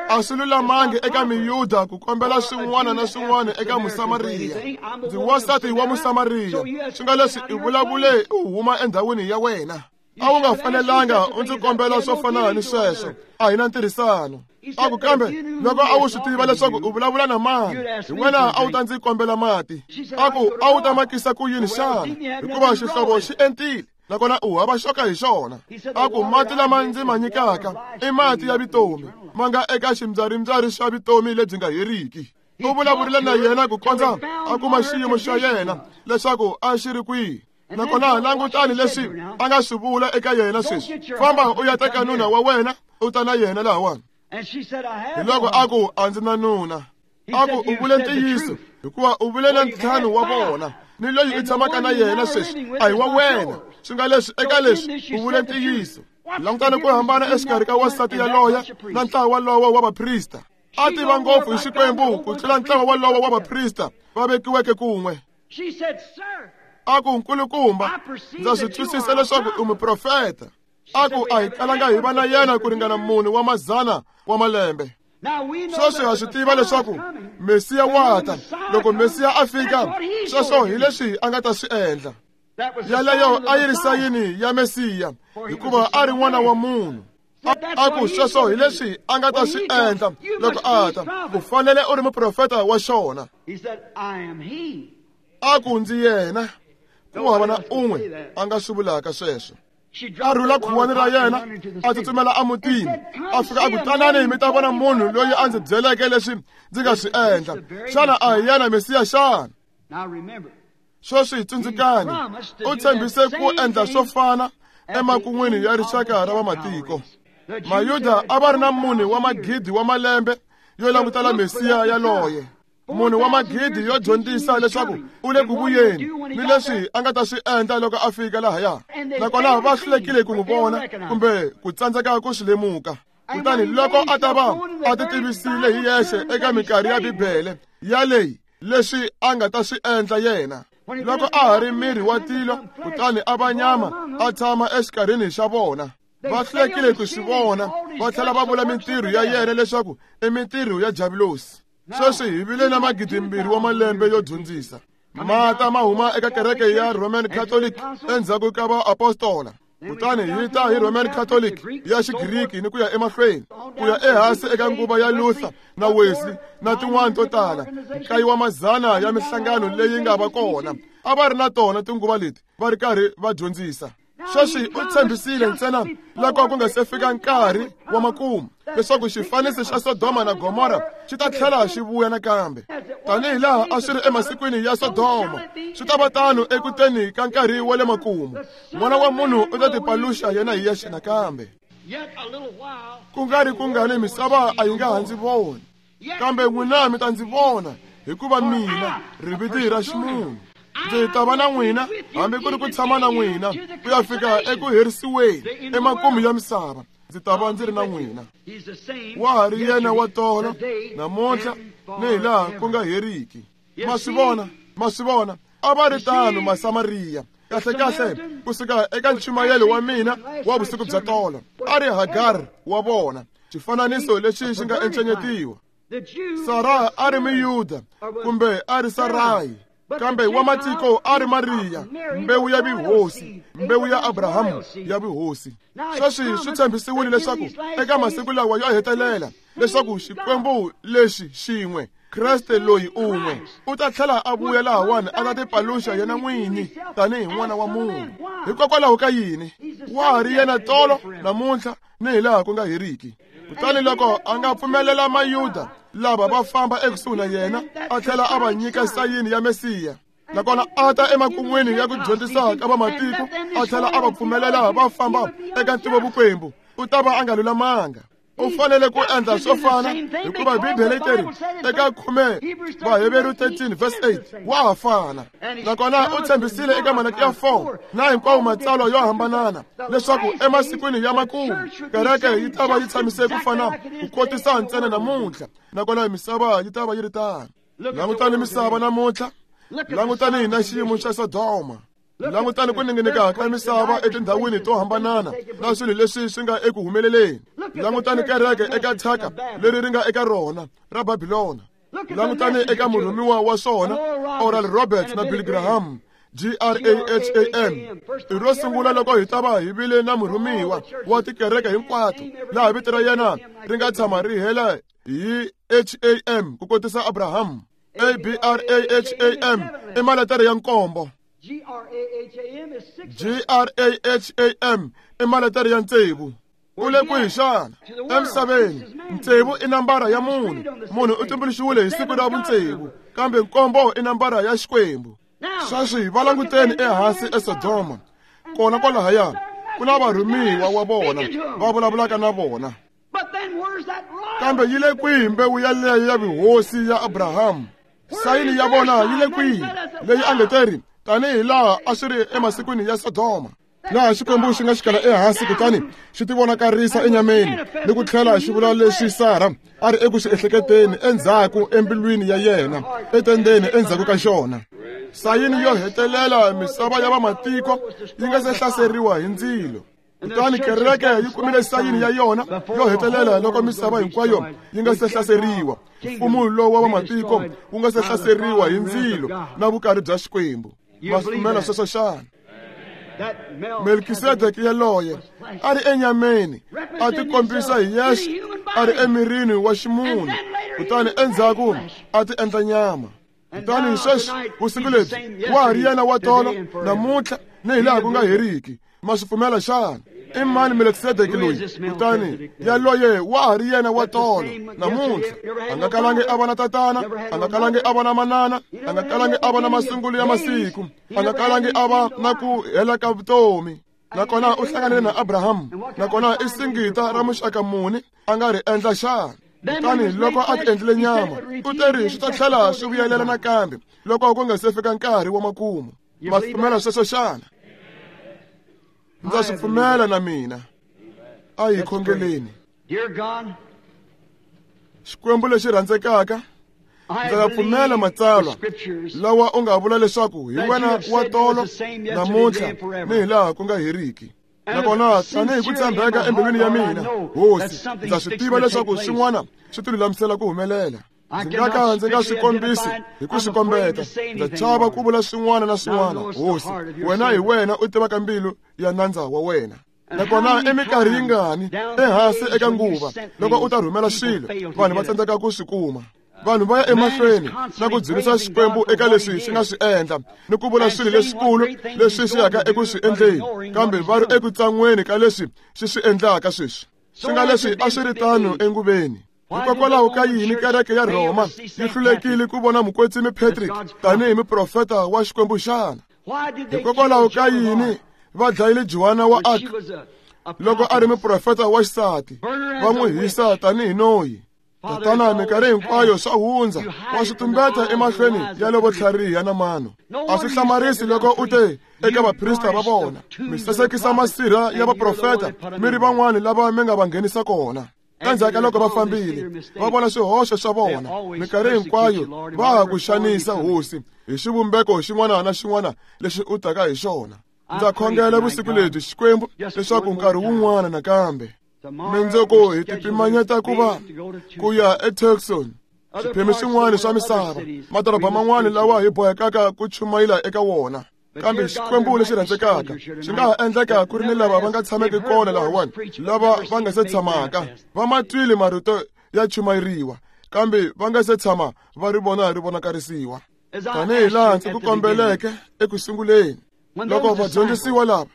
a swi lulamangi eka Miyuda ku kombela swin'wana na swin'wana eka Musamariya. Ndzi wansati wa Musamariya. Swi nga leswi i vulavule u huma endhawini ya wena. A wu nga fanelanga u ndzi kombela swo fana ni sweswo. A hi na ntirhisano." A ku, "Kambe loko a wu swi tiva leswaku u vulavula na mani, hi wena a wu ta ndzi kombela mati." A ku, "A wu ta makisa ku yini xana? Hikuva xihlovo xi entile, nakona u hava xoka hi xona." A ku, "Mati lama ndzi ma nyikaka i mati ya vutomi, ma nga eka ximbyarimbya xa vutomi lebyi nga heriki." U vulavurile na yena ku kondza a kuma xiyimo xa yena leswaku a xi ri kwihi. Nakona langutani leswi a nga swi vula eka yena sweswi, "Famba u ya teka nuna wa wena u ta na yena lahawani." Hi loko a ku, "A ndzi na nuna." A ku, "U vule ntiyiso, hikuva u vule na ntlhanu wa vona, ni loyi u tshamaka na yena sweswi a hi wa wena. Swi nga leswi eka leswi u vule ntiyiso." Langutani ku hambana exikarhi ka wansati yaloye na ntlawa walowo wa vaprista. A tiva ngopfu hi Xikwembu ku tlula ntlawa walowo wa vaprista va vekiweke kun'we. A ku, "Nkulukumba, ndza swi twisisa leswaku u muprofeta." A ku, "A hi kalanga hi va na yena ku ringana mune wa mazana wa malembe. Sweswi ha swi tiva leswaku Mesiya wa ta. Loko Mesiya a fika, sweswo hi leswi a nga ta swi endla." Yaleyo a yi ri sayini ya Mesiya, hikuva a ri n'wana wa munhu. A ku, "Sweswo hi leswi a nga ta swi endla loko a ta. U fanele u ri muprofeta wa xona." A ku, "Ndzi yena." Ku hava na un'we a nga swi vulaka sweswo. A rhula khuwani ra yena a tsutsumela emutini, a fika a ku, "Tanani mi ta vona munhu loyi a ndzi byeleke leswi ndzi nga swi endla. Xana a hi yena Mesiya xana?" Sweswi tsundzukani, u tshembise ku endla swo fana emakun'wini ya rixaka ra vamatiko. Mayuda a va ri na mune wa magidi wa malembe yo langutela Mesiya yaloye, munhu wa magidi yo dyondzisa leswaku u le ku vuyeni ni leswi a nga ta swi endla loko a fika lahaya. Nakona va hlulekile ku n'wi vona kumbe ku tsandzeka ku swi lemuka. Kutani loko a ta va a ti tivisile hi yexe eka minkarhi ya Bibele yaleyi leswi a nga ta swi endla yena, loko a ha ri miri wa tilo, kutani a va nyama a tshama exikarhini xa vona. Va hlulekile ku swi vona, va tlhela va vula mintirho ya yena leswaku i mintirho ya Diavulosi. Sweswi hi vile na magidimbirhi wa malembe yo dyondzisa. Mata ma huma eka kereke ya Roman Catholic endzhaku ka vaapostola. Kutani hi ta hi Roman Catholic ya Xigriki ni ku ya emahlweni, ku ya ehansi eka nguva ya Luther na Wesley na tin'wana to tala. Nkaye wa mazana ya mihlangano leyi nga va kona a va ri na tona tinguva leti va ri karhi va dyondzisa. Sweswi u tshembisile ntsena loko ku nga se fika nkarhi wa makumu leswaku xifaniso xa Sodoma na Gomora xi ta tlhela xi vuya nakambe. Tanihi laha a swi ri emasikwini ya Sodoma, swi ta va tano ekuteni ka nkarhi wa le makumu. N'wana wa munhu u ta tipaluxa yena hi yexe nakambe. Ku nga ri kungani misava a yi nga ha ndzi voni, kambe n'wina mi ta ndzi vona, hikuva mina riviti ra ximunhu ndzi ta va na n'wina hambi ku ri ku tshama na n'wina ku ya fika eku herisiweni emakumu ya misava. Ndzi ta va ndzi ri na n'wina. Wa ha ri yena wa tolo namuntlha ni hi laha ku nga heriki. Ma swi vona, ma swi vona, a va ri tano Masamariya. Kahle kahle kusuka eka nchumayelo wa mina wa vusiku bya tolo, a ri Hagar wa vona, xifananiso lexi xi nga encenyetiwa. Sara a ri Muyuda kumbe a ri Sarayi, kambe wa matiko a ri Mariya, mbewu ya vuhosi, mbewu ya Abrahamu ya vuhosi. Sweswi swi tshembisiwile leswaku eka masiku lawa yo hetelela leswaku Xikwembu lexi xin'we, Kreste loyi un'we, u ta tlhela a vuya lahawani a ta tipaluxa yena n'wini tanihi n'wana wa munhu. Hikokwalaho ka yini? Wa ha ri yena tolo namuntlha ni hi laha ku nga heriki. Kutani loko a nga pfumelela Mayuda lava va famba ekusuhi na yena, a tlhela a va nyika sayini ya Mesiya, nakona a ta emakun'wini ya ku dyondzisa ka vamatiko, a tlhela a va pfumelela va famba eka ntivovukwembu, u ta va a nga lulamanga. U fanele ku endla swo fana, hikuva Bibele yi teri eka khume Vaheveru thirteen verse eight, wa ha fana. Nakona u tshembisile eka Malaki ya four na hinkwawo matsalwa yo hambanana leswaku emasikwini ya makumu kereke yi ta va yi tshamise ku fana ku kotisa ntsena namuntlha, nakona misava yi ta va yi ri tano. Langutani misava namuntlha, langutani na xiyimo xa Sodoma, langutani ku ninginika ka misava etindhawini to hambanana na swilo leswi swi nga eku humeleleni. Langutani kereke eka thyaka leri ri nga eka rona ra Babilona. Langutani eka murhumiwa wa swona Oral Roberts na Billy Graham, G R A H A M. I ro sungula loko hi ta va hi vile na murhumiwa wa tikereke hinkwato laha vito ra yena ri nga tshama ri hela hi H A M ku kotisa Abraham. A B R A H A M i maletere ya nkombo. G R A H A M is six. G R A H A M i maletere ya ntsevu. U le kwihi xana? Emisaveni ntsevu i nambara ya munhu. Munhu u tumbuluxiwile hi siku ra vuntsevu, kambe nkombo i nambara ya Xikwembu. Sweswi va languteni ehansi eSodoma, kona kwalahaya ku na varhumiwa wa vona va vulavulaka na vona. Kambe yi le kwihi mbewu yaleyo ya vuhosi ya Abrahamu? Sayini ya vona yi le kwihi leyi a nge teri tanihi laha a swi ri emasikwini ya Sodoma, laha Xikwembu xi nga xikala ehansi kutani xi tivonakarisa enyameni ni ku tlhela xi vula leswi Sara a ri eku swi ehleketeni endzhaku embilwini ya yena etendeni endzhaku ka xona. Sayini yo hetelela misava ya vamatiko yi nga se hlaseriwa hi ndzilo. Kutani kereke yi kumile sayini ya yona yo hetelela loko misava hinkwayo yi nga se hlaseriwa, mfumo lowu wa vamatiko wu nga se hlaseriwa hi ndzilo na vukarhi bya Xikwembu. Ma swi pfumela sweswo xana? Melkisedeke yaloye a ri enyameni, a tikombisa hi yexe a ri emirini wa ximunhu, kutani endzhaku a ti endla nyama. Kutani sweswi vusiku lebyi wa ha ri yena wa tolo namuntlha ni hi laha ku nga heriki. Ma swi pfumela xana? I mani Melkisedeke loyi? Kutani yaloye wa ha ri yena wa tolo namuntlha. A nga kalangi a va na tatana, a nga kalangi a va na manana, a nga kalangi a va na masungulo ya masiku, a nga kalangi a va na ku hela ka vutomi. Nakona u hlanganile na Abrahamu, nakona i singita ra muxaka muni a nga ri endla xana? Kutani loko a ti endlile nyama, u teri swi ta tlhela swi vuyelela nakambe loko ku nga se fika nkarhi wa makumu. Ma swi pfumela sweswo xana? Ndza swi pfumela na mina. A hi khongeleni. Xikwembu lexi rhandzekaka, ndza pfumela matsalwa lawa u nga vula leswaku hi wena wa tolo namuntlha ni hi laha ku nga heriki. Nakona tanihi ku tshembeka embilwini ya mina, Hosi, ndza swi tiva leswaku swin'wana swi ti lulamisela ku humelela. Ndzi nga ka ndzi nga swi kombisi hi ku swi kombeta. Ndza chava ku vula swin'wana na swin'wana. Hosi, wena hi wena u tivaka mbilu ya nandza wa wena. Nakona eminkarhi yingani ehansi eka nguva loko u ta rhumela swilo, vanhu va tsandzeka ku swi kuma. Vanhu va ya emahlweni na ku dzunisa Xikwembu eka leswi xi nga swi endla ni ku vula swilo leswikulu leswi xi yaka eku swi endleni, kambe va ri eku tsan'weni ka leswi xi swi endlaka sweswi. Swi nga leswi a swi ri tano enguveni. Hikokwalaho ka yini kereke ya Rhoma yi hlulekile ku vona mukwetsimi Patrick tanihi muprofeta wa Xikwembu xana? Hikokwalaho ka yini va dlayile Joana wa Arc Loko a ri muprofeta wa xisati, va n'wi hisa tanihi noyi. Tatana, minkarhi hinkwayo swa hundza, wa swi tumbeta emahlweni ya lovo tlhariha na mano. A swi hlamarisi loko u te eka vaprista va vona, mi sasekisa masirha ya vaprofeta, mi ri van'wani lava mi nga va nghenisa kona. Endzhaku ka loko va fambile, va vona swihoxo swa vona. Minkarhi hinkwayo va ha ku xanisa, Hosi, hi xivumbeko xin'wana na xin'wana lexi u taka hi xona. Ndza khongela vusiku lebyi, Xikwembu, leswaku nkarhi wun'wana nakambe mindzuku hi tipimanyeta ku va ku ya eTucson, swiphemu swin'wana swa misava, madoroba man'wana lawa hi bohekaka ku chumayela eka wona. Kambe Xikwembu lexi rhandzekaka, swi nga ha endleka ku ri ni lava va nga tshameki kona lahawani, lava va nga se tshamaka va ma twile marito ya chumayeriwa, kambe va nga se tshama va ri vona ri vonakarisiwa. Tanihi laha ndzi ku kombeleke eku sunguleni, loko vadyondzisiwa lava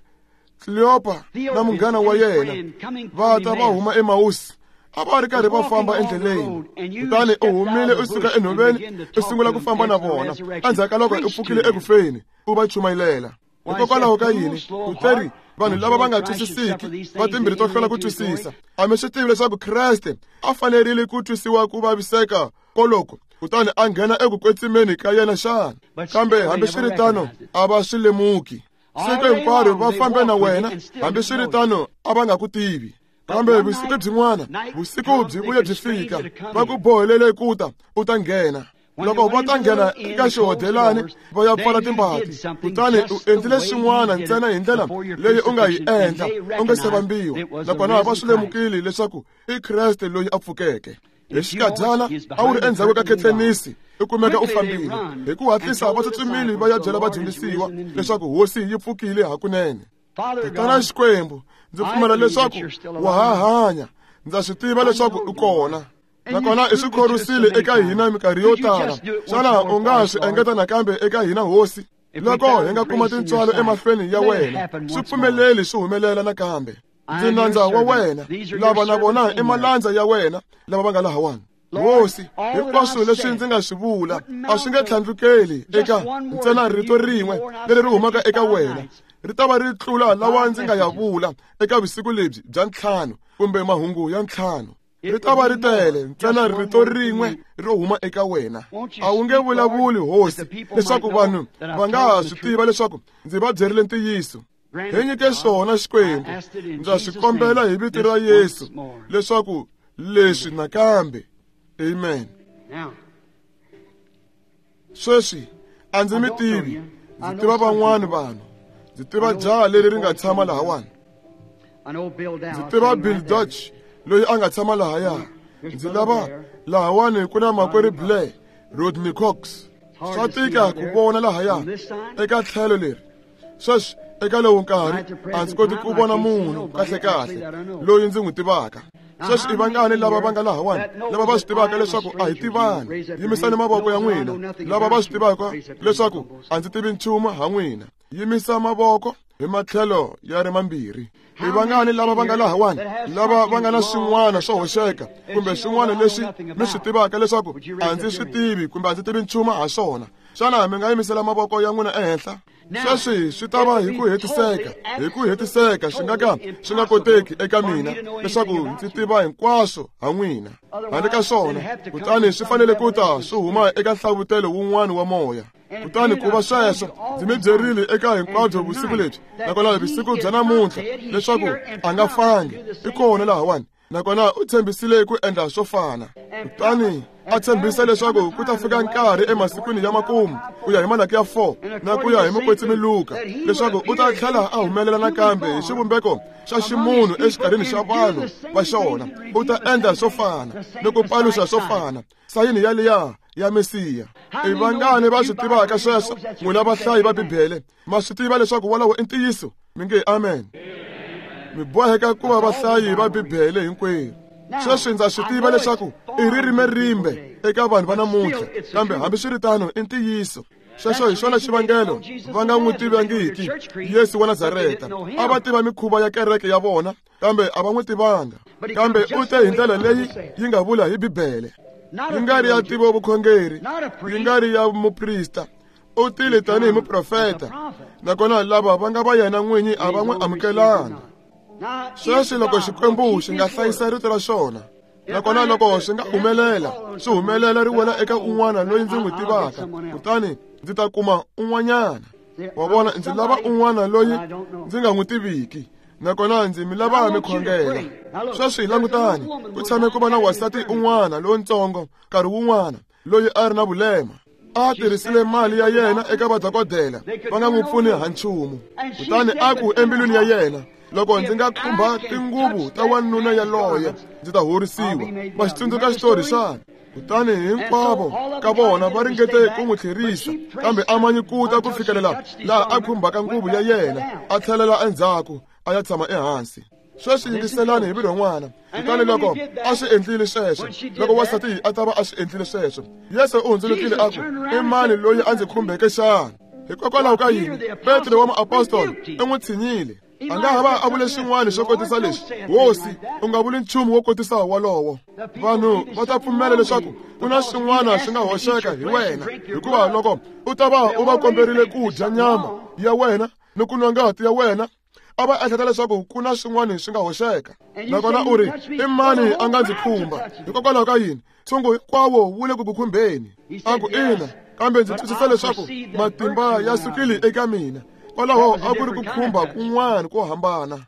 Kleopa na munghana wa yena va ta va huma eMausi, a va ri karhi va famba endleleni. Kutani u humile u suka enhoveni, u sungula ku famba na vona. Endzhaku ka loko u pfukile eku feni, u va chumayelela. Hikokwalaho ka yini? U teri vanhu lava va nga twisisiki va timbirhi to hlwela ku twisisa, a mi swi tivi leswaku Kreste a fanerile ku twisiwa ku vaviseka koloko, kutani a nghena eku kwetsimeni ka yena xana? Kambe hambiswiritano a va swi lemuki. Siku hinkwaro va fambe na wena, hambiswiritano a va nga ku tivi. Kambe vusiku byin'wana, vusiku byi vuye byi fika, va ku bohelele ku ta u ta nghena. Loko va ta nghena eka xihodelani va ya pfala timbati, kutani u endlile swin'wana ntsena hi ndlela leyi u nga yi endla u nga se vambiwa, nakona va swi lemukile leswaku i Kreste loyi a pfukeke. Hi xikadyana a wu ri endzhaku ka khethenisi, u kumeka u fambile. Hi ku hatlisa va tsutsumile va ya byela vadyondzisiwa leswaku Hosi yi pfukile hakunene. Tatana Xikwembu, ndzi pfumela leswaku wa ha hanya, ndza swi tiva leswaku u kona. Nakona i swi khorwisile eka hina minkarhi yo tala. Xana u nga swi engeta nakambe eka hina, Hosi? Loko hi nga kuma tintswalo emahlweni ya wena, swi pfumeleli swi humelela nakambe. Ndzi nandza wa wena, lava na vona i malandza ya wena lava va nga lahawani. Hosi, hinkwaswo leswi ndzi nga swi vula a swi nge tlhandlukeli eka ntsena rito rin'we leri ri humaka eka wena, ri ta va ri tlula lawa ndzi nga ya vula eka vusiku lebyi bya ntlhanu kumbe mahungu ya ntlhanu. Ri ta va ri tele ntsena rito rin'we ro huma eka wena. A wu nge vulavuli, Hosi, leswaku vanhu va nga ha swi tiva leswaku ndzi va byerile ntiyiso. Hi nyike swona, Xikwembu, ndza swi kombela hi vito ra Yesu leswaku leswi nakambe. Amen. Sweswi a ndzi mi tivi, ndzi tiva van'wani vanhu. Ndzi tiva jaha leri ri nga tshama lahawani. Ndzi tiva Bill Dutch loyi a nga tshama lahaya. Ndzi lava lahawani ku na makwerhu Blair, Rodney Cox. Swa tika ku vona lahaya eka tlhelo leri. Sweswi eka lowu nkarhi a ndzi koti ku vona munhu kahlekahle loyi ndzi n'wi tivaka. Sweswi i vangani lava va nga lahawani lava va swi tivaka leswaku a hi tivani? Yimisani mavoko ya n'wina. Lava va swi tivaka leswaku a ndzi tivi nchumu ha n'wina, yimisa mavoko hi matlhelo ya ri mambirhi. I vangani lava va nga lahawani lava va nga na swin'wana swo hoxeka kumbe swin'wana leswi mi swi tivaka leswaku a ndzi swi tivi kumbe a ndzi tivi nchumu ha swona? Xana mi nga yimisela mavoko ya n'wina ehenhla? Sweswi swi ta va hi ku hetiseka, hi ku hetiseka swi nga ka swi nga koteki eka mina leswaku ndzi tiva hinkwaswo ha n'wina. Handle ka swona, kutani swi fanele ku ta swi huma eka nhlavutelo wun'wana wa moya. Kutani ku va sweswo, ndzi mi byerile eka hinkwabyo vusiku lebyi, nakona vusiku bya namuntlha, leswaku a nga fangi, i kona lahawani. Nakona u tshembisile ku endla swo fana. Kutani a tshembisa leswaku ku ta fika nkarhi emasikwini ya makumu, ku ya hi Malaki ya four na ku ya hi Mukwetsimi Luka, leswaku u ta tlhela a humelela nakambe hi xivumbeko xa ximunhu exikarhini xa vanhu va xona. U ta endla swo fana ni ku paluxa swo fana, sayini yaliya ya Mesiya. I vangani va swi tivaka sweswo? N'wina vahlayi va Bibele, ma swi tiva leswaku wolowo i ntiyiso? Mi nge amen. Mi boheka ku va vahlayi va Bibele hinkwenu. Sweswi ndza swi tiva leswaku i ririmi rimbe eka vanhu va namuntlha, kambe hambiswiritano i ntiyiso. Sweswo hi xona xivangelo va nga n'wi tivangiki Yesu wa Nazareta. A va tiva mikhuva ya kereke ya vona, kambe a va n'wi tivanga. Kambe u te hi ndlela leyi yi nga vula hi Bibele, yi nga ri ya tivo vukhongeri, yi nga ri ya muprista. U tile tanihi muprofeta, nakona lava va nga va yena n'winyi a va n'wi amukelanga. Sweswi loko Xikwembu xi nga hlayisa rito ra xona, nakona loko swi nga humelela, swi humelela ri wela eka un'wana loyi ndzi n'wi tivaka, kutani ndzi ta kuma un'wanyana. Wa vona, ndzi lava un'wana loyi ndzi nga n'wi tiviki, nakona ndzi mi lava mi khongela. Sweswi langutani, ku tshame ku va na wansati un'wana lontsongo nkarhi wun'wana loyi a ri na vulema. A tirhisile mali ya yena eka vadokodela, va nga n'wi pfuni ha nchumu. Kutani a ku embilwini ya yena, loko ndzi nga khumba tinguvu ta wanuna yaloye, ndzi ta horisiwa. Ma xi tsundzuka xitori xana? Kutani hinkwavo ka vona va ringete ku n'wi tlherisa, kambe a manyikuta ku fikelela laha a khumbaka nguvu ya yena, a tlhelela endzhaku a ya tshama ehansi. Sweswi yingiselani hi vurhon'wana. Kutani loko a swi endlile sweswo, loko wansati a ta va a swi endlile sweswo, Yesu u hundzulukile a ku, i mani loyi a ndzi khumbeke xana? Hikokwalaho ka yini? Petro wa muapostoli u n'wi tshinyile. A nga ha va a vule xin'wana xo kotisa lexi, Hosi, u nga vuli nchumu wo kotisa wolowo. Vanhu va ta pfumela leswaku ku na swin'wana swi nga hoxeka hi wena, hikuva loko u ta va u va komberile ku dya nyama ya wena ni ku nwa ngati ya wena, a va ehleketa leswaku ku na swin'wana swi nga hoxeka. Nakona u ri, i mani a nga ndzi khumba? Hikokwalaho ka yini? Ntshungu hinkwawo wu le ku ku khumbeni. A ku, ina, kambe ndzi twisisa leswaku matimba ya sukile eka mina. Kwalaho a ku ri ku khumba kun'wana ko hambana.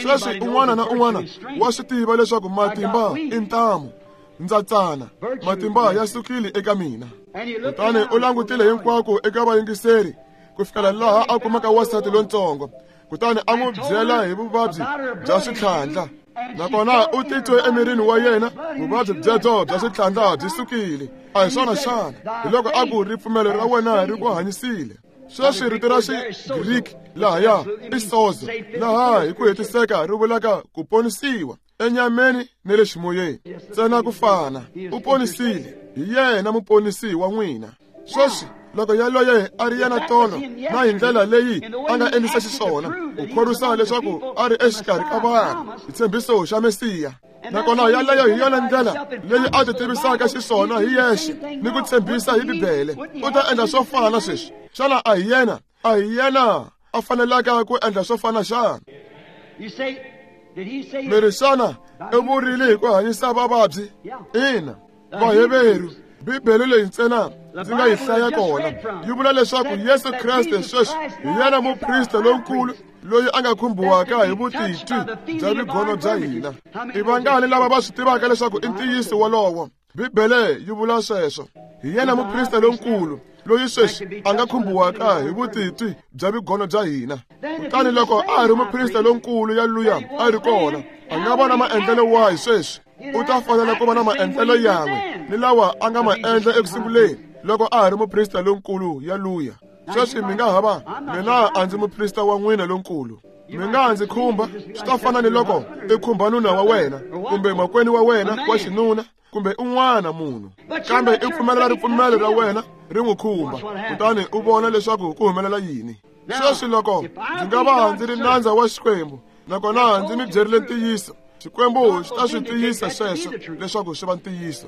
Sweswi un'wana na un'wana wa swi tiva leswaku matimba i ntamu. Ndza tsana, matimba ya sukile eka mina. Kutani u langutile hinkwako eka vayingiseri ku fikela laha a kumaka wansati lontsongo, kutani a n'wi byela hi vuvabyi bya switlhandla. Nakona u titwe emirini wa yena vuvabyi byebyo bya switlhandla byi sukile. A hi swona xana? Hi loko a ku, ripfumelo ra wena ri ku hanyisile. Sweswi rito ra Xigriki lahaya i sozo, laha hi ku hetiseka ri vulaka ku ponisiwa enyameni ni le ximoyeni. Ntsena ku fana, u ponisile, hi yena muponisi wa n'wina. Sweswi loko yaloye a ri yena tolo na hi ndlela leyi a nga endlisa xiswona, ku khorwisa leswaku a ri exikarhi ka vanhu, xitshembiso xa Mesiya. Nakona yaleyo hi yona ndlela leyi a ti tivisaka xiswona hi yexe ni ku tshembisa hi Bibele. U ta endla swo fana sweswi. Xana a hi yena? A hi yena a fanelaka ku endla swo fana xana? Mi ri, xana u vurile hi ku hanyisa vavabyi? Ina. Vaheveru, Bibele leyi ntsena ndzi nga yi hlaya kona yi vula leswaku Yesu Kreste sweswi hi yena muprista lonkulu loyi a nga khumbiwaka hi vutitwi bya vigono bya hina. I vangani lava va swi tivaka leswaku i ntiyiso wolowo? Bibele yi vula sweswo. Hi yena muprista lonkulu loyi sweswi a nga khumbiwaka hi vutitwi bya vigono bya hina. Kutani loko a ri muprista lonkulu yaluya a ri kona, a nga va na maendlelo wahi sweswi? U ta fanela ku va na maendlelo yan'we ni lawa a nga ma endla ekusunguleni loko a ha ri muprista lonkulu yaluya. Sweswi mi nga ha va, mina a ndzi muprista wa n'wina lonkulu. Mi nga ndzi khumba, swi ta fana ni loko i khumba nuna wa wena kumbe makwenu wa wena wa xinuna kumbe un'wana munhu, kambe i pfumelela ripfumelo ra wena ri n'wi khumba, kutani u vona leswaku ku humelela yini. Sweswi loko ndzi nga va ndzi ri nandza wa Xikwembu, nakona ndzi mi byerile ntiyiso, Xikwembu xi ta swi tiyisa sweswo leswaku swi va ntiyiso.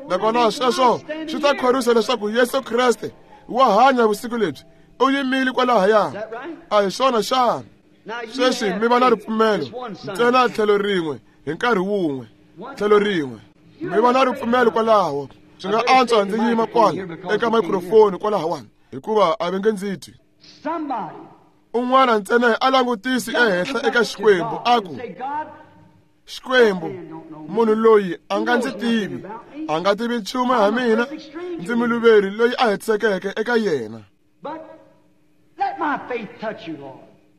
Nakona sweswo swi ta khorwisa leswaku Yesu Kreste wa hanya vusiku lebyi, u yimile kwalahaya. A hi swona xana? Sweswi mi va na ripfumelo ntsena tlhelo rin'we hi nkarhi wun'we, tlhelo rin'we. Mi va na ripfumelo kwalaho. Swi nga antswa ndzi yima kwala eka microphone kwalahawani, hikuva a va nge ndzi twi. Un'wana ntsena a langutisi ehenhla eka Xikwembu a ku, Xikwembu, munhu loyi a nga ndzi tivi, a nga tivi nchumu ha mina, ndzi muluveri loyi a hetisekeke eka yena.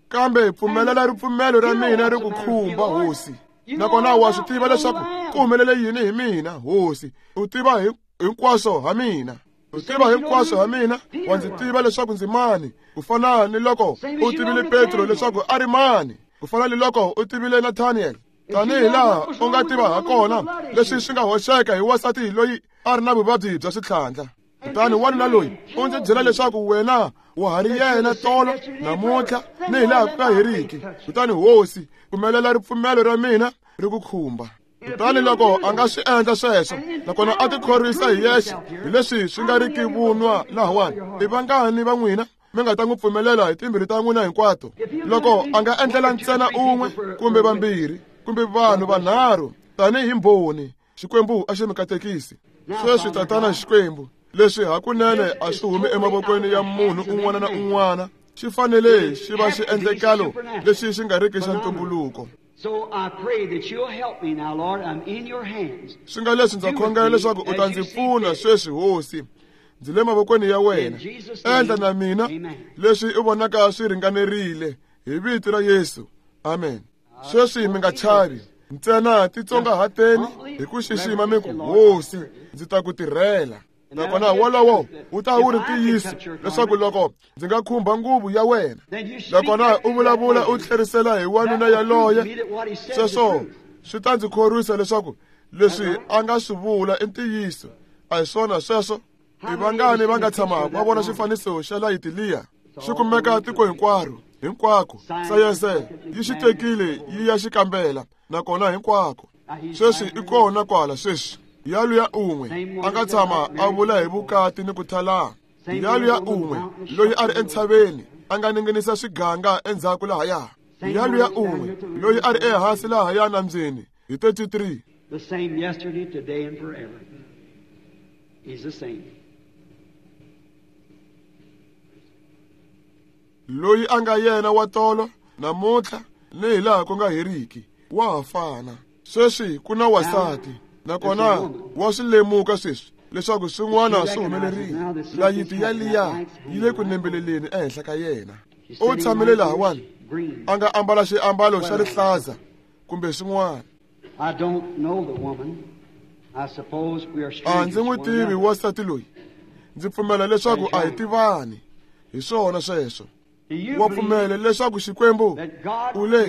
Kambe pfumelela ripfumelo ra mina ri ku khumba, Hosi. Nakona wa swi tiva leswaku ku humelele yini hi mina, Hosi. U tiva hinkwaswo ha mina. U tiva hinkwaswo ha mina, wa ndzi tiva leswaku ndzi mani, ku fana ni loko u tivile Petro leswaku a ri mani, ku fana ni loko u tivile Nathaniel. Tanihi laha u nga tiva ha kona leswi swi nga hoxeka hi wansati loyi a ri na vuvabyi bya switlhandla. Kutani wanuna loyi u ndzi byela leswaku wena wa ha ri yena tolo, namuntlha ni hi laha ku nga heriki. Kutani Hosi, pfumelela ripfumelo ra mina ri ku khumba. Kutani loko a nga swi endla sweswo, nakona a tikhorwisa hi yexe hi leswi swi nga riki vunwa lahawani, i vangani va n'wina mi nga ta n'wi pfumelela hi timbirhi ta n'wina hinkwato loko a nga endlela ntsena un'we kumbe vambirhi kumbe vanhu vanharhu tanihi mbhoni Xikwembu a xi mi katekisi sweswi tatana Xikwembu leswi hakunene a swi humi emavokweni ya munhu un'wana na un'wana xi fanele xi va xiendlekalo lexi xi nga riki xa ntumbuluko swi nga leswi ndza khongela leswaku u ta ndzi pfuna sweswi hosi ndzi le mavokweni ya wena endla na mina leswi u vonaka swi ringanerile hi vito ra Yesu amen sweswi mi nga chavi ntsena titsongahateni hi ku xixima mi ku hosi ndzi ta ku tirhela nakona wolowo wu ta wu ri ntiyiso leswaku loko ndzi nga khumba nguvu ya wena nakona u vulavula u tlherisela hi wanuna yaloye sweswo swi ta ndzi khorwisa leswaku leswi a nga swi vula i ntiyiso a hi swona sweswo i vangani va nga tshama va vona xifaniso xa layiti liya xi kumeka tiko hinkwaro hinkwako sayense yi xi tekile yi ya xi kambela nakona hinkwako sweswi i kona kwala sweswi yaluya un'we a nga tshama a vula hi vukati ni ku thalana yaluya un'we loyi a ri entshaveni a nga ninginisa swiganga endzhaku lahaya yaluya un'we loyi a ri ehansi lahaya nambyeni hi thirty-three The same yesterday, today, and forever. He's the same. Loyi a nga yena wa tolo namuntlha ni hi laha ku nga heriki wa ha fana sweswi ku na wasati nakona wa swi lemuka sweswi leswaku swin'wana swi humelerile layiti yaliya yi le ku nembeleleni ehenhla ka yena u tshamile lahawani a nga ambala xiambalo xa rihlaza kumbe swin'wana I don't know the woman. I suppose we are a strangers. ndzi n'wi tivi wasati loyi ndzi pfumela leswaku a hi tivani hi swona sweswo wa pfumela leswaku Xikwembu u le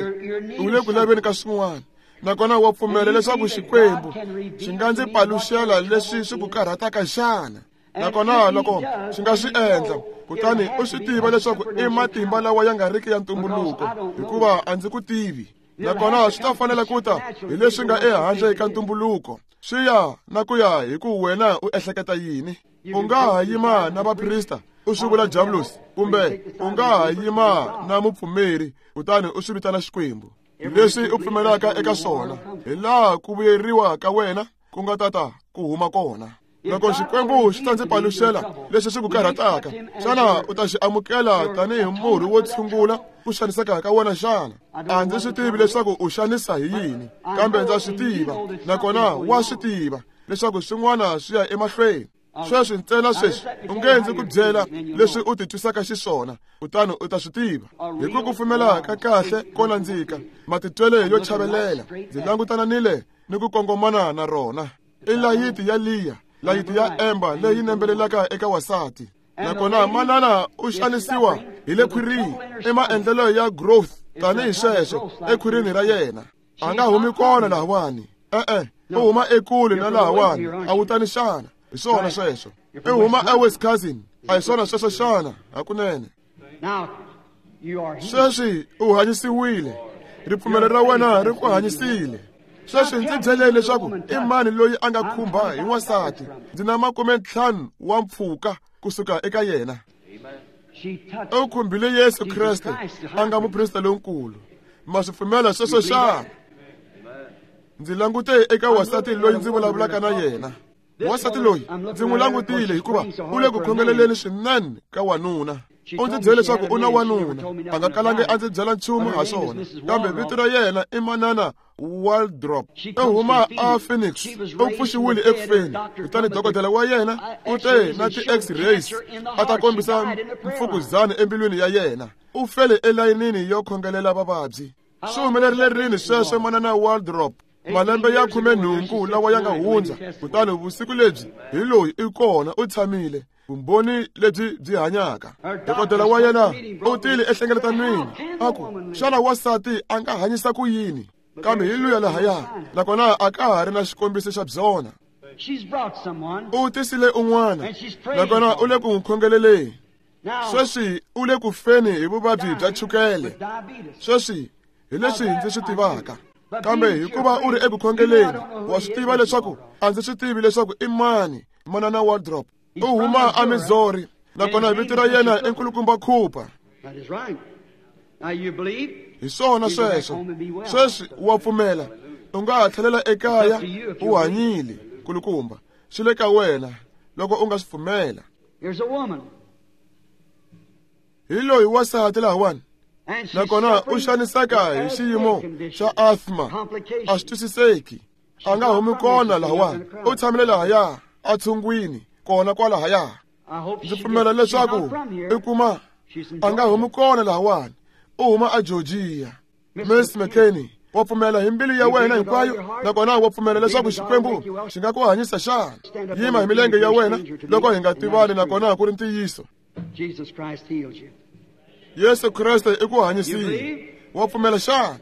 u le ku laveni ka swin'wana nakona wa pfumela leswaku Xikwembu xi nga ndzi paluxela leswi swi ku karhataka xana nakona loko xi nga swi endla kutani u swi tiva leswaku i matimba lawa ya nga riki ya ntumbuluko hikuva a ndzi ku tivi nakona swi ta fanela ku ta hi leswi nga ehandle ka ntumbuluko swi ya na ku ya hi ku wena u ehleketa yini u nga ha yima na vaprista u swi vula diabolos kumbe u nga ha yima na mupfumeri kutani u swi vitana Xikwembu leswi u pfumelaka eka swona hi laha ku vuyeriwa ka wena ku nga tata ku huma kona loko Xikwembu xi ta ndzi paluxela leswi swi ku karhataka xana u ta xi amukela tanihi murhi wo tshungula ku xaniseka ka wena xana a ndzi swi tivi leswaku u xanisa hi yini kambe ndza swi tiva nakona wa swi tiva leswaku swin'wana swi ya emahlweni sweswi ntsena sweswi u nge ndzi ku byela leswi u titwisaka xiswona kutani u ta swi tiva hi ku kufumela ka kahle ko nandzika matitwele yo chavelela ndzi langutana ni le ni ku kongomana na rona i layiti ya liya layiti ya emba leyi nembelelaka eka wasati nakona manana u xanisiwa hi le khwirini i maendlelo ya growth tanihi sweswo ekhwirini ra yena a nga humi kona lahawani e-e u huma ekule na lahawani a wu tani xana hi swona sweswo i huma eWisconsin a hi swona sweswo xana hakunene sweswi u hanyisiwile ripfumelo ra wena ri ku hanyisile sweswi ndzi byeleni leswaku i mani loyi a nga khumba hi wansati ndzi na makume ntlhanu wa mpfhuka kusuka eka yena u khumbile Yesu Kreste a nga muprista lonkulu ma swi pfumela sweswo xana ndzi langute eka wasati loyi ndzi vulavulaka na yena wasati loyi ndzi n'wi langutile hikuva u le ku khongeleleni swinene ka wanuna u ndzi byele leswaku u na wanuna a nga kalangi a ndzi byela nchumu ha swona kambe vito ra yena i manana Waldrop u huma a Phoenix u pfuxiwile ekufeni kutani dokodela wa yena u te na ti-x-rays a ta kombisa mfukuzana embilwini ya yena u fele elayinini yo khongelela vavabyi swi humelerile rini sweswo manana Waldrop malembe ya khume nhungu lawa ya nga hundza kutani vusiku lebyi hi loyi i kona u tshamile vumbhoni lebyi byi hanyaka dokodela wa yena u tile ehlengeletanweni a ku xana wasati a nga hanyisa ku yini kambe hi luya lahaya nakona a ka ha ri na xikombiso xa byona u tisile un'wana nakona u le ku n'wi khongeleleni sweswi u le ku feni hi vuvabyi bya chukele sweswi hi leswi ndzi swi tivaka kambe hikuva u ri eku khongeleni wa swi tiva leswaku a ndzi swi tivi leswaku i mani manana Waldrop u huma eMissouri Nakona vito ra yena i Nkulukumba Cooper. That is right. Now you believe? Hi swona sweswo. Sweswi wa pfumela. U nga ha tlhelela ekaya u hanyile, nkulukumba. Swi le ka wena loko u nga swi pfumela. Here's a woman. Hi loyi wansati lahawani. And she's Nakona u suffering xaniseka hi with xiyimo asthma xa condition. asthma. Complications. A swi twisiseki. A nga humi kona lahawani. U tshamile lahaya a tshungwini kona kwalahaya. I hope Ndzi she pfumela gets, she's leswaku not from here. i kuma She's in a nga humi Georgia. kona lahawani. U huma a Georgia. Miss McKinney, wa pfumela hi mbilu ya wena hinkwayo, nakona wa pfumela leswaku Xikwembu xi nga ku hanyisa xana? Yima hi milenge ya wena loko hi nga tivani, nakona ku ri ntiyiso. Jesus Christ heals you. Yesu Kreste i ku hanyisile. Wa pfumela xana?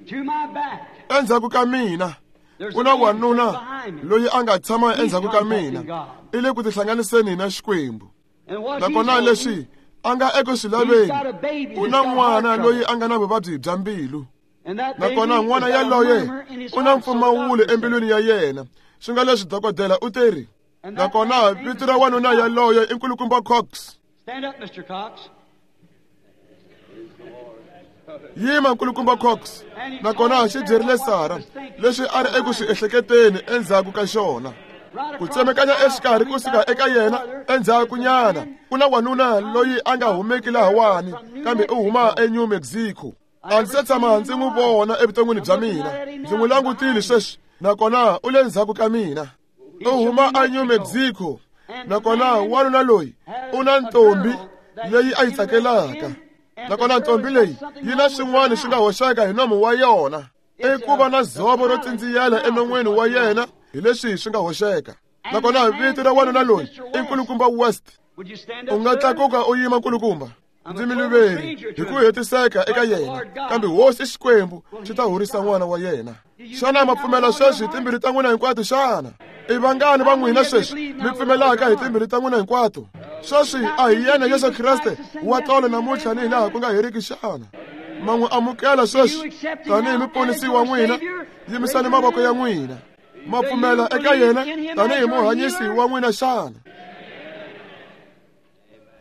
To my back. Endzhaku ka mina There's ku a na man wanuna sitting behind me. loyi a nga tshama endzhaku ka mina, i le ku tihlanganiseni na Xikwembu. And what he's Nakona holding, leswi a nga eku swi he's got laveni, a baby u that's na got heart n'wana loyi trouble. a nga na vuvabyi bya mbilu. And that baby Nakona has n'wana got a yaloye murmur in his u na heart, so the mpfumawulo doctor said. embilwini ya yena, swi nga leswi dokodela u teri. And that Nakona man's name vito is ra Mister wanuna Cox. yaloye i Nkulukumba Cox. Stand up, Mister Cox. Yima Nkulukumba Cox. And he Nakona told xi Sarah byerile what Sara she was thinking leswi a ri eku swi behind. ehleketeni endzhaku ka xona. Right Ku across tsemekanya the aisle exikarhi from me, kusuka back a eka little yena farther, endzhaku is a nyana man ku na wanuna loyi a nga humeki from lahawani New kambe u huma Mexico. eNew Mexico. I A ndzi never se seen tshama him in ndzi my n'wi life. vona evuton'wini I'm bya looking mina. right at him Ndzi now. n'wi He's langutile behind me. sweswi nakona u le ndzhaku ka mina. He's U from huma New a New Mexico. Mexico. And the Nakona man wanuna loyi has u na a ntombi girl that leyi he's a yi interested tsakelaka. in, and the Nakona girl ntombi has got leyi something yi na wrong with her swin'wana swi nga mouth. hoxeka hi nomu wa yona. I It's ku va uh, na the dzovo ro palate tsindziyela mouth is enon'wini wa what's wrong. yena hi leswi swi nga hoxeka. And the Nakona vito man's ra wanuna name is loyi Mister i West. Nkulukumba West. Would you stand U up, nga sir? tlakuka u yima nkulukumba. I'm Ndzi a total miluveri stranger hi to ku him. hetiseka eka But the yena, Lord kambe God hosi Xikwembu will xi ta heal his horisa child. n'wana wa yena. Do you Xana believe ma now with pfumela all your sweswi hi heart? timbilu ta n'wina hinkwato xana? I vangani va How many n'wina of you sweswi believe mi now with all pfumelaka your hi heart? timbilu ta n'wina hinkwato? Sweswi Now a hi isn't yena Yesu Jesus Kreste Christ the same wa tolo yesterday, today, namuntlha and ni hilaha forever? ku nga heriki xana? Ma n'wi amukela Do you sweswi accept him tanihi now as muponisi your wa n'wina? Savior? Raise Yimisani your mavoko ya hand. n'wina. Ma Do you pfumela eka believe yena in him as tanihi your muhanyisi healer? wa n'wina xana?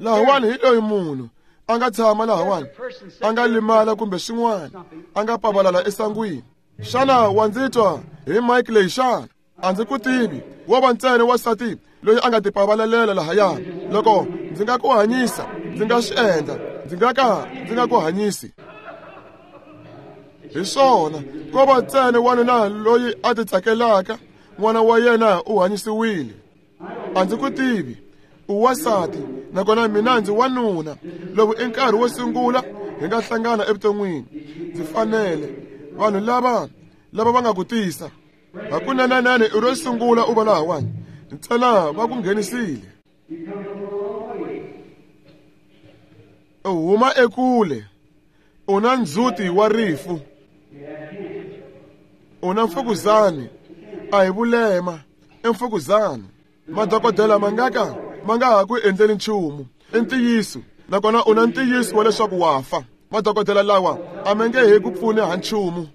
Lahawani hi loyi munhu a nga tshama There's a lahawani person a sitting nga there with limala kumbe swin'wana something. a nga pavalala esangwini. Xana wa ndzi twa hi mike leyi xana? A ndzi ku tivi, wo va ntsena wansati loyi a nga tipavalelela lahaya. Loko ndzi nga ku hanyisa, ndzi nga swi endla, ndzi nga ka ndzi nga ku hanyisi. Hi swona, ko va ntsena wanuna loyi a ti tsakelaka, n'wana wa yena u hanyisiwile. A ndzi ku tivi, u wansati, nakona mina ndzi wanuna. Lowu i nkarhi wo sungula hi nga hlangana evuton'wini. Ndzi fanele vanhu lava lava va nga ku tisa. Hakunenenene i ro sungula u va lahawani, ntsena va ku nghenisile. U huma ekule, u na ndzhuti wa rifu, u na mfukuzani, a hi vulema, i mfukuzani. Madokodela ma nga ka ma nga ha ku endleli nchumu, i ntiyiso, nakona u na ntiyiso wa leswaku wa fa. Madokodela lawa a ma nge he ku pfuni ha nchumu.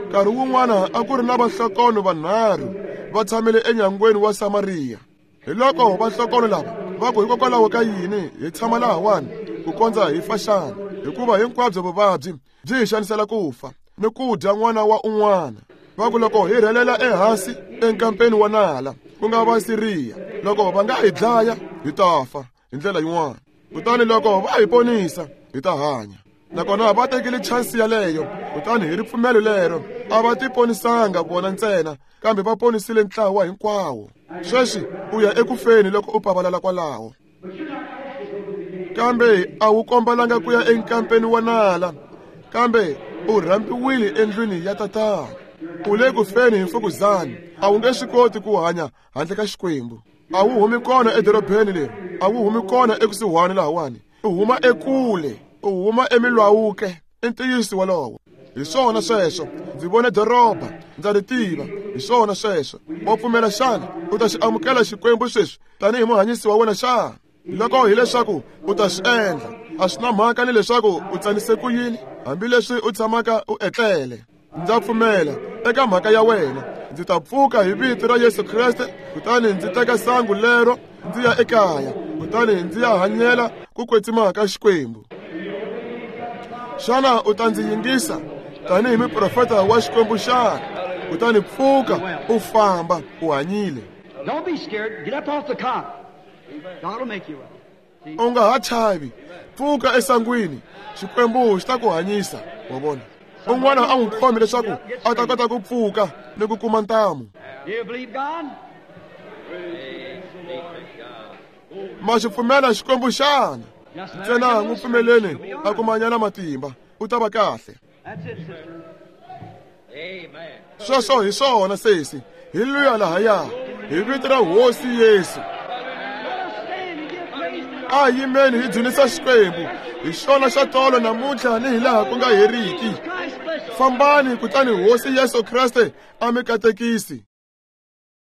Nkarhi wun'wana a ku ri na vahlokono vanharhu va tshamile enyangweni wa Samariya. Hi loko vahlokono lava va ku hikokwalaho ka yini hi tshama lahawani ku kondza hi fa xana? Hikuva hinkwabyo vuvabyi byi hi xanisela ku fa ni ku dya n'wana wa un'wana. Va ku loko hi rhelela ehansi enkampeni wa nala, ku nga va Siriya, loko va nga hi dlaya hi ta fa hi ndlela yin'wana, kutani loko va hi ponisa hi ta hanya. Nakona va tekile chansi yaleyo, kutani hi ripfumelo lero a va tiponisanga vona ntsena, kambe va ponisile ntlawa hinkwawo. Sweswi u ya ekufeni loko u pavalala kwalaho, kambe a wu kombalanga ku ya enkampeni wa nala, kambe u rhambiwile endlwini ya tatana. U le ku feni hi mfukuzani, a wu nge swi koti ku hanya handle ka Xikwembu. A wu humi kona edorobeni leri, a wu humi kona ekusuhani lahawani, u huma ekule, u huma eMilwaukee. I ntiyiso wolowo. Hi swona sweswo, ndzi vone doroba, ndza ri tiva. Hi swona sweswo. Wa pfumela xana? U ta xi amukela Xikwembu sweswi tanihi muhanyisi wa wena xana? Loko hileswaku u ta swi endla, a swi na mhaka ni leswaku u tsanise ku yini, hambileswi u tshamaka u etlele. Ndza pfumela eka mhaka ya wena. Ndzi ta pfuka hi vito ra Yesu Kreste, kutani ndzi teka sangu lero ndzi ya ekaya. Kutani ndzi ya hanyela ku kwetsima ka Xikwembu. Xana u ta ndzi yingisa tanihi muprofeta wa Xikwembu xana? Kutani pfuka u famba u hanyile. Don't be scared. Get up off the cot. God will make you well. U nga ha chavi. Pfuka esangwini. Xikwembu xi ta ku hanyisa. Wa vona? Un'wana a n'wi khomi leswaku a ta kota ku pfuka ni ku kuma ntamu. Do you believe God? Ma xi pfumela Xikwembu xana? Ntsena n'wi pfumeleni a kumanyana matimba, u ta va kahle. That's it, sister. Amen. Sweswo hi swona sesi. Hi luya lahaya. Hi vito ra Hosi Yesu. Let us stand and give praise to A yimeni hi dzunisa Xikwembu. Hi xona xa tolo namuntlha ni hi laha ku nga heriki. Christ bless you. Fambani kutani Hosi Yesu Kreste a mi katekisi.